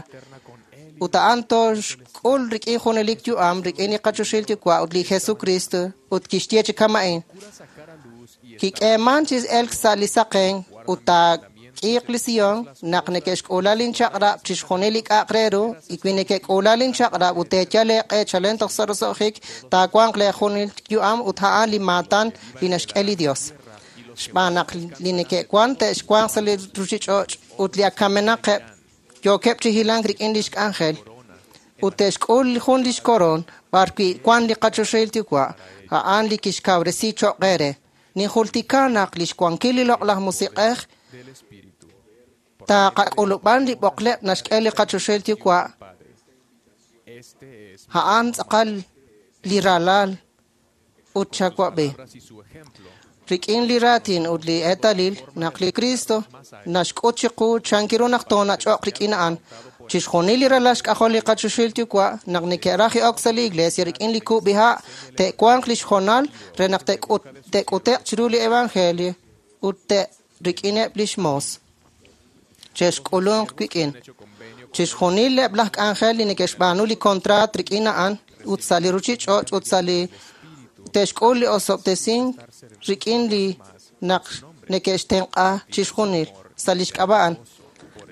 ut a'an toxk'ul rik'in junelik yu'am rik'in li qachoxahil Yuwa' ut li Jesucristo ut kixye chi kama'in. Kik'eeman chi elk sa' li saqen ut taak'iiq li Sion naq neke'xk'uula linchaq'rab' chixjunil li k'a'aq re ru y wi neke'k'uula linchaq'rab' ut teeyal eeq'e chalen toj sa' roso'jik taawanq leejunil yu'am ut a'an li maatan li naxk'e li Dios. Xb'aan naq li neke'wan te'xwanq sa' li ruchich'och' ut li akamenaqeb' yookeb' chi hilank rik'in lix k'anjel ut te'xk'ul jun lix koroon b'ar wi' wan li qachoxahil Yuwa' a'an li kixkawresi cho'q eere. Ninjultika naq lix wankil li loq'laj musiq'ej taqak'ulub'an li b'oqleb' naxk'e li qachoxahil Yuwa' a'an tz'aqal li ralal ut chawab'i. Rik'in li raatin ut li eetalil naq li Cristo naxk'ut chiqu chankiru naq toonach'oq rik'in a'an. Chixjunil li ralal xk'ajol li qachoxahil Yuwa' naq neke'raj ok sa' li iglesia rik'in li kub'iha' te'wanq lix hoonal re naq te'k'ute'q chiru li evangelio ut rik'ineb' lix moos. Che'xk'ulunq wik'in. Chixjunil eb' laj k'anjel li neke'xb'aanu li kontraat rik'in a'an ut sa' li ruchich'och' ut sa' li te'xk'ul li osob'tesink rik'in li naq neke'xtenq'a chixjunil sa' lix k'ab'a'an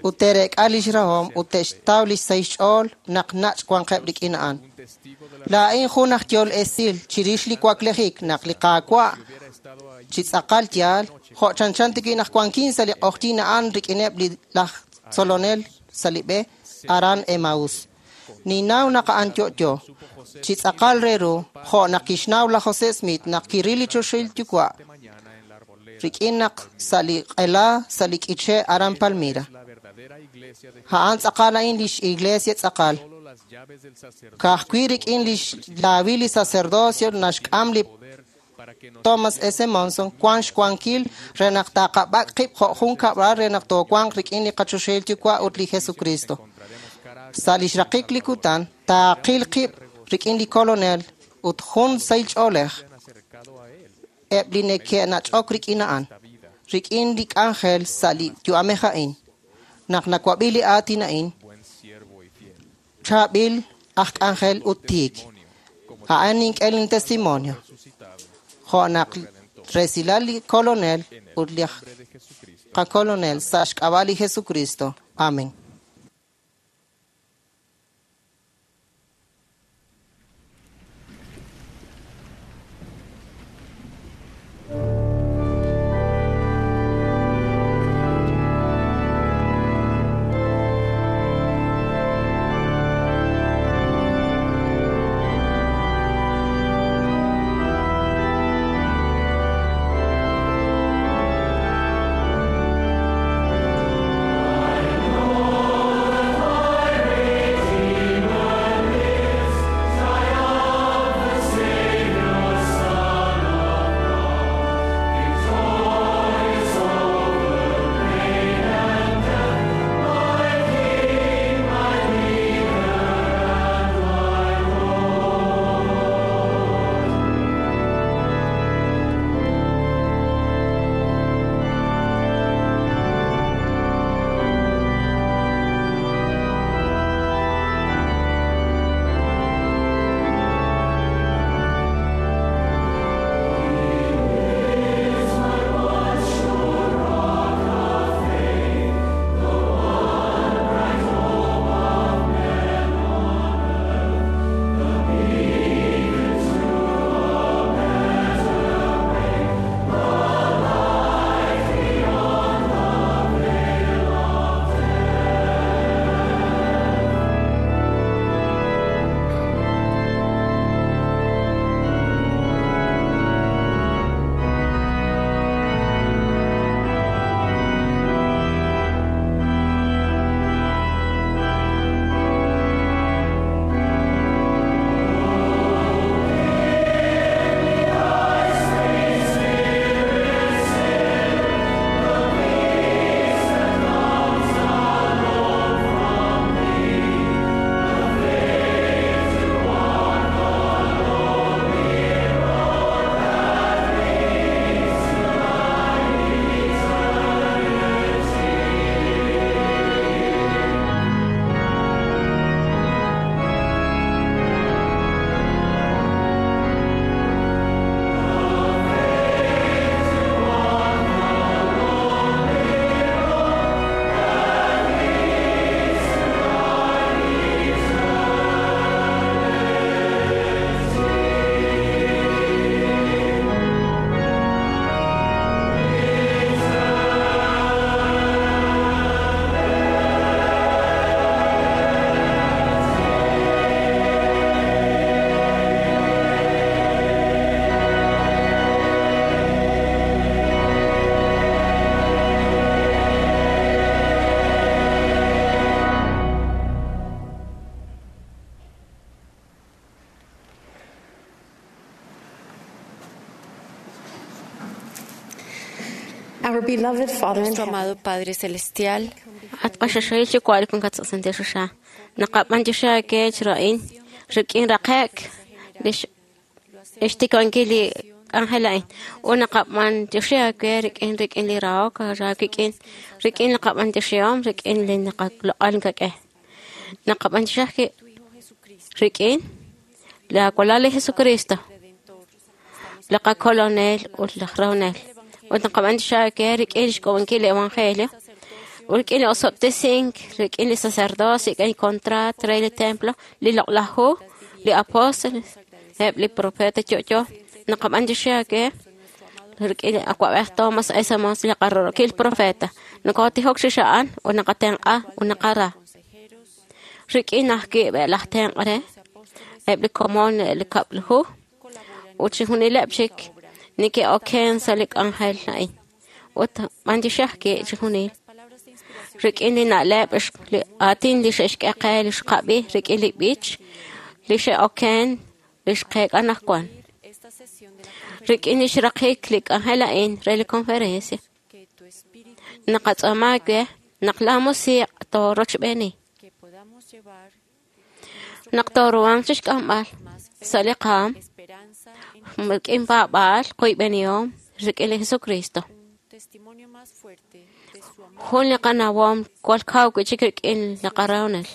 ut te'reek'a lix rahom ut te'xtaw lix sahil xch'ool naq nach' wanqeb' rik'in a'an. Laa'in jun aj yol esil chirix li waklejik naq li Qaawa' chi tz'aqal yaal jo' chanchan tik'in naq wankin sa' li q'ojyin a'an rik'ineb' li laj tzolonel sa' li b'e aran Emaús. Ninnaw naq a'an yo'yo chi tz'aqal re ru jo' naq kixnaw laj José Smith naq kiril li choxahil Yuwa' rik'in naq sa' li q'ela sa' li k'iche' aran Palmira. A'an tz'aqal a'in lix iglesia tz'aqal. Ka'ajwi' rik'in lix laawil li sacerdocio naxk'am li Thomas S. Monson wan xwankil re naq taqab'ak' qib' jo' jun kab'al re naq toowanq rik'in li qachoxahil Yuwa' ut li Jesucristo. Sa' lix raqik li kutan taaqil qib' rik'in li Kolonel ut jun sahil ch'oolej eb' li neke'nach'ok rik'in a'an, rik'in li k'anjel sa' li yu'amej a'in. Naq nawab'i li aatin a'in, chaab'il aj k'anjel ut tiik. A'an nink'e lin testimonio. Jo' naq resilal li Kolonel ut li qaKolonel sa' xk'ab'a' li Jesucristo. Amén. I know. Nuestro amado Padre Celestial, At qaxaxayil yuwa' li wankat sa' santil choxa. Naqab'antioxi aakech ra'in rik'in raqe'k lix xtikankil li k'anjel a'in. Ut naqab'antioxi aawe rik'in rik'in li rahok raawik'in rik'in li qab'antioxihom rik'in li naqaloq'al kak'e. Naqab'antioxi ajwi' rik'in la walal li Jesucristo, li qakolonel ut laj rahonel. Ut naqab'antioxi aawe rik'in xk'ub'ankil li Evangelio, ut rik'in li osob'tesink, rik'in li sacerdocio, rik'in li contrato re li templo, li loq'laj hu, li apóstoles, eb' li profeta yo'yo. Naqab'antioxi aawe rik'in li awa'b'ej Thomas S. Monson, li qarorokil profeta. Nokotijok chix a'an ut naqatenq'a ut naqara. Rik'in ajwi' laj tenq' re, eb' li komon li kab'l hu, ut chixjunileb' chik neke'oken sa' li k'anjel a'in. Ut b'antioxi ajwi' chixjunil. Rik'in li na'leb' li aatin li xe'xk'e qe li xqab'i rik'in li b'ich li xe'oken li xqeek'a anaqwan. Rik'in li xraqik li k'anjel a'in re li conferencia. Naqatz'aama aawe naq laa musiq' toorochb'eeni. Naq tooruhanq chixk'amb'al sa' li qaam rik'in paab'aal qoyb'enihom rik'in li Jesucristo. Jun li qanawom jwal kaw wi'chik rik'in li qarahonel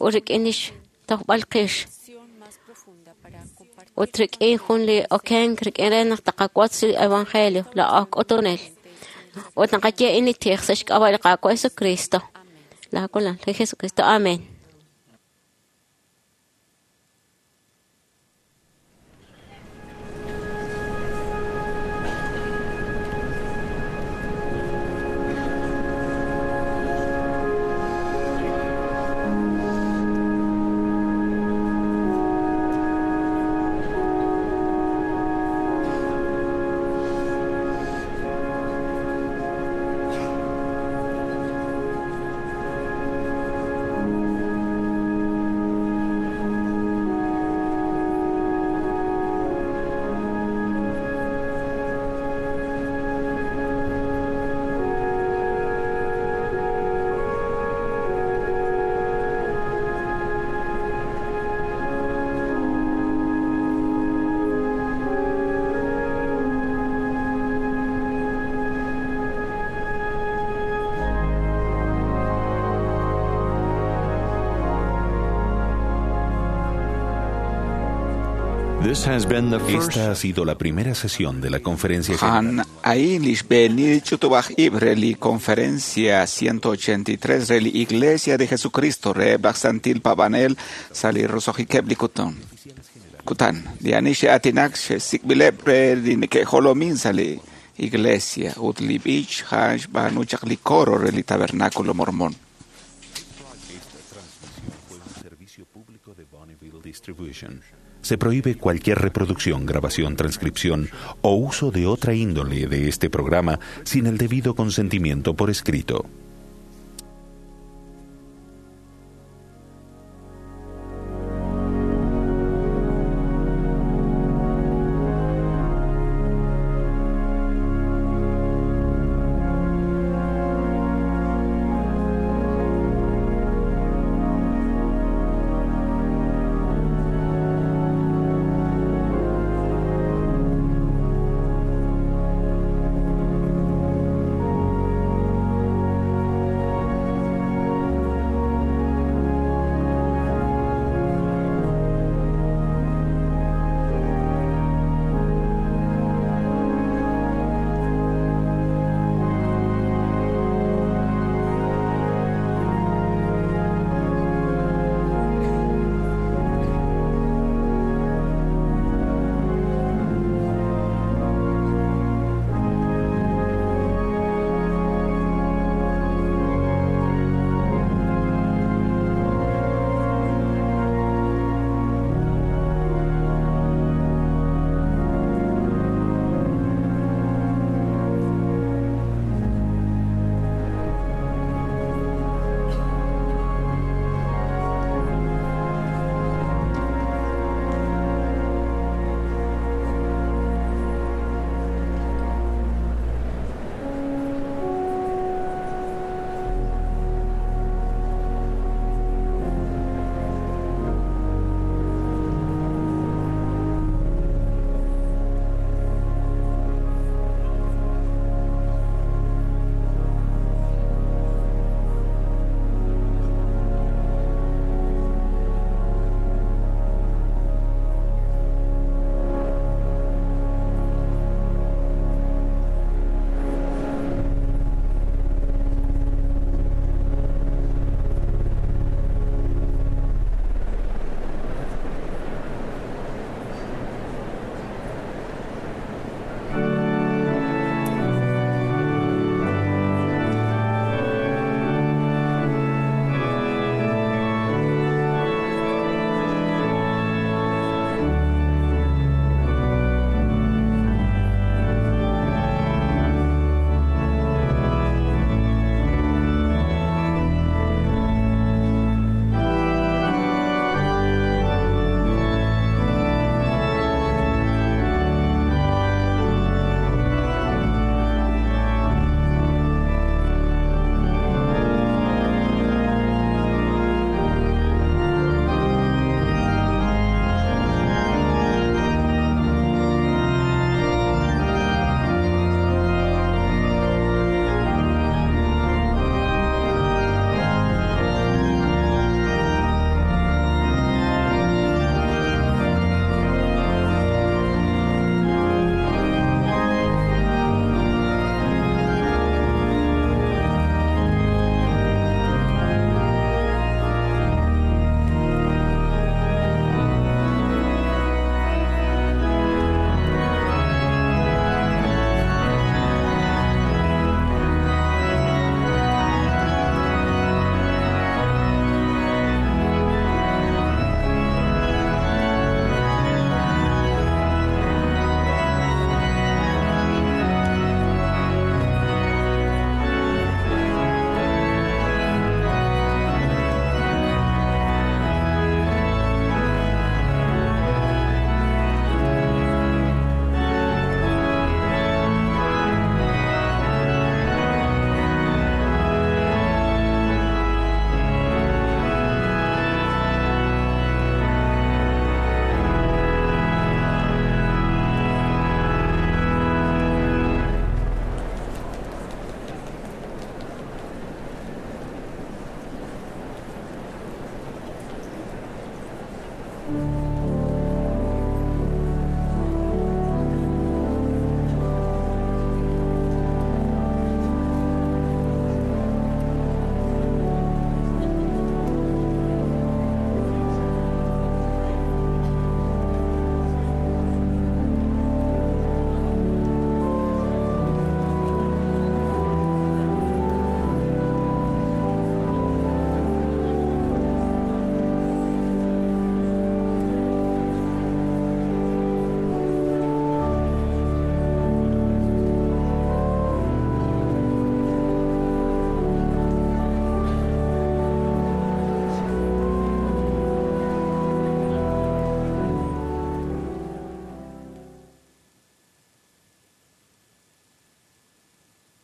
ut rik'in lix tojb'al qix ut rik'in jun li okenk rik'in re naq taqawotz li Evangelio la k'utunel. Ut naqaye in li tij sa' xk'ab'a' li Qaawa' Jesucristo. La walal li Jesucristo. Amén. Esta ha sido la primera sesión de la conferencia general. Han a'in li xb'eenil ch'utub'aj ib' re li conferencia 183 re li Iglesia de Jesucristo reheb' laj Santil Paab'anel sa' li roso'jikeb' li kutan. Li ani xe'aatinak xe'sik'b'ileb' re li neke'jolomin sa' li Iglesia ut li b'ich a'an xb'aanu chaq li coro re li Tabernáculo Mormón. Distribution. Se prohíbe cualquier reproducción, grabación, transcripción o uso de otra índole de este programa sin el debido consentimiento por escrito.